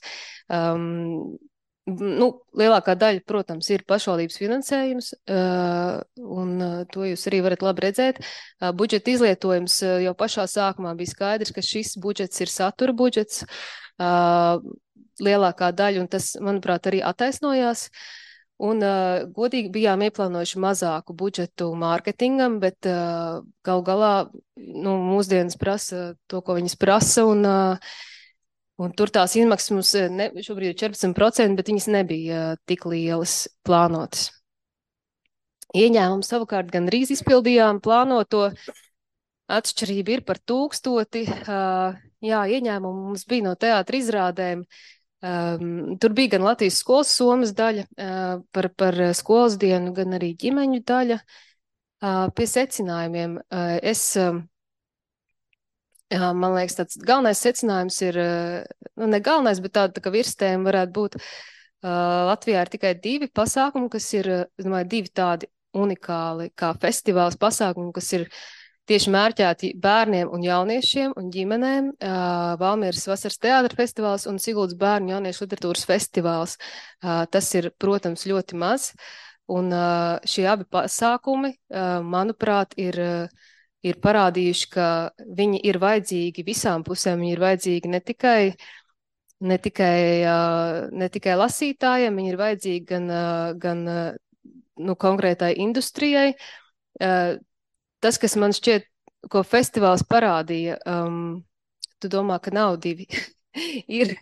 Speaker 13: Um, Nu, lielākā daļa, protams, ir pašvaldības finansējums, uh, un uh, to jūs arī varat labi redzēt. Uh, budžeta izlietojums uh, jau pašā sākumā bija skaidrs, ka šis budžets ir satura budžets, uh, lielākā daļa, un tas, manuprāt, arī attaisnojās. Un uh, godīgi bijām ieplānojuši mazāku budžetu mārketingam, bet uh, gal galā nu, mūsdienas prasa to, ko viņas prasa, un uh, Un tur tās izmaksas mums ne, šobrīd ir četrpadsmit procenti, bet viņas nebija uh, tik lielas plānotas. Ieņēmumu savukārt gan drīz izpildījām plānoto. Atšķirība ir par tūkstoti. Uh, jā, ieņēmumu mums bija no teātra izrādēm. Um, tur bija gan Latvijas skolas somas daļa uh, par, par skolas dienu, gan arī ģimeņu daļa. Uh, pie secinājumiem uh, es... Uh, Jā, man liekas, tāds galvenais secinājums ir, nu ne galvenais, bet tāda tā kā virstēma varētu būt, uh, Latvijā ir tikai divi pasākumi, kas ir, es domāju, divi tādi unikāli kā festivāls pasākumi, kas ir tieši mērķēti bērniem un jauniešiem un ģimenēm. Valmieras vasaras teātra festivāls un Siguldas bērnu jauniešu literatūras festivāls. Tas ir, protams, ļoti maz. Un šie abi pasākumi, manuprāt, ir, ir parādījuši, ka viņi ir vajadzīgi visām pusēm. Viņi ir vajadzīgi ne tikai, ne tikai, ne tikai lasītājiem, viņi ir vajadzīgi gan, gan nu, konkrētai industrijai. Tas, kas man šķiet, ko festivāls parādīja, um, tu domā, ka nav divi. ir,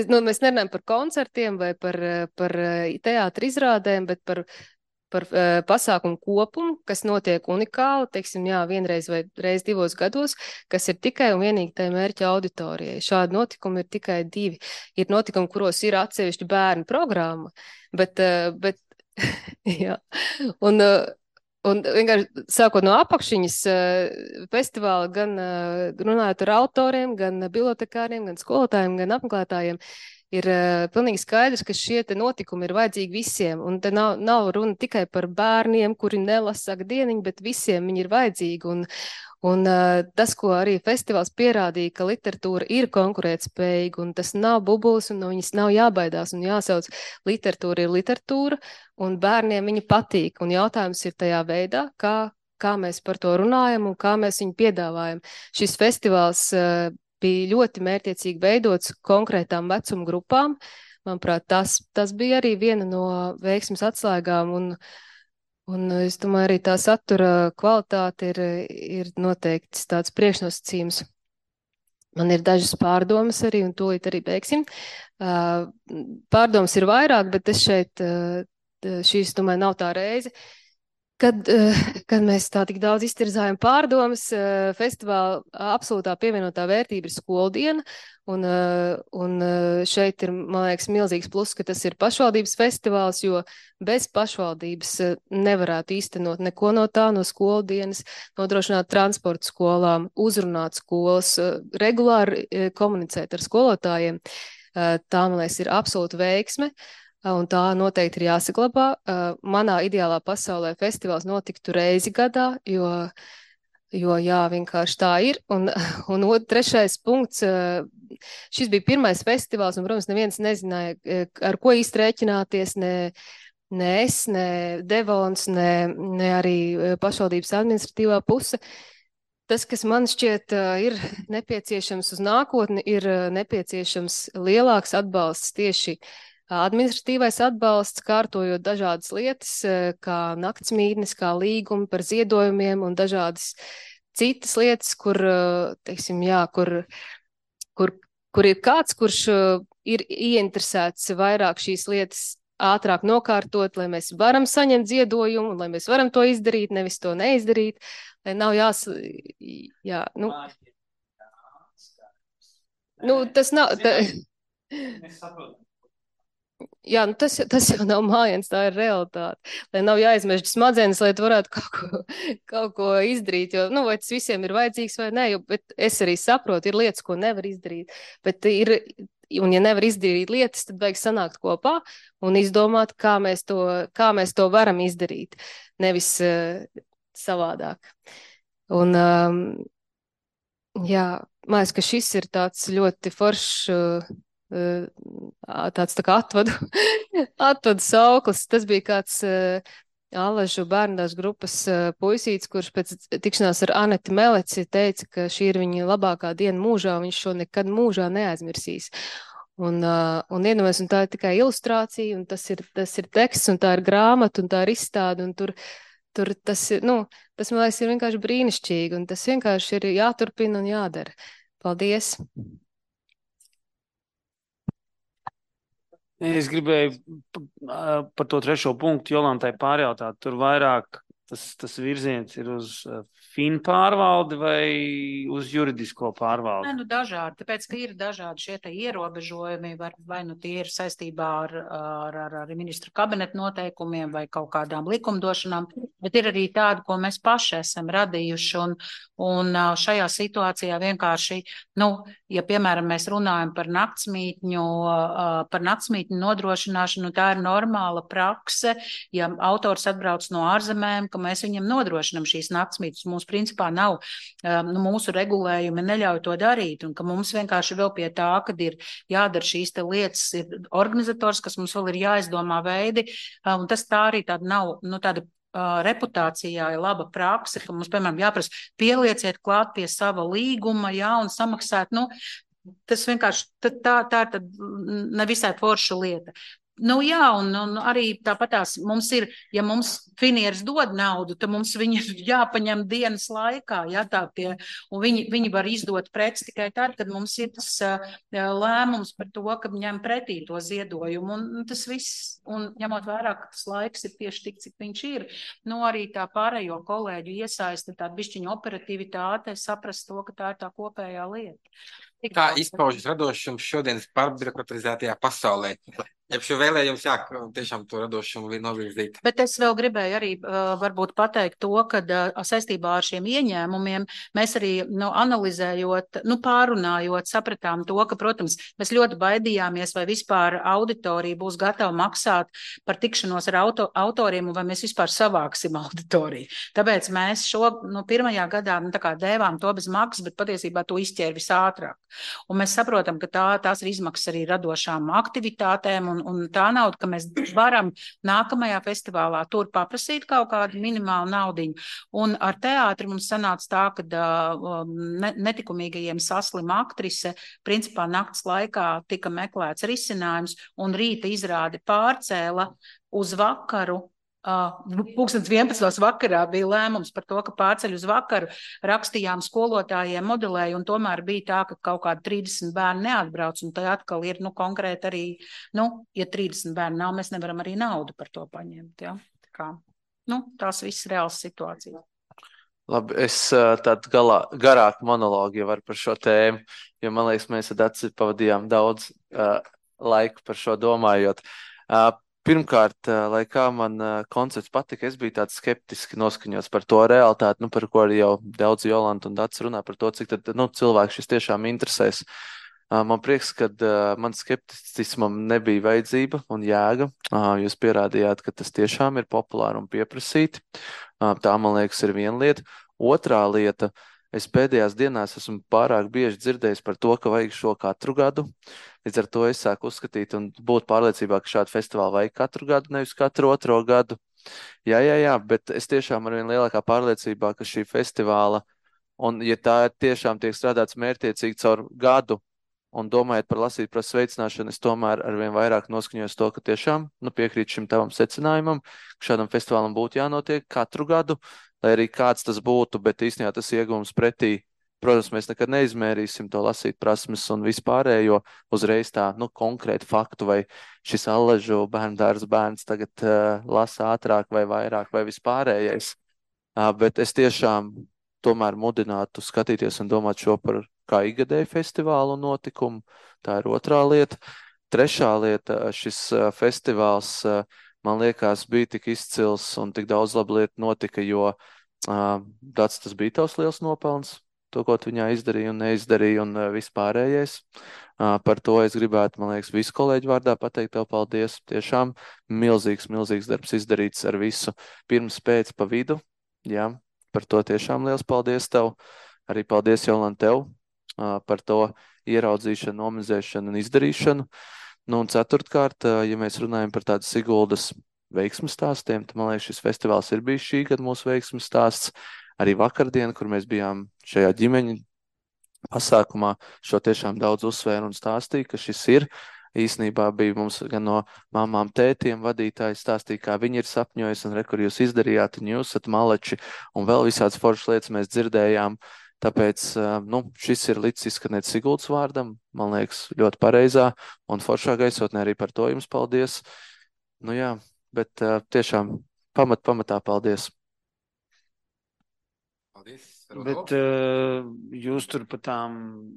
Speaker 13: nu, mēs nerunājam par koncertiem vai par, par teātra izrādēm, bet par, par uh, pasākumu kopumu, kas notiek unikāli, teiksim, jā, vienreiz vai reiz divos gados, kas ir tikai un vienīgi tai mērķa auditorijai. Šādi notikumi ir tikai divi. Ir notikumi, kuros ir atsevišķi bērnu programma, bet, uh, bet jā, un uh, Un vienkārši sākot no apakšiņas festivāla, gan runājot ar autoriem, gan bibliotekāriem, gan skolotājiem, gan apmeklētājiem, ir pilnīgi skaidrs, ka šie te notikumi ir vajadzīgi visiem. Un te nav, nav runa tikai par bērniem, kuri nelasa dieniņu, bet visiem viņi ir vajadzīgi. Un, un tas, ko arī festivāls pierādīja, ka literatūra ir konkurētspējīga, un tas nav bubulis, un no viņas nav jābaidās, un jāsauc literatūra ir literatūra, un bērniem viņa patīk. Un jautājums ir tajā veidā, kā, kā mēs par to runājam un kā mēs viņu piedāvājam. Šis festivāls uh, bija ļoti mērķiecīgi veidots konkrētām vecuma grupām. Manuprāt, tas, tas bija arī viena no veiksmes atslēgām, un, un es domāju, arī tā satura kvalitāte ir, ir noteikti tāds priekšnosacījums. Man ir dažas pārdomas arī, un tūlīt arī beigsim. Uh, pārdomas ir vairāk, bet es šeit, uh, šīs, domāju, nav tā reize. Kad, kad mēs tā tik daudz iztirzājam pārdomas, festivāla absolūtā pievienotā vērtība ir skoldiena, un, un šeit ir, man liekas, milzīgs plus, ka tas ir pašvaldības festivāls, jo bez pašvaldības nevarētu īstenot neko no tā, no skoldienas, nodrošināt transportu skolām, uzrunāt skolas, regulāri komunicēt ar skolotājiem. Tā, man liekas, ir absolūta veiksme. Un tā noteikti ir jāsaglabā. Manā ideālā pasaulē festivāls notiktu reizi gadā, jo, jo jā, vienkārši tā ir. Un, un trešais punkts, šis bija pirmais festivāls, un, protams, neviens nezināja, ar ko īsti rēķināties, ne, ne es, ne Devons, ne, ne arī pašvaldības administratīvā puse. Tas, kas man šķiet ir nepieciešams uz nākotni, ir nepieciešams lielāks atbalsts tieši administratīvais atbalsts, kārtojot dažādas lietas, kā naktsmītnes, kā līgumi par ziedojumiem un dažādas citas lietas, kur, teiksim, jā, kur, kur, kur ir kāds, kurš ir ieinteresēts vairāk šīs lietas ātrāk nokārtot, lai mēs varam saņemt ziedojumu, lai mēs varam to izdarīt, nevis to neizdarīt, lai nav jās... Jā, nu... Nu, tas nav... Tā... Jā, nu tas, tas jau nav mājiens, tā ir realitāte. Lai nav jāizmežģi smadzenes, lai tu varētu kaut ko, kaut ko izdarīt, jo, nu, vai tas visiem ir vajadzīgs vai nē, jo, bet es arī saprotu, ir lietas, ko nevar izdarīt, bet ir, un ja nevar izdarīt lietas, tad vajag sanākt kopā un izdomāt, kā mēs to, kā mēs to varam izdarīt, nevis uh, savādāk. Un, um, jā, man liekas, ka šis ir tāds ļoti foršs, uh, tāds tā kā atvadu, atvadu sauklis. Tas bija kāds uh, Allažu bērndās grupas uh, puisīts, kurš pēc tikšanās ar Aneti Meleci teica, ka šī ir viņa labākā diena mūžā, un viņš šo nekad mūžā neaizmirsīs. Un, uh, un iedomājies, un tā ir tikai ilustrācija, un tas ir, tas ir teksts, un tā ir grāmata, un tā ir izstāde, un tur, tur tas ir, nu, tas, man liekas, ir vienkārši brīnišķīgi, un tas vienkārši ir jāturpina un jādara. Paldies!
Speaker 6: Es gribēju par to trešo punktu Jolantai pārjautāt. Tur vairāk tas, tas virziens ir uz fin pārvaldi vai uz juridisko pārvaldi?
Speaker 4: Nē, nu dažādi, tāpēc, ka ir dažādi šie te ierobežojumi, vai, vai nu tie ir saistībā ar, ar, ar, ar ministru kabinetu noteikumiem vai kaut kādām likumdošanām, bet ir arī tādi, ko mēs paši esam radījuši, un, un šajā situācijā vienkārši, nu, ja, piemēram, mēs runājam par naktsmītņu, par naktsmītņu nodrošināšanu, tā ir normāla prakse, ja autors atbrauc no ārzemēm, ka ka mēs viņam nodrošinam šīs naktsmītnes. Mums principā nav, nu, mūsu regulējumi neļauj to darīt, un ka mums vienkārši vēl pie tā, kad ir jādara šīs te lietas, ir organizators, kas mums vēl ir jāizdomā veidi, un tas tā arī tāda nav, nu, tāda Uh, reputācijā ir laba praksa, ka mums, piemēram, jāprasa pielieciet klāt pie sava līguma, jā, un samaksāt, nu, tas vienkārši, tā, tā, tā ir tad nevisai forša lieta. Nu, jā, un, un arī tāpatās mums ir, ja mums finieris dod naudu, tad mums viņi ir jāpaņem dienas laikā, jā, tā pie, un viņi, viņi var izdot preci tikai tad, kad mums ir tas uh, lēmums par to, ka ņem pretī to ziedojumu, un tas viss, un ņemot vērā, ka tas laiks ir tieši tik, cik viņš ir, nu, arī tā pārējo kolēģu iesaista, tā bišķiņa operativitāte, saprast to, ka tā ir tā kopējā lieta.
Speaker 1: Kā izpaužas radošums šodienas pārbirokratizētajā pasaulē? Ja šo vēlējums, jā, tiešām to radošumu novirzīt.
Speaker 4: Bet es vēl gribēju arī uh, varbūt pateikt to, ka uh, saistībā ar šiem ieņēmumiem mēs arī, nu, analizējot, nu, pārunājot, sapratām to, ka, protams, mēs ļoti baidījāmies, vai vispār auditorija būs gatava maksāt par tikšanos ar auto, autoriem, un vai mēs vispār savāksim auditoriju. Tāpēc mēs šo, nu, pirmajā gadā, nu, tā kā dēvām to bez maksas, bet patiesībā to izķēra visātrāk. Un mēs saprotam, ka tā, tās ir izmaksas arī radošām aktivitātēm, un, un tā nauda, ka mēs varam nākamajā festivālā tur paprasīt kaut kādu minimālu naudiņu. Un ar teātri mums sanāca tā, ka uh, ne, netikumīgajiem saslima aktrise, principā nakts laikā tika meklēts risinājums, un rīta izrādi pārcēla uz vakaru. Uh, Pūkstens vienpadsmitos vakarā bija lēmums par to, ka pārceļ uz vakaru, rakstījām skolotājiem, modelēju, un tomēr bija tā, ka kaut kādi trīsdesmit bērni neatbrauc, un tā atkal ir, nu, konkrēti arī, nu, ja trīsdesmit bērni nav, mēs nevaram arī naudu par to paņemt, jā. Tā kā, nu, tās visas reāls situācijas.
Speaker 8: Labi, es tādu galā, garāku monologu jau varu par šo tēmu, jo, man liekas, mēs ar Daci pavadījām daudz uh, laiku par šo domājot. Uh, Pirmkārt, lai kā man koncepts patika, es biju tāds skeptiski noskaņots par to realitāti, nu, par ko arī jau daudz Jolanta un Dats runā par to, cik tad, nu, cilvēks šis tiešām interesēs. Man prieks, ka man skepticismam nebija vajadzība un jēga. Jūs pierādījāt, ka tas tiešām ir populāri un pieprasīti. Tā, man liekas, ir viena lieta. Otrā lieta, es pēdējās dienās esmu pārāk bieži dzirdējis par to, ka vajag šo katru gadu. Līdz ar to es sāku uzskatīt un būt pārliecībā, ka šādu festivālu vajag katru gadu, nevis katru otro gadu. Jā, jā, jā, bet es tiešām ar vien lielākā pārliecībā, ka šī festivāla, un ja tā tiešām tiek strādāts mērķtiecīgi caur gadu, un domājot par lasīt par sveicināšanu, es tomēr ar vien vairāk noskaņojos to, ka tiešām, nu, piekrīt šim tavam secinājumam, ka šādam festivālam būtu jānotiek katru gadu, lai arī kāds tas būtu, bet īstenībā tas iegūms pretī. Protams, mēs nekad neizmērīsim to lasīt prasmes un vispārējo uzreiz tā, nu, konkrētu faktu, vai šis Allažu bērndārs bērns tagad uh, lasa ātrāk vai vairāk vai vispārējais. Uh, bet es tiešām tomēr mudinātu skatīties un domāt šo par kā ikgadēju festivālu notikumu. Tā ir otrā lieta. Trešā lieta, šis uh, festivāls, uh, man liekas, bija tik izcils un tik daudz labu lietu notika, jo uh, tāds tas bija tavs liels nopelns. To, ko tu viņā izdarīja un neizdarīja un vispārējais. Uh, par to es gribētu, man liekas, visu kolēģu vārdā pateikt tev paldies. Tiešām milzīgs, milzīgs darbs izdarīts ar visu pirms, pēc, pa vidu. Jā, par to tiešām liels paldies tev. Arī paldies, Jolanta, tev uh, par to ieraudzīšanu, nomizēšanu un izdarīšanu. Nu, un ceturtkārt, uh, ja mēs runājam par tādu Siguldas veiksmes stāstiem, tad, man liekas, šis festivāls ir bijis šī gada mūsu veiksmes stāsts. Arī vakardien, kur mēs bijām šajā ģimeņa pasākumā, šo tiešām daudz uzsvēru un stāstīja, ka šis ir. Īsnībā bija mums gan no mamām, tētiem vadītāji stāstīja, kā viņi ir sapņojis un re, kur jūs izdarījāt, un jūs esat maleči, un vēl visādas foršas lietas mēs dzirdējām. Tāpēc, nu, šis ir līdz izskanēt Siguldas vārdam, man liekas, ļoti pareizā un foršā gaisotnē arī par to jums paldies. Nu jā, bet tiešām pamat, pamatā paldies.
Speaker 1: Paldies.
Speaker 6: Bet uh, jūs tur pa, tām,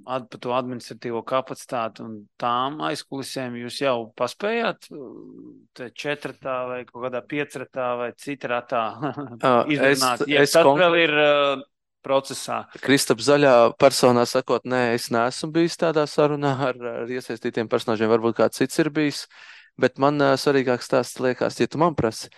Speaker 6: ad, pa to administratīvo kapacitāti un tām aizkulisēm jūs jau paspējāt te četratā vai kaut kādā piecratā vai citratā izrunāt? Ja tas konk... vēl ir uh, procesā.
Speaker 8: Kristap zaļā personā sakot, nē, es neesmu bijis tādā sarunā ar, ar iesaistītiem personāžiem, varbūt kāds cits ir bijis, bet man uh, svarīgāks stāsts liekas, ja tu man prasi.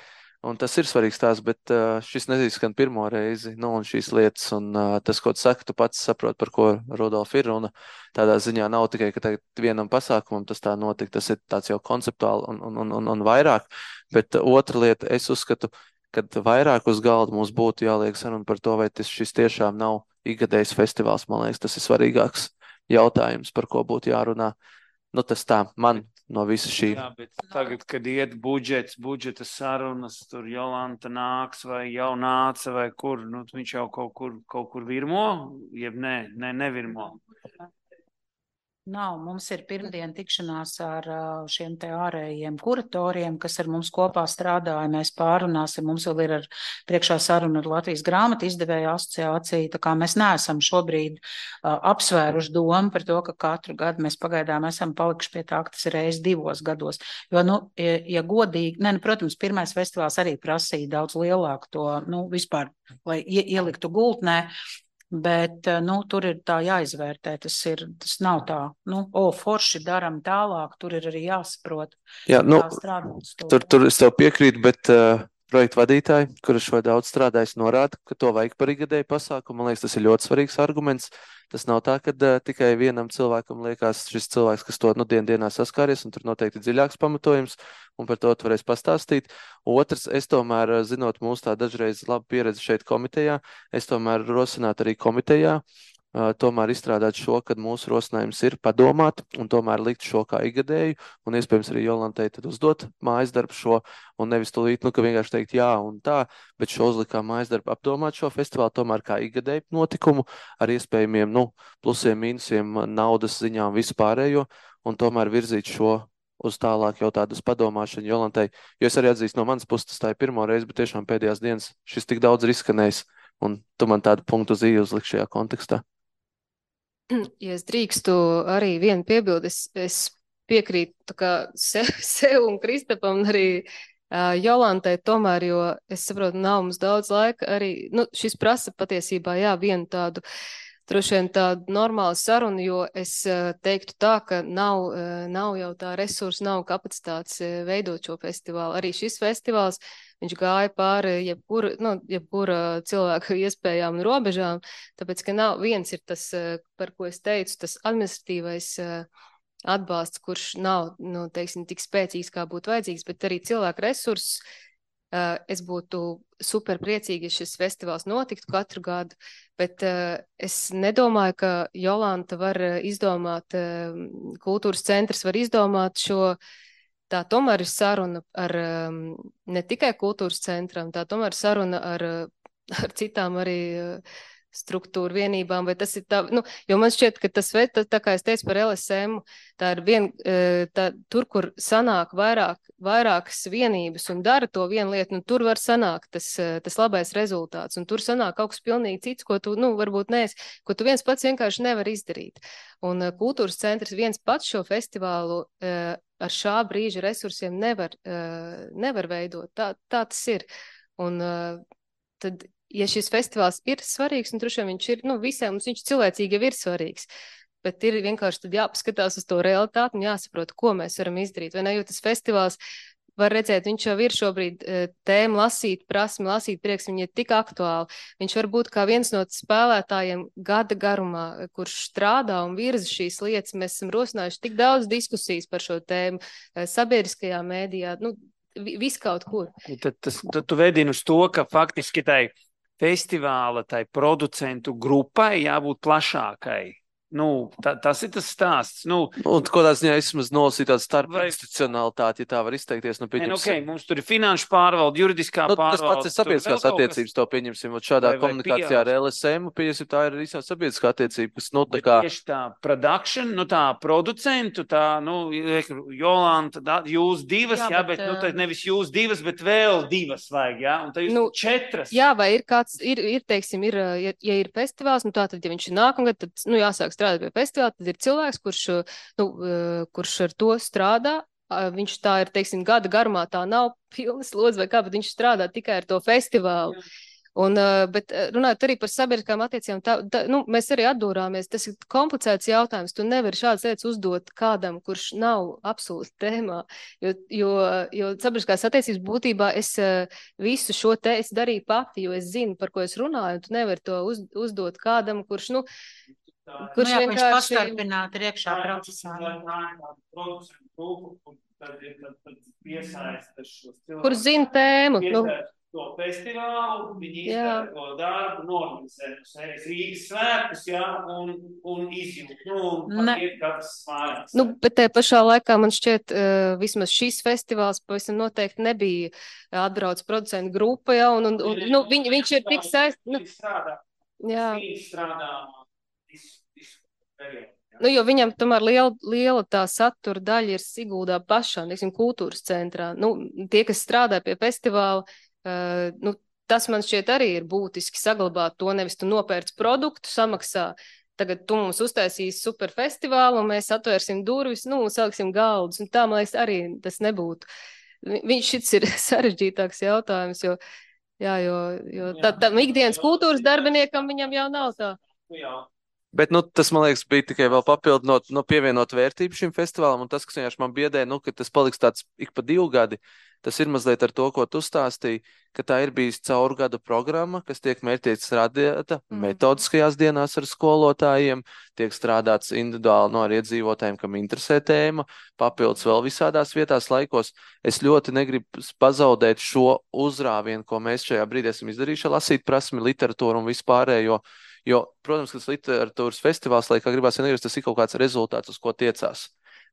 Speaker 8: Un tas ir svarīgs tās, bet uh, šis neizskan pirmo reizi, nu, un šīs lietas, un uh, tas, ko tu saki, tu pats saproti, par ko Rudolf ir, un tādā ziņā nav tikai, ka tagad vienam pasākumam tas tā notika, tas ir tāds jau konceptuāli un, un, un, un vairāk, bet uh, otra lieta, es uzskatu, kad vairāk uz galda mums būtu jāliek saruna par to, vai tas šis tiešām nav ikgadējs festivāls, man liekas, tas ir svarīgāks jautājums, par ko būtu jārunā. Nu, tas tā, man no visa šī.
Speaker 6: Jā, bet tagad, kad iet budžets, budžeta sarunas, tur Jolanta nāks vai jau nāca vai kur, nu, viņš jau kaut kur, kaut kur virmo, jeb nē, ne, nevirmo.
Speaker 4: Nav, mums ir pirmdien tikšanās ar šiem te ārējiem kuratoriem, kas ar mums kopā strādāja, mēs pārunāsim, mums vēl ir ar priekšā saruna ar Latvijas grāmatu izdevēju asociāciju, tā kā mēs neesam šobrīd uh, apsvēruši domu par to, ka katru gadu mēs pagaidām esam palikuši pie tā, ka tas ir reiz divos gados, jo, nu, ja, ja godīgi, ne, nu, protams, pirmais festivāls arī prasīja daudz lielāku to, nu, vispār, lai ie, ieliktu gultnē, bet, nu, tur ir tā jāizvērtē, tas ir, tas nav tā, nu, o, forši daram tālāk, tur ir arī jāsaprot,
Speaker 8: Jā, nu,
Speaker 4: kā strādāt.
Speaker 8: Tur, tur es tev piekrītu, bet uh, projektu vadītāji, kurš vai daudz strādājis, norāda, ka to vajag par ikgadēju pasākumu. Man liekas, tas ir ļoti svarīgs arguments. Tas nav tā, ka uh, tikai vienam cilvēkam liekas šis cilvēks, kas to nu dien dienā saskāries, un tur noteikti dziļāks pamatojums, un par to tu varēs pastāstīt. Otrs, es tomēr, zinot mūsu tā dažreiz labu pieredzi šeit komitejā, es tomēr rosinātu arī komitejā, uh, tomēr izstrādāt šo, kad mūsu rosinājums ir padomāt, un tomēr likt šo kā ikgadēju, un iespējams arī Jolantai tad uzdot mājas darbu šo, un nevis tūlīt, nu, ka vienkārši teikt jā un tā, bet šo uzlikā mājas darbu apdomāt šo festivālu tomēr kā ikgadēju notikumu ar iespējamiem, nu, plusiem, mīnusiem, naudas ziņām, visu pārējo, un tomēr virzīt šo uz tālāk jau tādas padomāšanu Jolantai, jo es arī atzīstu no manas puses, tas tā ir pirmo reizi, bet tiešām pēdējās dienas šis tik daudz ir izskanējis, un tu man tādu punktu uz i uzlikt šajā kontekstā.
Speaker 13: Ja es drīkstu arī vienu piebildi, es, es piekrītu tā kā sev, sev un Kristapam un arī uh, Jolantai tomēr, jo es saprotu, nav mums daudz laika arī, nu, šis prasa patiesībā, jā, vienu tādu, droši vien tādu normālu sarunu, jo es uh, teiktu tā, ka nav, uh, nav jau tā resursa, nav kapacitātes uh, veidot šo festivālu. Arī šis festivāls, viņš gāja pāri jebkura, nu, jebkura cilvēka iespējām un robežām, tāpēc, ka nav, viens ir tas, par ko es teicu, tas administratīvais atbalsts, kurš nav, nu, teiksim, tik spēcīgs, kā būtu vajadzīgs, bet arī cilvēku resursus. Es būtu super priecīgi, ja šis festivāls notiktu katru gadu, bet es nedomāju, ka Jolanta var izdomāt, kultūras centrs var izdomāt šo. Tā tomēr ir saruna ar um, ne tikai kultūras centram, tā tomēr ir saruna ar, ar citām arī uh, struktūru vienībām, vai tas ir tā, nu, jo man šķiet, ka tas, tā, tā kā es teicu par L S M, tā ir vien, uh, tā, tur, kur sanāk vairāk, vairākas vienības un dara to vienu lietu, nu, tur var sanākt tas, uh, tas labais rezultāts, un tur sanāk kaut kas pilnīgi cits, ko tu, nu, varbūt neesi, ko tu viens pats vienkārši nevar izdarīt. Un uh, kultūras centrs viens pats šo festivālu uh, ar šā brīža resursiem nevar, uh, nevar veidot. Tā, tā tas ir. Un uh, tad, ja šis festivāls ir svarīgs, un droši vien viņš ir, nu, visiem mums viņš cilvēcīgi jau ir svarīgs, bet ir vienkārši tad jāpaskatās uz to realitāti un jāsaprot, ko mēs varam izdarīt. Vai ne, jo tas festivāls, var redzēt, viņš jau ir šobrīd tēma lasīt, prasmi lasīt, prieks, viņi ir tik aktuāli. Viņš var būt kā viens no spēlētājiem gada garumā, kurš strādā un virza šīs lietas. Mēs esam rosinājuši tik daudz diskusijas par šo tēmu sabiedriskajā mēdījā, nu, viskaut kur.
Speaker 6: Tad, tas, tad tu vedini uz to, ka faktiski tai festivāla, tai producentu grupai jābūt plašākai. Nu, tā, tas ir tas stāsts. Nu,
Speaker 8: un kādā ziņā es maz nolasīju tādu starpinstitucionalitāti, ja tā var izteikties. Nu,
Speaker 6: ne, nu, okay, mums tur ir finanšu pārvalde, juridiskā
Speaker 8: nu,
Speaker 6: pārvalde.
Speaker 8: Tas pats ir sabiedriskās attiecības, to pieņemsim. Šādā vai, vai komunikācijā P R. ar L S M, pieņemsim, tā ir visā sabiedriskā attiecība, kas, nu, tā kā...
Speaker 6: Tieši tā production, nu, tā producentu, tā, nu, Jolanta, tā, jūs divas, jā, jā bet, bet, nu, tā nevis jūs divas, bet vēl divas vajag, jā, un tā jūs nu, četras.
Speaker 13: Jā, vai ir kāds, ir, ir teiksim, ir, ja, ja ir festivāls, nu, tā tad, ja viņš ir nākamgad, tad, nu, jāsāk strādāt pie festivāla, tad ir cilvēks, kurš, nu, kurš ar to strādā. Viņš tā ir, teiksim, gada garumā, tā nav pilna slodze vai kā, bet viņš strādā tikai ar to festivālu. Un, bet runājot arī par sabiedriskām attiecībām, tā, tā, nu, mēs arī atdūrāmies. Tas ir komplicēts jautājums. Tu nevari šādas lietas uzdot kādam, kurš nav absolūti tēmā. Jo, jo, jo sabiedriskās attiecības būtībā es visu šo te es darīju pati, jo es zinu, par ko es runāju. Tu nevari to uz, uzdot kādam, kurš, nu, kurš
Speaker 4: nu, jā,
Speaker 13: vienkārši...
Speaker 4: viņš pastarpināti ir iekšā procesā. Kur
Speaker 13: zina tēmu. Nu,
Speaker 6: to festivālu, viņi izdara to darbu, norganizē no sevis Rīgas svētkus, jā, un, un izjūt, nu, un patiet katrs mājās.
Speaker 13: Nu, bet te pašā laikā man šķiet, uh, vismaz šis festivāls pavisam noteikti nebija atbrauc producentu grupa, jā, un, un, un nu, viņ, viņš ir tik saist... Nu, jā.
Speaker 6: Viņš strādā visu, visu periodu.
Speaker 13: Nu, jo viņam tomēr liela, liela tā satura daļa ir Siguldā pašā, neksim, kultūras centrā. Nu, tie, kas strādā pie festivāla, Uh, nu, tas man šķiet arī ir būtiski saglabāt to, nevis tu nopērc produktu, samaksā, tagad tu mums uztaisīs super festivālu un mēs atvērsim durvis, nu, un saliksim galdus, un tā, man liekas, arī tas nebūtu. Viņš šits ir sarežģītāks jautājums, jo, jā, jo, jo tā, tā ikdienas kultūras darbiniekam viņam jau nav tā.
Speaker 8: Bet, nu, tas, man liekas, bija tikai vēl papildinot, no pievienot vērtību šim festivālam, un tas, kas vienkārši man biedē, nu, ka tas paliks tāds ik pa divu gadi, tas ir mazliet ar to, ko tu stāstīji, ka tā ir bijis caur gadu programma, kas tiek mērķēts radīta mm. metodiskajās dienās ar skolotājiem, tiek strādāts individuāli no ar iedzīvotājiem, kam interesē tēma, papildus vēl visādās vietās laikos. Es ļoti negribu pazaudēt šo uzrāvienu, ko mēs šajā brīdī esam izdarījuši, lasīt prasmi, literatūru un vispārējo. Jo, protams, ka tas literatūras festivāls, lai kā gribās vienīgais, tas ir kaut kāds rezultāts, uz ko tiecās.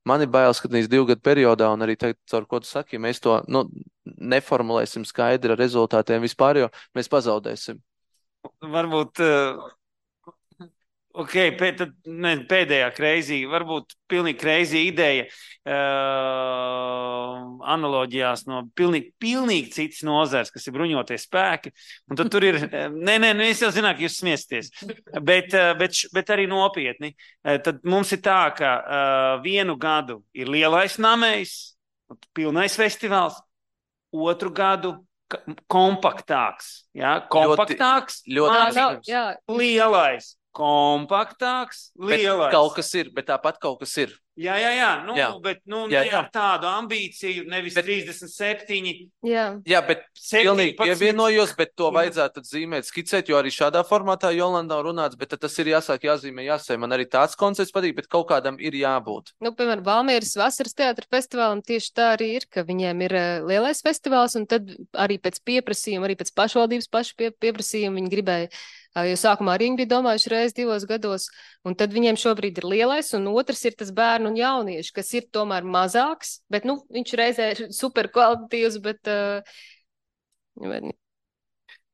Speaker 8: Man ir bailes, ka nīs divu gadu periodā, un arī tagad, caur ko tu saki, mēs to nu, neformulēsim skaidri ar rezultātiem vispār, jo mēs pazaudēsim.
Speaker 6: Varbūt, uh, ok, pēd, tad, ne, pēdējā kreizī, varbūt pilnīgi kreizī ideja uh, analoģijās no pilnīgi, pilnīgi citas nozars, kas ir bruņotie spēki, un tad tur ir, nē, nē, es jau zināju, ka jūs smiesties, bet, bet, bet arī nopietni. Tad mums ir tā, ka uh, vienu gadu ir lielais namējs, pilnais festivāls, otru gadu kompaktāks, jā, kompaktāks,
Speaker 8: ļoti,
Speaker 6: ļoti lielais. Kompaktāks, lielais.
Speaker 8: Bet kaut kas ir, bet tāpat kaut kas ir.
Speaker 6: Jā, jā, jā, nu,
Speaker 8: jā.
Speaker 6: bet nu,
Speaker 8: jā,
Speaker 6: jā. ar tādu ambīciju, nevis bet, trīsdesmit septiņi.
Speaker 13: Jā,
Speaker 8: jā bet pilnīgi pievienojos, bet to vajadzētu zīmēt, skicēt, jo arī šādā formātā Jolanda nav runāts, bet tas ir jāsāk, jāzīmē, jāsē. Man arī tāds koncepts patīk, bet kaut kādam ir jābūt.
Speaker 13: Nu, piemēram, Valmieras vasaras teātra festivālam tieši tā arī ir, ka viņiem ir lielais festivāls, un tad arī pēc pieprasījuma, arī pēc pašvaldības pašu pie, pieprasījuma viņi gribēja. Jo sākumā arī viņi bija domājuši reiz divos gados, un tad viņiem šobrīd ir lielais, un otrs ir tas bērnu un jaunieši, kas ir tomēr mazāks, bet, nu, viņš reizē ir super kvalitatīvs, bet... Uh,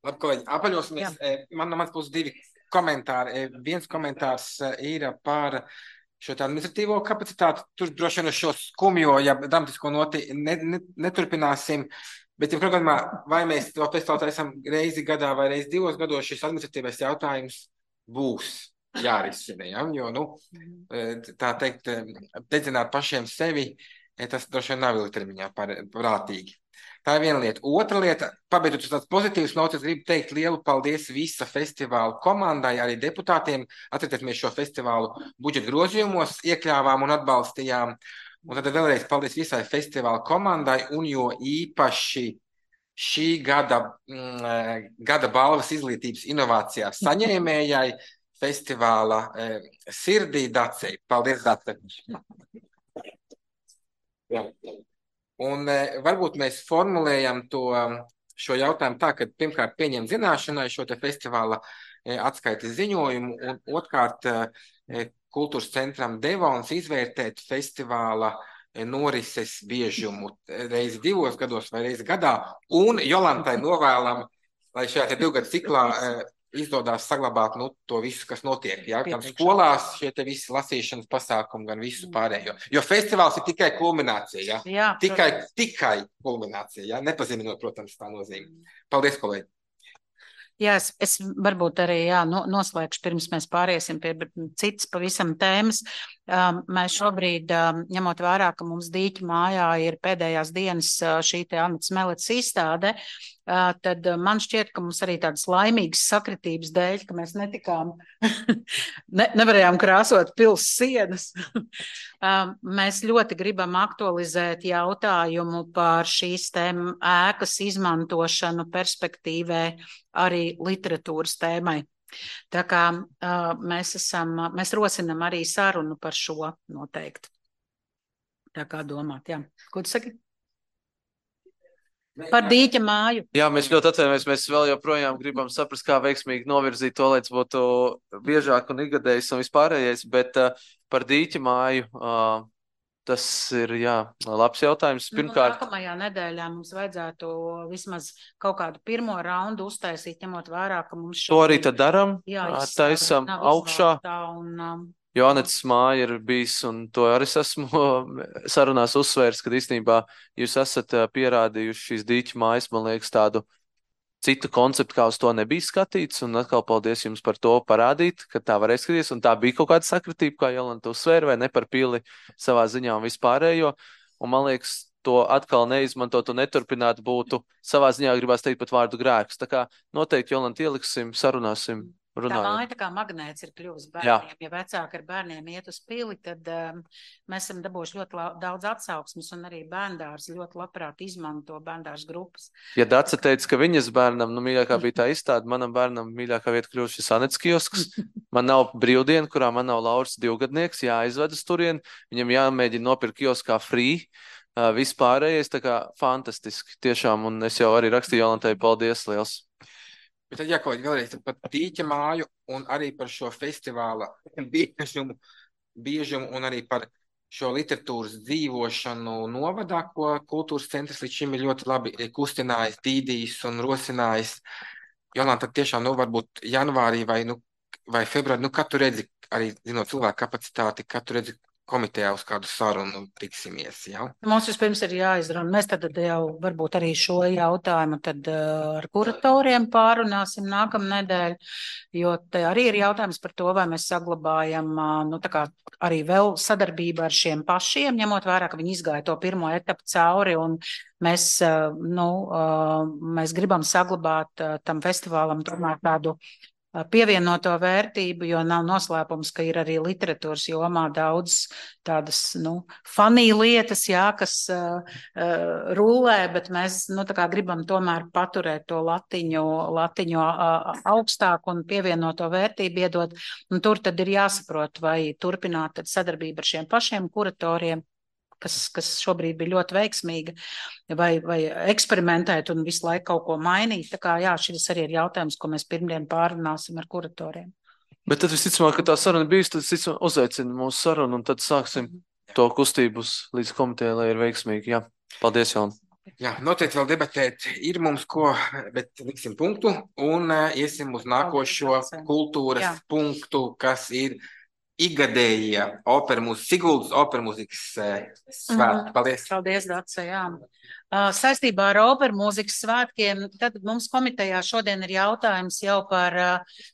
Speaker 1: Labi, kolēģi, apaļosimies. Man no mans būs divi komentāri. Viens komentārs ir par šo tā administratīvo kapacitāti. Tur droši vien uz šo skumjo, ja dramatisko noti ne, ne, neturpināsim. Bet, ja programmā, vai mēs to festivālu esam reizi gadā vai reizi divos gados, šis administratīvais jautājums būs jārisina. Ja? Jo, nu, tā teikt, dedzināt pašiem sevi, tas droši vien nav ilgtermiņā prātīgi. Tā ir viena lieta. Otra lieta, pabeidzot uz tāds pozitīvs nots, es gribu teikt lielu paldies visa festivāla komandai, arī deputātiem. Atcerieties, mēs šo festivālu budžeta grozījumos iekļāvām un atbalstījām. Un tad vēlreiz paldies visai festivāla komandai un jo īpaši šī gada, mm, gada balvas izglītības inovācijās saņēmējai festivāla e, sirdī Dacei. Paldies, Dace! Jā. Un e, varbūt mēs formulējam to, šo jautājumu tā, ka pirmkārt pieņem zināšanai šo te festivāla e, atskaites ziņojumu un otrkārt e, Kultūras centram Devons izvērtēt festivāla norises biežumu reizi divos gados vai reizi gadā, un Jolantai novēlam, lai šajā te divgadu ciklā izdodās saglabāt nu, to visu, kas notiek. Ja? Gan skolās šie te visi lasīšanas pasākumi, gan visu pārējo. Jo festivāls ir tikai kulminācija. Ja?
Speaker 4: Jā,
Speaker 1: tikai, tikai kulminācija. Ja? Nepazīminot, protams, tā nozīme. Paldies, kolēģi!
Speaker 4: Jā, es, es varbūt arī jā, no, noslēgšu, pirms mēs pāriesim pie citas pavisam tēmas. Mēs šobrīd, ņemot vērā, ka mums Dīķa mājā ir pēdējās dienas šī te Annas Melets izstāde, tad man šķiet, ka mums arī tādas laimīgas sakritības dēļ, ka mēs netikām, ne, nevarējām krāsot pils sienas. Mēs ļoti gribam aktualizēt jautājumu par šīs tēm ēkas izmantošanu perspektīvē arī literatūras tēmai. Tā kā uh, mēs, esam, mēs rosinam arī sarunu par šo noteikti. Tā kā domāt, jā. Ko tu saki? Par Dīķa māju.
Speaker 8: Jā, mēs ļoti atvainojamies. Mēs vēl joprojām gribam saprast, kā veiksmīgi novirzīt to, lai tas būtu biežāk un ikgadējs un vispārējais, bet uh, par Dīķa māju uh, tas ir, jā, labs jautājums. Pirmkārt,
Speaker 4: nu, nākamajā nedēļā mums vajadzētu vismaz kaut kādu pirmo raundu uztaisīt, ņemot vērā, ka mums
Speaker 8: šo... To arī tad daram,
Speaker 4: jā,
Speaker 8: taisam augšā.
Speaker 4: Un, um,
Speaker 8: Jo Anetes māja ir bijis, un to arī es esmu sarunās uzsvērs, kad īstenībā jūs esat pierādījuši šīs Dīķa mājas, man liekas, tādu citu konceptu, kā uz to nebija skatīts, un atkal paldies jums par to parādīt, ka tā varēja skatīties, un tā bija kaut kāda sakritība, kā Jolanta uzsvēra, vai ne par pili savā ziņā un vispārējo, un man liekas, to atkal neizmantot un neturpināt būtu savā ziņā gribās teikt pat vārdu grēks. Tā kā noteikti Jolanta ieliksim, sarunāsim, runājam.
Speaker 4: Tā māja tā kā magnēts ir kļuvis bērniem. Jā. Ja vecāki ar bērniem iet uz pili, tad um, mēs esam dabūjuši ļoti la, daudz atsauksmes, un arī bērndārs ļoti labprāt izmanto bērndārs grupas.
Speaker 8: Ja Daca teica, ka viņas bērnam, nu mīļākā bija tā izstāde, manam bērnam mīļākā vieta kļūst šis Anetes kiosks. Man nav brīvdiena, kurā man nav Lauras divgadnieks, jāizved uz turien, viņam jāmēģina nopirkt kioskā free. Uh, vispārējais, tā kā fantastiski, tiešām, un es jau arī rakstīju Jolantai, paldies liels.
Speaker 1: Bet tad jākolēģi vēlreiz par Dīķa māju un arī par šo festivāla biežumu, biežumu un arī par šo literatūras dzīvošanu novadā, ko kultūras centrs līdz šim ir ļoti labi kustinājis, dīdījis un rosinājis. Jolanta, tad tiešām, nu, varbūt janvārī vai, nu, vai februārī, nu, kad tu redzi, arī zinot cilvēku kapacitāti, kad tu redzi komitejā uz kādu sarunu tiksimies, jā?
Speaker 4: Mums vispirms ir jāizrunā. Mēs tad jau varbūt arī šo jautājumu tad uh, ar kuratoriem pārunāsim nākamnedēļ, jo te arī ir jautājums par to, vai mēs saglabājam uh, nu, tā kā arī vēl sadarbību ar šiem pašiem, ņemot vērā, ka viņi izgāja to pirmo etapu cauri, un mēs, uh, nu, uh, mēs gribam saglabāt uh, tam festivālam tomēr tādu pievienoto vērtību, jo nav noslēpums, ka ir arī literatūras jomā daudz tādas, nu, funny lietas, jā, kas uh, uh, rulē, bet mēs, nu, tā kā gribam tomēr paturēt to latiņu, latiņu uh, augstāk un pievienoto vērtību iedot, un tur tad ir jāsaprot, vai turpināt tad sadarbību ar šiem pašiem kuratoriem, Kas, kas šobrīd bija ļoti veiksmīga, vai, vai eksperimentēt un visu laiku kaut ko mainīt. Tā kā, jā, šis arī ir jautājums, ko mēs pirmdien pārunāsim ar kuratoriem.
Speaker 8: Bet tad visticamāk, ka tā saruna bijis, tad visticamāk uzaicina mūsu sarunu, un tad sāksim to kustību līdz komitejai, lai ir veiksmīgi. Jā, paldies, Jolanta.
Speaker 1: Jā, noteikti vēl debatēt ir mums ko, bet liksim punktu, un uh, iesim uz nākošo kultūras jā. punktu, kas ir Igadējie opera mūzikas, Siguldas opera mūzikas svētki. Paldies.
Speaker 4: Paldies, Dace, jā. Saistībā ar opera mūzikas svētkiem, tad mums komitejā šodien ir jautājums jau par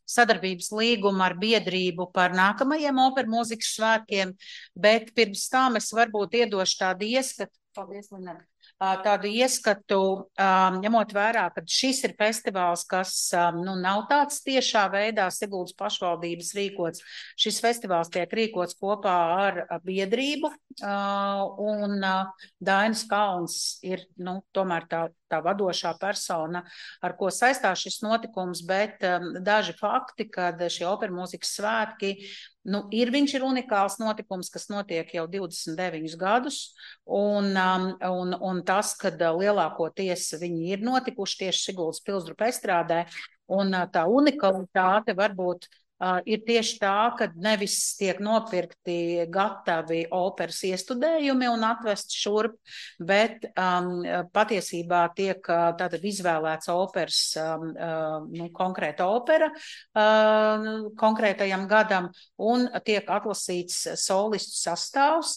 Speaker 4: sadarbības līgumu ar biedrību par nākamajiem opera mūzikas svētkiem, bet pirms tam es varbūt iedošu tādu ieskatu. Paldies, Linē. Tādu ieskatu, ņemot vērā, ka šis ir festivāls, kas nu, nav tāds tiešā veidā Siguldas pašvaldības rīkots. Šis festivāls tiek rīkots kopā ar biedrību, un Dainis Kalns ir nu, tomēr tā, tā vadošā persona, ar ko saistās šis notikums, bet daži fakti, kad šie opera mūzikas svētki, nu, ir viņš ir unikāls notikums, kas notiek jau divdesmit deviņus gadus, un, un, un tas, kad lielākoties viņi ir notikuši tieši Siguldas Pilsdrupa estrādē, un tā unikalitāte varbūt uh, ir tieši tā, ka nevis tiek nopirkti gatavi operas iestudējumi un atvest šurp, bet um, patiesībā tiek uh, tātad izvēlēts operas, um, uh, nu, konkrēta opera uh, konkrētajam gadam, un tiek atlasīts solistu sastāvs,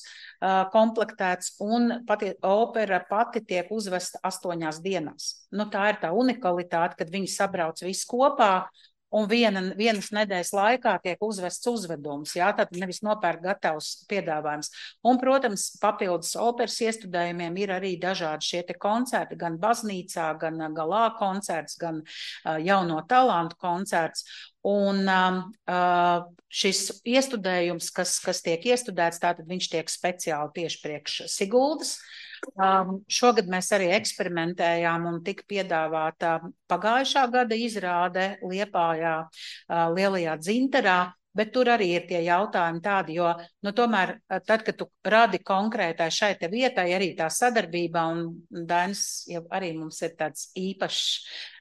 Speaker 4: komplektēts, un pati, opera pati tiek uzvesta astoņās dienās. Nu, tā ir tā unikalitāte, kad viņi sabrauc visi kopā, un viena, vienas nedēļas laikā tiek uzvests uzvedums, jā, tad nevis nopērk gatavs piedāvājums. Un, protams, papildus operas iestudējumiem ir arī dažādi šie te koncerti, gan baznīcā, gan galā koncerts, gan uh, jauno talantu koncerts. Un uh, šis iestudējums, kas, kas tiek iestudēts, tātad viņš tiek speciāli tieši priekš Siguldas. Um, šogad mēs arī eksperimentējām un tika piedāvāta pagājušā gada izrāde Liepājā, uh, Lielajā Dzintarā, bet tur arī ir tie jautājumi tādi, jo, nu, tomēr, tad, kad tu radi konkrētai šai te vietai, arī tā sadarbībā, un Dainis jau arī mums ir tāds īpašs,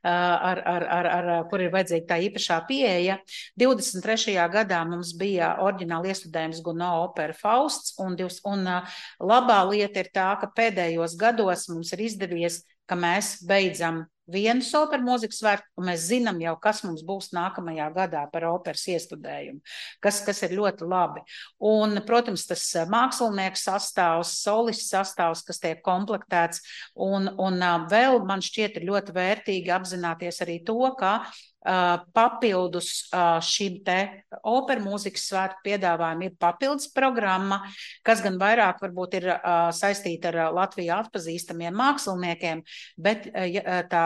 Speaker 4: uh, ar, ar, ar, ar, kur ir vajadzīga tā īpašā pieeja. divdesmit trešajā gadā mums bija oriģināli iestudējums Gounod opera Fausts, un, divs, un uh, labā lieta ir tā, ka pēdējos gados mums ir izdevies, ka mēs beidzam vienu operu mūzikas svētku, un mēs zinām jau, kas mums būs nākamajā gadā par operas iestudējumu, kas, kas ir ļoti labi. Un, protams, tas mākslinieks sastāvs, solists sastāvs, kas tiek komplektēts, un, un vēl man šķiet ir ļoti vērtīgi apzināties arī to, ka Uh, papildus uh, šim te operu mūzikas svētku piedāvājumu ir papildus programma, kas gan vairāk varbūt ir uh, saistīta ar Latvijā atpazīstamiem māksliniekiem, bet uh, tā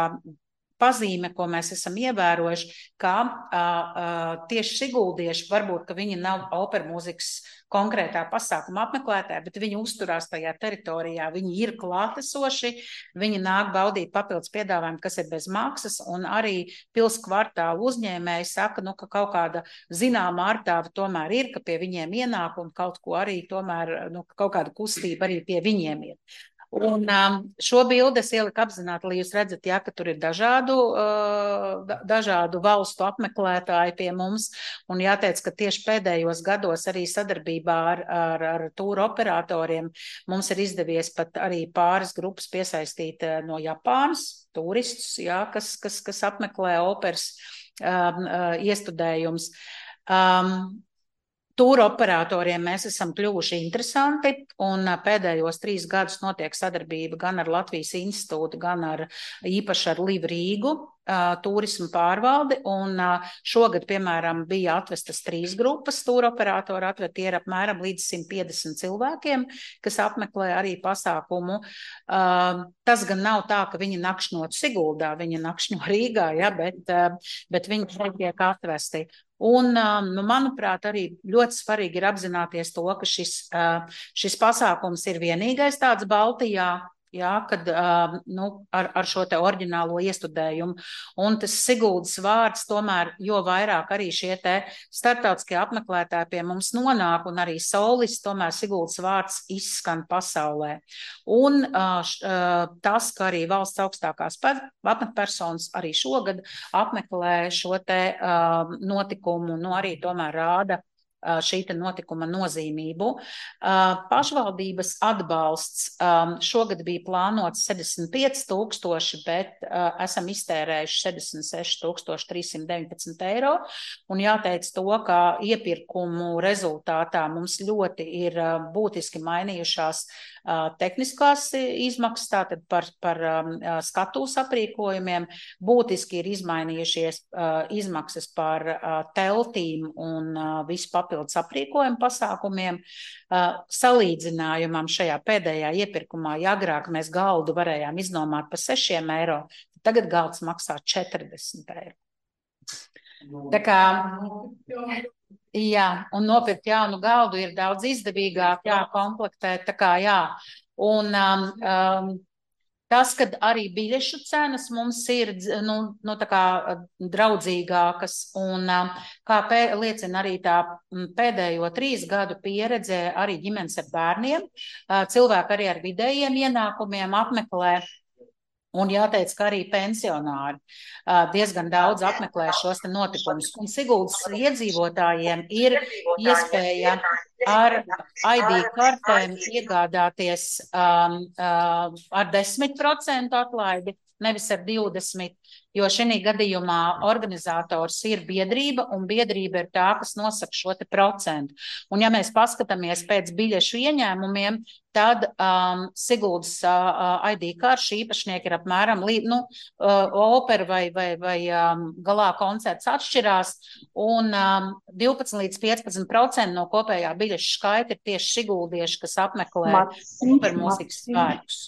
Speaker 4: pazīme, ko mēs esam ievērojuši, ka uh, uh, tieši siguldieši, varbūt, ka viņi nav operu mūzikas konkrētā pasākuma apmeklētāji, bet viņi uzturās tajā teritorijā, viņi ir klātesoši, viņi nāk baudīt papildus piedāvājumu, kas ir bez maksas, un arī pils kvartālu uzņēmēji saka, nu, ka kaut kāda zināma ārtāva tomēr ir, ka pie viņiem ienāk un kaut ko arī tomēr, nu, kaut kāda kustība arī pie viņiem ir. Un um, šo bildi es ieliku apzināti, lai jūs redzat, jā, ka tur ir dažādu, uh, dažādu valstu apmeklētāji pie mums, un jāteic, ka tieši pēdējos gados arī sadarbībā ar, ar, ar tūru operatoriem mums ir izdevies pat arī pāris grupas piesaistīt no Japānas, turistus, jā, kas, kas, kas apmeklē operas um, uh, iestudējums. Um, Tūra operatoriem mēs esam kļuvuši interesanti, un pēdējos trīs gadus notiek sadarbība gan ar Latvijas institūtu, gan ar īpaši ar Liv Rīgu, turismu pārvaldi, un šogad, piemēram, bija atvestas trīs grupas tūra operatori, atved tie ir apmēram līdz simt piecdesmit cilvēkiem, kas apmeklē arī pasākumu. Tas gan nav tā, ka viņi nakšņot Siguldā, viņi nakšņo Rīgā, ja, bet, bet viņi šeit tiek atvesti. Un, nu, manuprāt, arī ļoti svarīgi ir apzināties to, ka šis, šis pasākums ir vienīgais tāds Baltijā, jā, kad, nu, ar, ar šo te oriģinālo iestudējumu. Un tas Siguldas vārds tomēr, jo vairāk arī šie te starptautiskie apmeklētāji pie mums nonāk, un arī solis, tomēr Siguldas vārds izskan pasaulē. Un tas, ka arī valsts augstākās amatpersonas arī šogad apmeklē šo te notikumu, nu arī tomēr rāda šī te notikuma nozīmību. Pašvaldības atbalsts šogad bija plānots sedemdesmit pieci tūkstoši, bet esam iztērējuši sedemdesmit seši tūkstoši trīs simt deviņpadsmit eiro. Un jāteic to, ka iepirkumu rezultātā mums ļoti ir būtiski mainījušās tehniskās izmaksas, tātad par, par skatūs aprīkojumiem, būtiski ir izmainījušies izmaksas par teltīm un visu papildus aprīkojumu pasākumiem. Salīdzinājumam šajā pēdējā iepirkumā, ja agrāk mēs galdu varējām iznomāt par sešiem eiro, tagad galds maksā četrdesmit eiro. Tā kā, jā, un nopirkt jaunu galdu ir daudz izdevīgāk, jā, komplektēt, tā kā, jā. Un um, um, tas, kad arī biļešu cenas mums ir, nu, nu tā kā draudzīgākas, un um, kā pē, liecina arī tā pēdējo trīs gadu pieredze arī ģimenes ar bērniem, uh, cilvēki arī ar vidējiem ienākumiem apmeklē. Un jāteic, ka arī pensionāri uh, diezgan daudz apmeklē šos te notikumus. Un Siguldas iedzīvotājiem ir iespēja ar I D kartēm iegādāties um, uh, ar desmit procentu atlaidi, nevis ar divdesmit, jo šī gadījumā organizators ir biedrība, un biedrība ir tā, kas nosaka šo te procentu. Un ja mēs paskatāmies pēc biļešu ieņēmumiem, tad um, Siguldas uh, I D karšu īpašnieki ir apmēram, nu, uh, opera vai, vai, vai um, galā koncerts atšķirās, un um, divpadsmit līdz piecpadsmit procenti no kopējā biļešu skaita ir tieši siguldieši, kas apmeklē opermūzikas svētkus.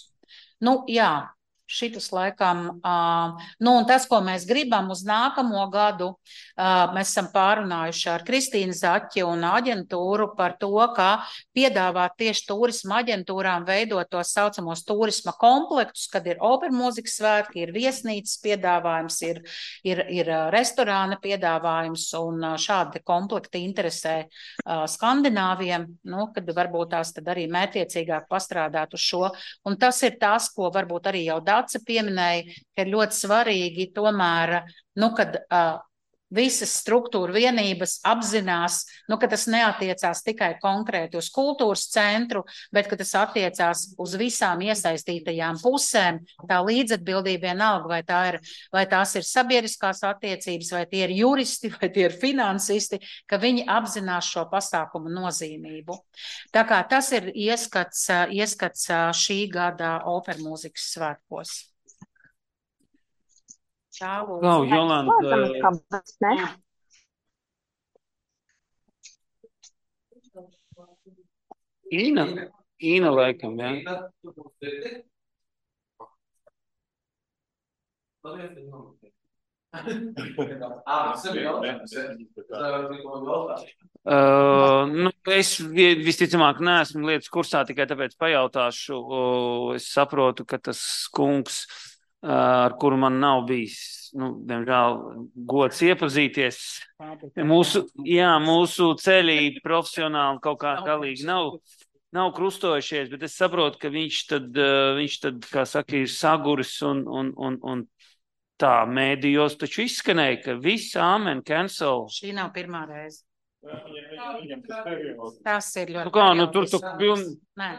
Speaker 4: Nu, jā. Šitas laikam, uh, nu un tas, ko mēs gribam uz nākamo gadu, uh, mēs esam pārunājuši ar Kristīnu Zaķi un aģentūru par to, kā piedāvāt tieši turisma aģentūrām veidot tos saucamos turisma komplektus, kad ir opermūzikas svētki, ir viesnīcas piedāvājums, ir, ir, ir restorāna piedāvājums, un šādi komplekti interesē uh, skandināviem, nu, kad varbūt tās tad arī mētiecīgāk pastrādāt uz šo. Un tas ir tas, ko varbūt arī jau Dace pieminēja, ka ir ļoti svarīgi tomēr, nu, kad uh, visas struktūra vienības apzinās, nu, ka tas neatiecās tikai konkrēti uz kultūras centru, bet ka tas attiecās uz visām iesaistītajām pusēm, tā līdzatbildība vienalga, vai, tā ir, vai tās ir sabiedriskās attiecības, vai tie ir juristi, vai tie ir finansisti, ka viņi apzinās šo pasākumu nozīmību. Tā kā tas ir ieskats, ieskats šī gada opermūzikas svētkos. Čālu.
Speaker 6: Klau, Jolanta. Īna, Īna laikam, jā. Uh, nu, es visticamāk neesmu lietas kursā, tikai tāpēc pajautāšu. Uh, es saprotu, ka tas kungs, ar kuru man nav bijis, nu, diemžēl, gods iepazīties. Mūsu, jā, mūsu ceļi profesionāli kaut kā galīgi nav, nav krustojušies, bet es saprotu, ka viņš tad, viņš tad, kā saka, ir saguris un, un, un, un tā mēdījos taču izskanēja, ka viss amen, cancel.
Speaker 4: Šī nav pirmā reize. Tas ir ļoti.
Speaker 6: Nu kā, nu tur tu piln...
Speaker 4: Nē.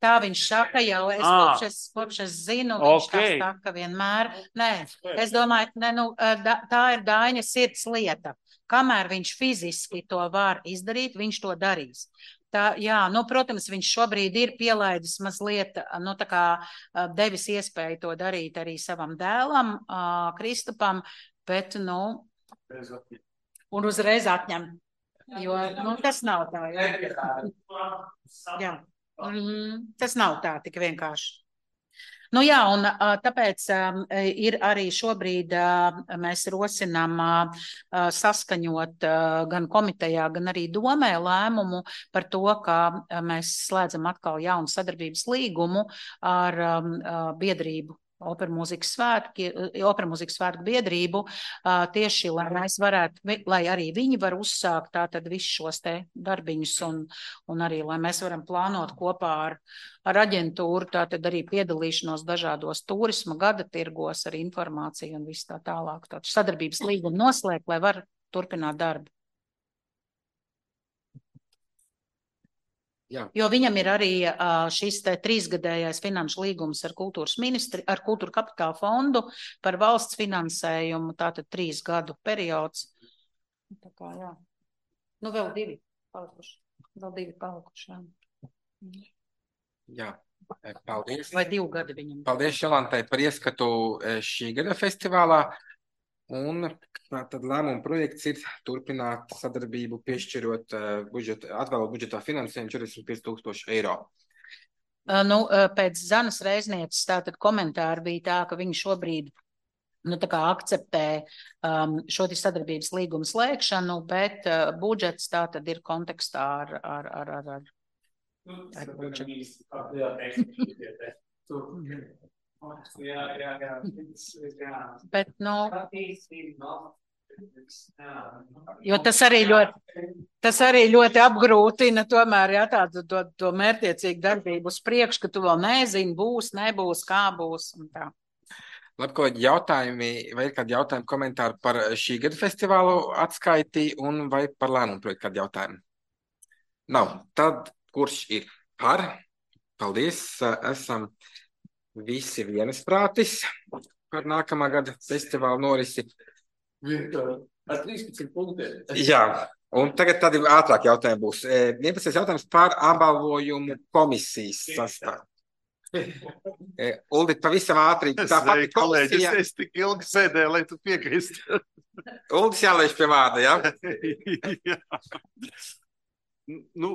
Speaker 4: Tā viņš saka jau, es kopš es, kopš es zinu, viņš okay. Tā saka vienmēr. Nē, es domāju, ne, nu, tā ir Daiņa sirds lieta. Kamēr viņš fiziski to var izdarīt, viņš to darīs. Tā, jā, nu, protams, viņš šobrīd ir pielaidis mazliet, nu, tā kā devis iespēju to darīt arī savam dēlam, Kristupam, bet, nu, un uzreiz atņem, jo, nu, tas nav tā, jā. Jā. Mm, tas nav tā tik vienkārši. Nu jā, un tāpēc ir arī šobrīd mēs rosinām saskaņot gan komitejā, gan arī domē lēmumu par to, ka mēs slēdzam atkal jaunu sadarbības līgumu ar biedrību. Opermūzikas svētki, opermūzikas svētku biedrību, tieši, lai mēs varētu, lai arī viņi var uzsākt tātad visus šos te darbiņus un, un arī, lai mēs varam plānot kopā ar, ar aģentūru, tātad arī piedalīšanos dažādos turisma gada tirgos ar informāciju un viss tā tālāk. Tātad sadarbības līgumu noslēgt, lai var turpināt darbu. Jā. Jo viņam ir arī šis te trīsgadējais finanšu līgums ar kultūras ministri, ar kultūra kapitāla fondu par valsts finansējumu, tātad trīs gadu periods. Tā kā, jā. Nu, vēl divi palikuši. Vēl divi palikuši, jā.
Speaker 1: Jā, paldies.
Speaker 4: Vai divu gadu viņam.
Speaker 1: Paldies Jolantai par ieskatu šī gada festivālā. Un tad lēmuma projekts ir turpināt sadarbību, piešķirot uh, budžeta, atvēlot budžetā finansējumu četrdesmit pieci tūkstoši eiro.
Speaker 4: Uh, nu, uh, pēc Zanas Reiznieces tātad komentāri bija tā, ka viņi šobrīd nu, tā kā akceptē um, šo sadarbības līgumu slēgšanu, bet uh, budžets tātad ir kontekstā ar, ar, ar, ar, ar, ar budžetu. Jā, jā, jā. Bet, nu, jo tas arī ļoti, tas arī ļoti apgrūtina tomēr, jā, tādu to, to mērķiecīgu darbību uz priekšu, ka tu vēl nezini, būs, nebūs, kā būs un tā.
Speaker 1: Labi, ko jautājumi, vai ir kādi jautājumi, komentāri par šī gada festivālu atskaiti un vai par lēmumu projektu kādi jautājumi? Nav. Tad, kurš ir par? Paldies. Esam visi vienasprātis par nākamā gada festivālu norisi.
Speaker 9: Ar trīspadsmit punktiem.
Speaker 1: Jā. Un tagad tādi ātrāk jautājumi būs. vienpadsmitais jautājums par apbalvojumu komisijas sastāvu. Uldit, pavisam ātri.
Speaker 14: Es teiktu, kolēģi, es, es tik ilgi sēdēju, lai tu piekrist.
Speaker 1: Uldis jālaiž pie vārda, jā?
Speaker 14: Jā. Nu,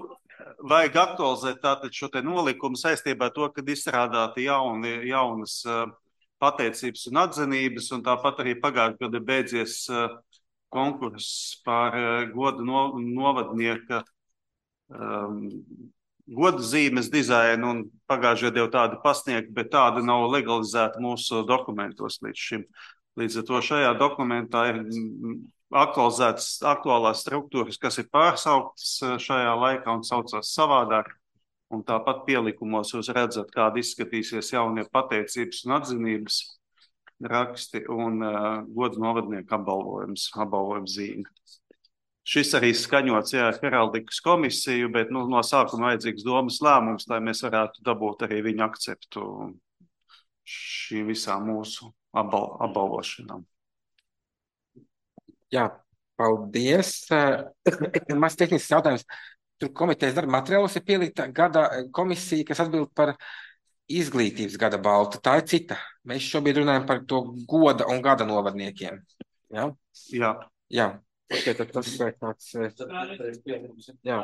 Speaker 14: vajag aktualizēt tātad šo te nolikumu saistībā ar to, kad izstrādāti jauni, jaunas uh, pateicības un atzinības, un tāpat arī pagājušajā gadā beidzies uh, konkurss par uh, godu no, novadnieka um, godu zīmes dizainu, un pagājušajā gadā jau tāda pasniegta, bet tāda nav legalizēta mūsu dokumentos līdz šim. Līdz ar to šajā dokumentā ir aktualizētas aktuālās struktūras, kas ir pārsauktas šajā laikā un saucās savādāk. Un tāpat pielikumos jūs redzat, kāda izskatīsies jaunie pateicības un atzinības raksti un uh, godu novadnieku apbalvojums, apbalvojums zīme. Šis arī skaņots, jā, heraldikas komisiju, bet nu, no sākuma vajadzīgs domas lēmums, lai mēs varētu dabūt arī viņu akceptu šīm visām mūsu apbal apbalvošanām.
Speaker 1: Jā, paldies. Maz tehnisks jautājums. Tur komitejas darba materiālos ir pielikta gada komisija, kas atbild par izglītības gada baltu. Tā ir cita. Mēs šobrīd runājam par to goda un gada novadniekiem. Jā?
Speaker 14: Jā.
Speaker 1: Jā. Okay, tad tas ir tāds... Jā.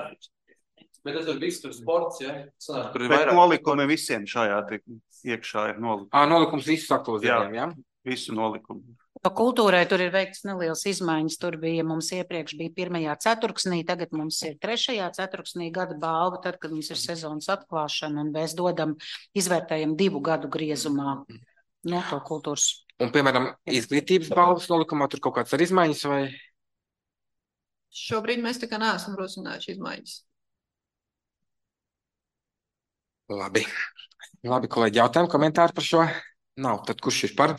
Speaker 9: Bet tas ir viss tur sports, jā?
Speaker 14: Tur ir vairāk nolikumi visiem šajā iekšā ir nolikumi.
Speaker 1: Ā, nolikums visus aktualizējiem, jā?
Speaker 14: Visu nolikumu.
Speaker 4: Kultūrai tur ir veikts nelielas izmaiņas. Tur bija mums iepriekš bija pirmajā ceturksnī, tagad mums ir trešajā ceturksnī gada balva, tad, kad mums ir sezonas atklāšana, un mēs dodam, izvērtējam divu gadu griezumā no to kultūras.
Speaker 1: Un, piemēram, izglītības balvas nolikumā tur kaut kāds ar izmaiņas vai?
Speaker 3: Šobrīd mēs tā kā neesam rosinājuši izmaiņas.
Speaker 1: Labi. Labi, kolēģi, jautājumu, komentāri par šo? Nav. Tad kurš ir par?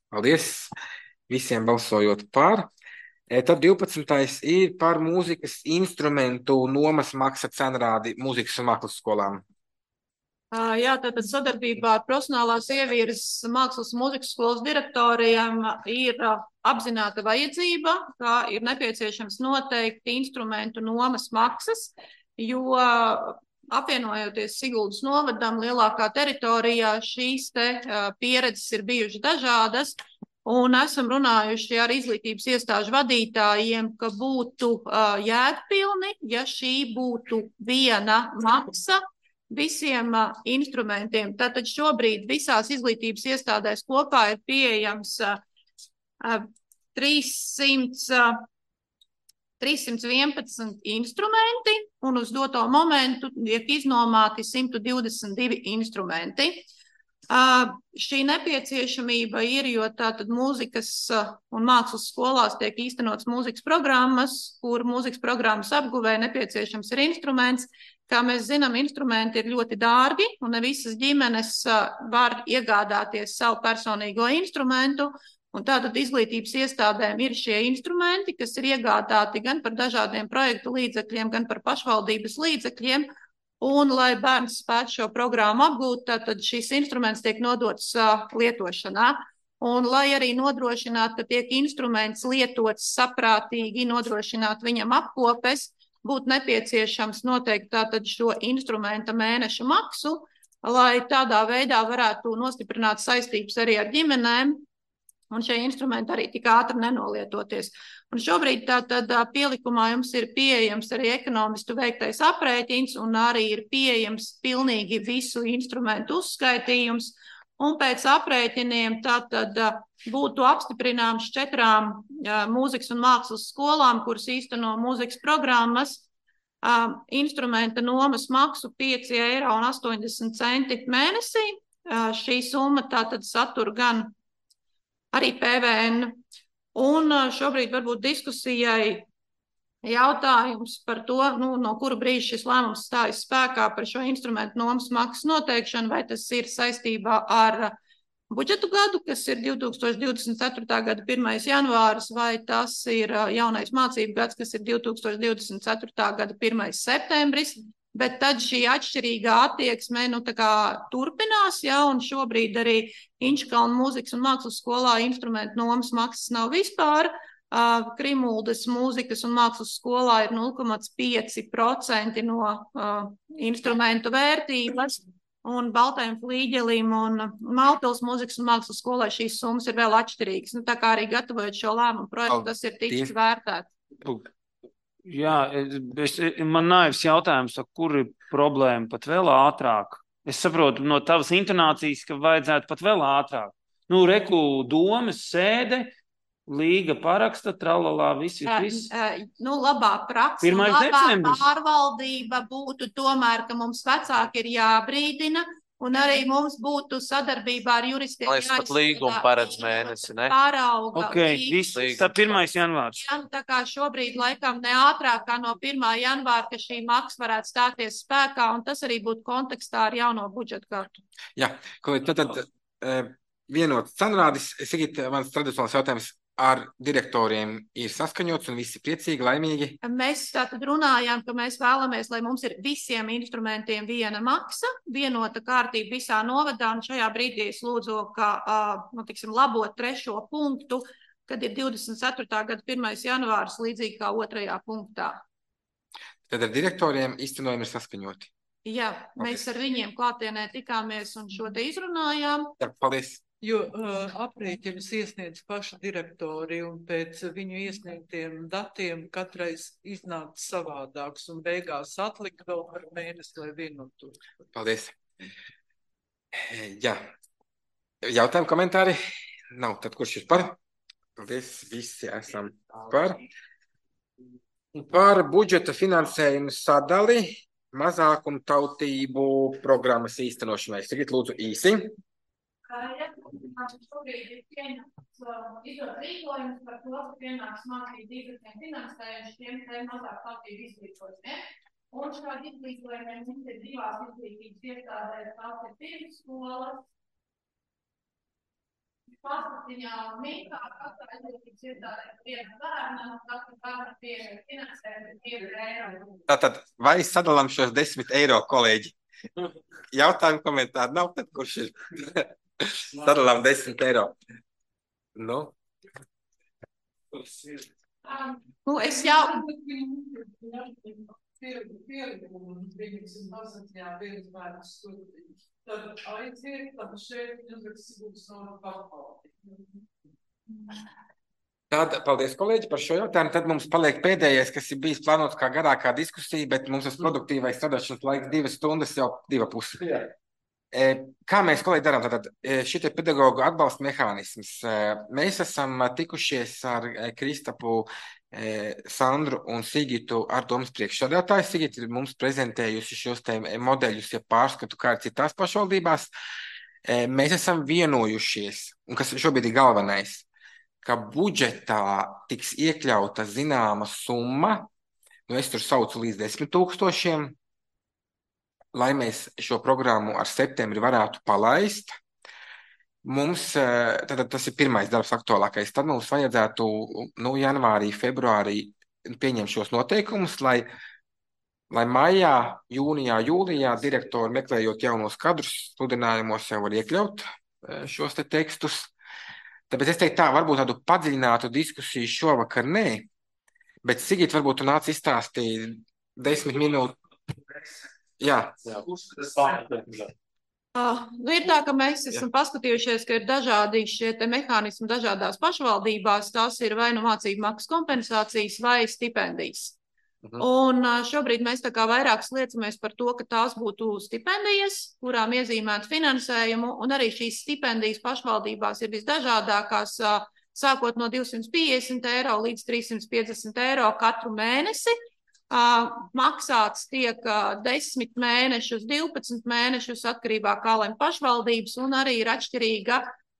Speaker 1: Paldies. Visiem balsojot par. E, tad divpadsmitais ir par mūzikas instrumentu nomas maksa cenrādi mūzikas un mākslas skolām.
Speaker 3: Jā, tātad sadarbībā ar profesionālās ievirzes mākslas un mūzikas skolas direktoriem ir apzināta vajadzība, kā ir nepieciešams noteikti instrumentu nomas maksas, jo apvienojoties Siguldas novadam lielākā teritorijā, šīs te pieredzes ir bijušas dažādas, un esam runājuši ar izglītības iestāžu vadītājiem, ka būtu jēgpilni, ja šī būtu viena maksa visiem uh, instrumentiem. Tātad šobrīd visās izglītības iestādēs kopā ir pieejams uh, uh, trīssimt, trīssimt vienpadsmit instrumenti, un uz doto momentu tiek iznomāti simt divdesmit divi instrumenti. Uh, šī nepieciešamība ir, jo tātad mūzikas uh, un mākslas skolās tiek īstenots mūzikas programmas, kur mūzikas programmas apguvē nepieciešams ir instruments. Kā mēs zinām, instrumenti ir ļoti dārgi, un ne visas ģimenes uh, var iegādāties savu personīgo instrumentu, un tātad izglītības iestādēm ir šie instrumenti, kas ir iegādāti gan par dažādiem projektu līdzekļiem, gan par pašvaldības līdzekļiem. Un, lai bērns spētu šo programmu apgūt, tad šis instruments tiek nodots uh, lietošanā. Un, lai arī nodrošinātu, ka tiek instruments lietots saprātīgi, nodrošināt viņam apkopes, būtu nepieciešams noteikti tātad šo instrumenta mēneša maksu, lai tādā veidā varētu nostiprināt saistības arī ar ģimenēm, un šie instrumenti arī tik ātri nenolietoties. Un šobrīd tātad pielikumā jums ir pieejams arī ekonomistu veiktais aprēķins, un arī ir pieejams pilnīgi visu instrumentu uzskaitījums, un pēc aprēķiniem tātad būtu apstiprināms četrām mūzikas un mākslas skolām, kuras īsteno mūzikas programmas, instrumenta nomas maksu pieci eiro un astoņdesmit centi mēnesī. Šī summa tātad satur gan arī P V N. Un šobrīd varbūt diskusijai jautājums par to, nu, no kura brīža šis lēmums stājas spēkā par šo instrumentu nomas maksas noteikšanu, vai tas ir saistībā ar budžetu gadu, kas ir divi tūkstoši divdesmit ceturtā gada pirmais janvāris, vai tas ir jaunais mācību gads, kas ir divi tūkstoši divdesmit ceturtā gada pirmais septembris, bet tad šī atšķirīgā attieksme nu, tā kā turpinās, ja, un šobrīd arī Inčkalna mūzikas un mākslas skolā instrumentu nomas maksas nav vispār. Uh, Krimuldes mūzikas un mākslas skolā ir nulle komats pieci procenti no uh, instrumentu vērtības, un Baltajam flīģelim un Malpils mūzikas un mākslas skolai šīs summas ir vēl atšķirīgas. Nu, tā kā arī gatavojot šo lēmumu projektu, tas ir tiks vērtēts.
Speaker 6: Jā, es, man naivs jautājums, kur ir problēma pat vēl ātrāk? Es saprotu no tavas intonācijas, ka vajadzētu pat vēl ātrāk. Nu, reku domas sēde, līga paraksta, tralalā, viss, viss.
Speaker 3: Uh, nu, labā praksa, labā pārvaldība būtu tomēr, ka mums vecāki ir jābrīdina, un arī mums būtu sadarbībā ar juristiem.
Speaker 8: Lai es pat līgumu paredz mēnesi, ne?
Speaker 3: Pārauga.
Speaker 6: Ok, viss, tā pirmais janvārs.
Speaker 3: Jā, tā kā šobrīd laikam ne ātrāk kā no pirmā janvāra, ka šī maksa varētu stāties spēkā, un tas arī būtu kontekstā ar jauno budžetu kartu.
Speaker 1: Jā, kolēģi, tad, tad uh, vienots cenrādis, Sigit, mans tradicionāls jautājums, ar direktoriem ir saskaņots un visi priecīgi, laimīgi? Mēs
Speaker 3: tātad runājām, ka mēs vēlamies, lai mums ir visiem instrumentiem viena maksa, vienota kārtība visā novadā, un šajā brīdī es lūdzu, ka, nu, tiksim, labot trešo punktu, kad ir divdesmit ceturtā gada pirmais janvārs, līdzīgi kā otrajā punktā.
Speaker 1: Tad ar direktoriem īstenojumi ir saskaņoti?
Speaker 3: Jā, mēs okay. ar viņiem klātienē tikāmies un šo te izrunājām.
Speaker 1: Jā, paldies.
Speaker 5: Jo uh, aprēķinus iesniedz paši direktori, un pēc viņu iesniegtiem datiem katreiz iznāk savādāks, un beigās atlika vēl par mēnesi, lai vienotu.
Speaker 1: Paldies. Jā. Jautājumi, komentāri? Nav. Tad kurš ir par? Paldies. Visi esam par. Par budžeta finansējumu sadali mazākumu tautību programmas īstenošanai. Sigit, lūdzu, īsi.
Speaker 3: Šobrīd ir pieņemts izdot rīkojums par to, ka pienāks mācību līdzekļiem finansējuši tiem te mazāk tautību izglītojumiem. Un šādi izglītojumiem mums ir divās izglītības iestādēs, tās ir pirmsskolas, Pasmatiņā un Mīkā, katrā izglītības iestādē viena bērna, un katra bērna pieeja finansējuma ir divi eiro.
Speaker 1: Tātad, vai sadalām šos desmit eiro, kolēģi? Jautājumu komentāru nav, tad kurš ir? Sadalām desmit eiro. Nu?
Speaker 3: Nu, es jau...
Speaker 5: Tad aiziet, tad šeit uzrakstīs no pašvaldības.
Speaker 1: Tad, paldies, kolēģi, par šo jautājumu. Tad mums paliek pēdējais, kas ir bijis plānots kā garākā diskusija, bet mums tas produktīvais strādāšanas laiks divas stundas, jau diva pusi. Kā mēs, kolēģi, darām? Tātad šitie pedagogu atbalsta mehānisms. Mēs esam tikušies ar Kristapu, Sandru un Sigitu ar domas priekšsādātāju. Sigita ir mums prezentējusi šos te modeļus, ja pārskatu, kā ir citās pašvaldībās. Mēs esam vienojušies, un kas šobrīd ir galvenais, ka budžetā tiks iekļauta zināma summa, nu es tur saucu līdz desmit tūkstošiem, lai mēs šo programmu ar septembri varētu palaist. Mums, tad tas ir pirmais darbs aktuālākais, tad mums vajadzētu, nu, janvārī, februārī pieņemt šos noteikumus, lai, lai maijā, jūnijā, jūlijā direktori meklējot jaunos kadrus, sludinājumos jau var iekļaut šos te tekstus. Tāpēc es teiktu tā, varbūt tādu padziļinātu diskusiju šovakar nē, bet Sigit, varbūt tu nāc izstāstīt desmit minūtes. Jā.
Speaker 3: Uh, nu ir tā, ka mēs esam Jā. paskatījušies, ka ir dažādi šie te mehānismi dažādās pašvaldībās, tās ir vai nu mācību maksas kompensācijas vai stipendijas. Mhm. Un uh, šobrīd mēs tā kā vairāk sliecamies par to, ka tās būtu stipendijas, kurām iezīmētu finansējumu, un arī šīs stipendijas pašvaldībās ir visdažādākās, uh, sākot no divsimt piecdesmit eiro līdz trīssimt piecdesmit eiro katru mēnesi. Uh, maksāts tiek uh, desmit mēnešus, divpadsmit mēnešus atkarībā kā lem pašvaldības, un arī ir atšķirīga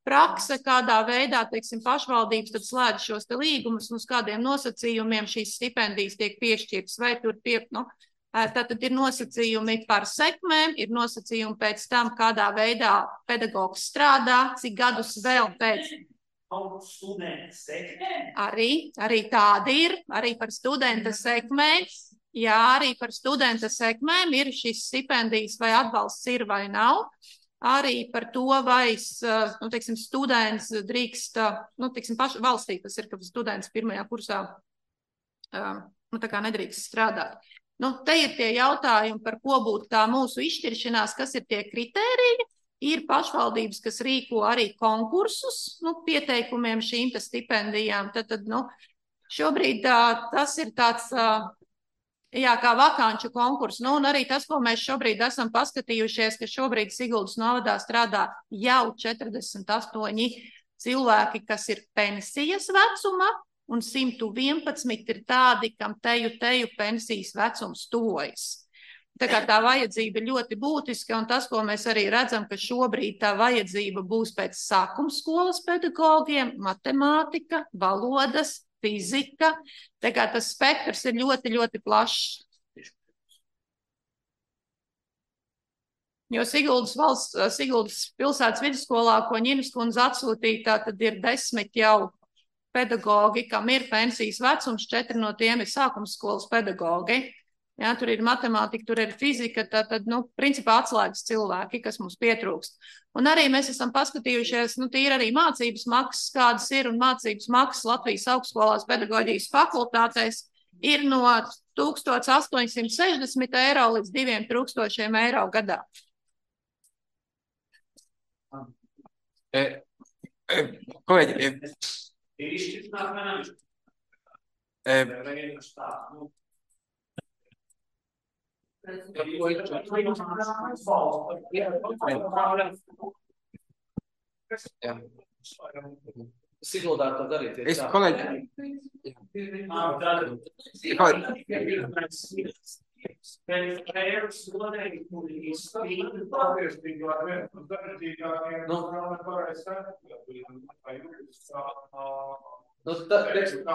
Speaker 3: prakse, kādā veidā, teiksim, pašvaldības tad slēdz šos te līgumus un uz kādiem nosacījumiem šīs stipendijas tiek piešķirtas, vai tur pie, nu, Tātad ir nosacījumi par sekmēm, ir nosacījumi pēc tam, kādā veidā pedagogs strādā, cik gadus vēl pēc. Arī, arī tādi ir, arī par studenta sekmēm. Jā, arī par studenta sekmēm ir šis stipendijas vai atbalsts ir vai nav. Arī par to, vai nu, teiksim, students drīkst, nu, teiksim, paši valstī, tas ir, ka students pirmajā kursā nu, tā kā nedrīkst strādāt. Nu, te ir tie jautājumi, par ko būtu tā mūsu izšķiršanās, kas ir tie kritēriji. Ir pašvaldības, kas rīko arī konkursus nu, pieteikumiem šīm te stipendijām. Tad, tad, nu, šobrīd tā, tas ir tāds, jā, kā vakanču konkurss. Nu, un arī tas, ko mēs šobrīd esam paskatījušies, ka šobrīd Siguldas novadā strādā jau četrdesmit astoņi cilvēki, kas ir pensijas vecuma. Un simt vienpadsmit ir tādi, kam teju teju pensijas vecums tuvojas. Tā kā tā vajadzība ir ļoti būtiska, un tas, ko mēs arī redzam, ka šobrīd tā vajadzība būs pēc sākuma skolas pedagogiem, matemātika, valodas, fizika. Tā kā tas spektrs ir ļoti, ļoti plašs. Jo Siguldas valsts, Siguldas pilsētas vidusskolā, ko Ņinas kundze atsūtīja, tad ir desmit jau pedagogi, kam ir pensijas vecums, četri no tiem ir sākumskolas pedagogi. Jā, tur ir matemātika, tur ir fizika, tad, nu, principā atslēgas cilvēki, kas mums pietrūkst. Un arī mēs esam paskatījušies, nu, tīri arī mācības maksas, kādas ir, un mācības maksas Latvijas augstskolās pedagoģijas fakultātēs ir no tūkstoš astoņsimt sešdesmit eiro līdz diviem tūkstošiem eiro gadā.
Speaker 1: E, e, kolēģi, e,
Speaker 6: Ir izšķirtināt mēneši.
Speaker 1: e, jā.
Speaker 9: Siguldā to darīt.
Speaker 1: Es, kolēģi,
Speaker 9: Nu, tā, teiksim,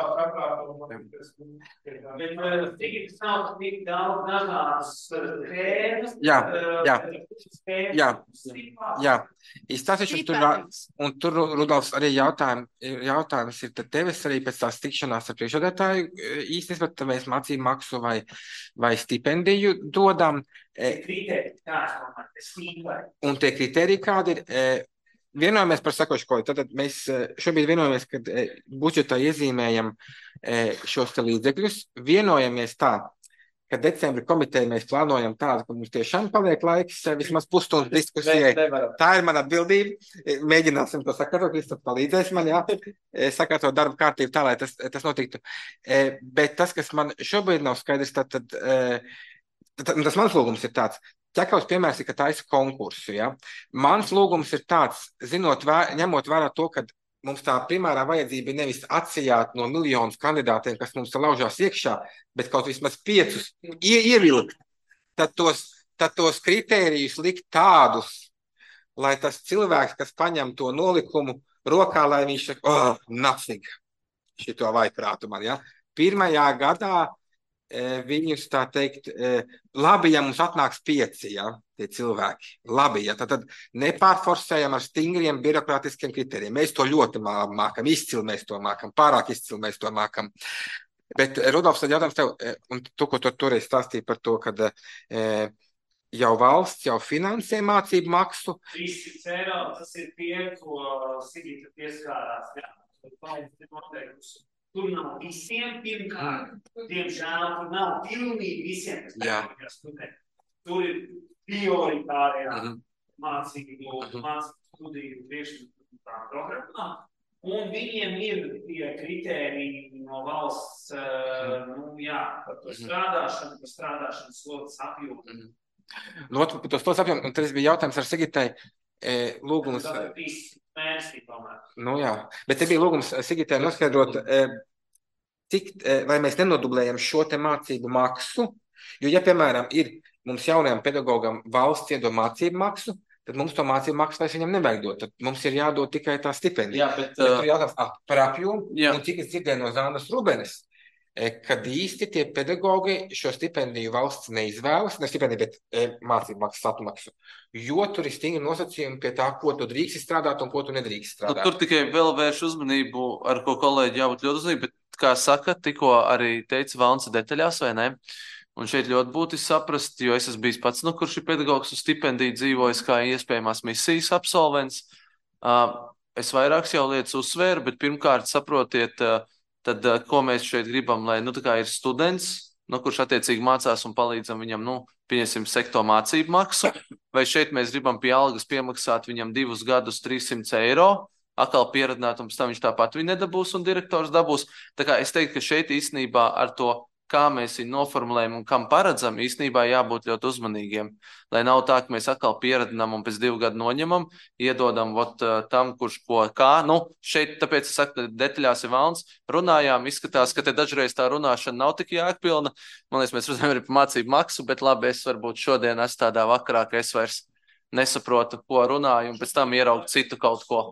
Speaker 1: jā, jā, jā, jā. Izstāstīšu, tur, un tur, Rudolfs, arī jautājums, jautājums ir tad tevis arī pēc tās tikšanās ar priekšsēdētāju īstenībā, tad mēs mācību maksu vai, vai stipendiju dodam. Un tie kriteriji kādi ir? Vienojamies par sakošu ko. Tātad mēs šobrīd vienojamies, kad budžetā iezīmējam šos te līdzekļus. Vienojamies tā, ka decembra komiteja mēs plānojam tādu, ka mums tiešām paliek laiks vismaz pusstundas diskusijai. Tā ir mana atbildība. Mēģināsim to sakārtot, Kristof palīdzēs man, jā, sakārtot darba kārtību tā, lai tas, tas notiktu. Bet tas, kas man šobrīd nav skaidrs, tad, tad, tad tas mans lūgums ir tāds. Ķekavs piemērs ir, ka taisa konkursu. Ja? Mans lūgums ir tāds, zinot, vēr, ņemot vērā to, ka mums tā primārā vajadzība ir nevis atsijāt no miljonus kandidātiem, kas mums laužās iekšā, bet kaut vismaz piecus ie, ievilkt, tad tos, tad tos kritērijus likt tādus, lai tas cilvēks, kas paņem to nolikumu rokā, lai viņš saka, oh, nothing, šito vaiprātu man. Ja? Pirmajā gadā viņus tā teikt, labi, ja mums atnāks pieci, ja, tie cilvēki. Labi, ja, tad, tad nepārforsējam ar stingriem birokrātiskiem kriterijiem. Mēs to ļoti mākam, izcili mēs to mākam, pārāk izcili mēs to mākam. Bet, Rudolfs, tad jautājums tev, un tu, ko tu toreiz stāstīji par to, kad e, jau valsts jau finansē mācību maksu.
Speaker 6: trīssimts eiro, tas ir tie, ko Sigita pieskārās, jā, valsts ir noteikusi. Tur nav visiem, pirmkārt, diemžēl, tur nav pilnīgi visiem, kas teikās studenti. Tur ir prioritārajā mm -hmm. mācību, mm -hmm. mācību studiju priekšmetā programmā, un viņiem ir tie kritēriji no valsts, mm -hmm. nu jā, par to strādāšanu, par strādāšanas slotas apjomu.
Speaker 1: Mm -hmm. Nu, par to slotas apjomu, un tas bija jautājums ar Sigitai, e, lūgums.
Speaker 6: Mēnesī, tomēr.
Speaker 1: Nu jā, bet te bija lūgums Sigitai noskaidrot, cik, vai mēs nenodublējam šo te mācību maksu, jo, ja, piemēram, ir mums jaunajam pedagogam valsts iedod mācību maksu, tad mums to mācību maksu vairs viņam nevajag dot, tad mums ir jādod tikai tā stipendija.
Speaker 9: Jā, bet...
Speaker 1: bet tur jautājums ah, par apjomu, un cik es dzirdēju no Zānas Rubenes, kad īsti tie pedagogi šo stipendiju valsts neizvēlas, ne stipendiju, bet e, mācību maksas atmaksu, jo tur ir stingri nosacījumi pie tā, ko tu drīksti strādāt un ko tu nedrīksti strādāt.
Speaker 8: Nu, tur tikai vēl vērš uzmanību, ar ko kolēģi jābūt ļoti uzmanīgi, bet, kā saka, tikko arī teica Valns detaļās, vai ne? Un šeit ļoti būtiski saprast, jo es esmu bijis pats, nu, kurš ir pedagogs uz stipendiju dzīvojis kā iespējamās misijas absolvents. Uh, es vairākas jau lietas uzsvēru, bet pirmkārt saprotiet, uh, tad, uh, ko mēs šeit gribam, lai, nu, tā kā ir students, nu, kurš attiecīgi mācās un palīdzam viņam, nu, pieņemsim sekto mācību maksu, vai šeit mēs gribam pie algas piemaksāt viņam divus gadus trīssimts eiro, atkal pieradināt, un pēc tam viņš tāpat viņu nedabūs un direktors dabūs. Tā kā es teiktu, ka šeit īstenībā ar to, kā mēs viņu noformulējam un kam paredzam, īstenībā jābūt ļoti uzmanīgiem. Lai nav tā, ka mēs atkal pieradinām un pēc divu gadu noņemam, iedodam vot, tam, kurš ko kā. Nu, šeit, tāpēc es saku, detaļās ir Valns. Runājām, izskatās, ka te dažreiz tā runāšana nav tik jēgpilna. Man liekas, mēs runājam arī par mācību maksu, bet labi, es varbūt šodien esmu tādā vakarā, ka es vairs nesaprotu, ko runāju, un pēc tam ieraugu citu kaut ko.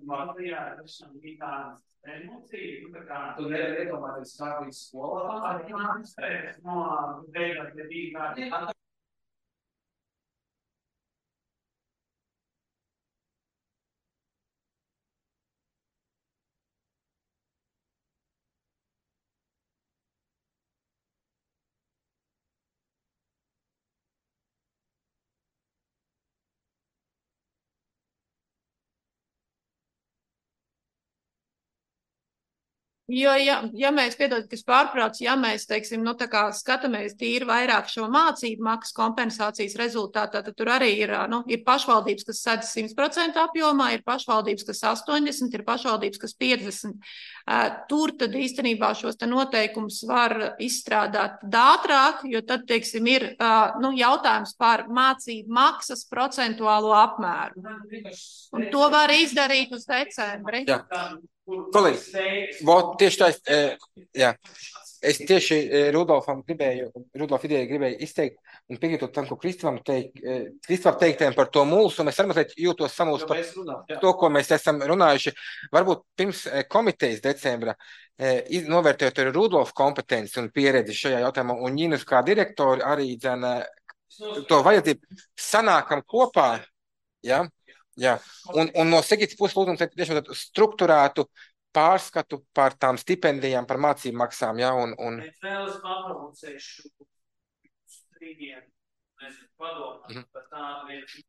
Speaker 6: Latvijā esam bija tādas emocijas, tā kā tu nevari iedomāties, kā līdz skolā pārāk no beigās, ja bija kā
Speaker 3: Jo, ja, ja mēs, piedod, kas pārprāts, ja mēs, teiksim, nu, tā kā skatāmies tīri vairāk šo mācību maksas kompensācijas rezultātā, tad tur arī ir, nu, ir pašvaldības, kas sedz simt procentu apjomā, ir pašvaldības, kas astoņdesmit, ir pašvaldības, kas piecdesmit. Tur tad īstenībā šos te noteikumus var izstrādāt ātrāk, jo tad, teiksim, ir, nu, jautājums par mācību maksas procentuālo apmēru. Un to var izdarīt uz decembri.
Speaker 1: Jā. Kolēģi, tieši tā, es, jā, es tieši Rudolfam gribēju, Rudolf idejai gribēju izteikt un piekrītot tam, ko Kristovam teikt, Kristovam teiktiem par to mulsu, un es arī mazliet jūtos samulst par to, ko mēs esam runājuši. Varbūt pirms komitejas decembra, novērtējot arī Rudolfa kompetenci un pieredzi šajā jautājumā, un Ņinas kā direktori arī dzene to vajadzību, sanākam kopā, jā, Jā, un, un no Sigitas puses lūdzu tiešām strukturētu pārskatu par tām stipendijām, par mācību maksām, jā, un... un...
Speaker 6: Es vēl es paprovocēšu strīdiem, nezinu, padomāt par tādu vietu.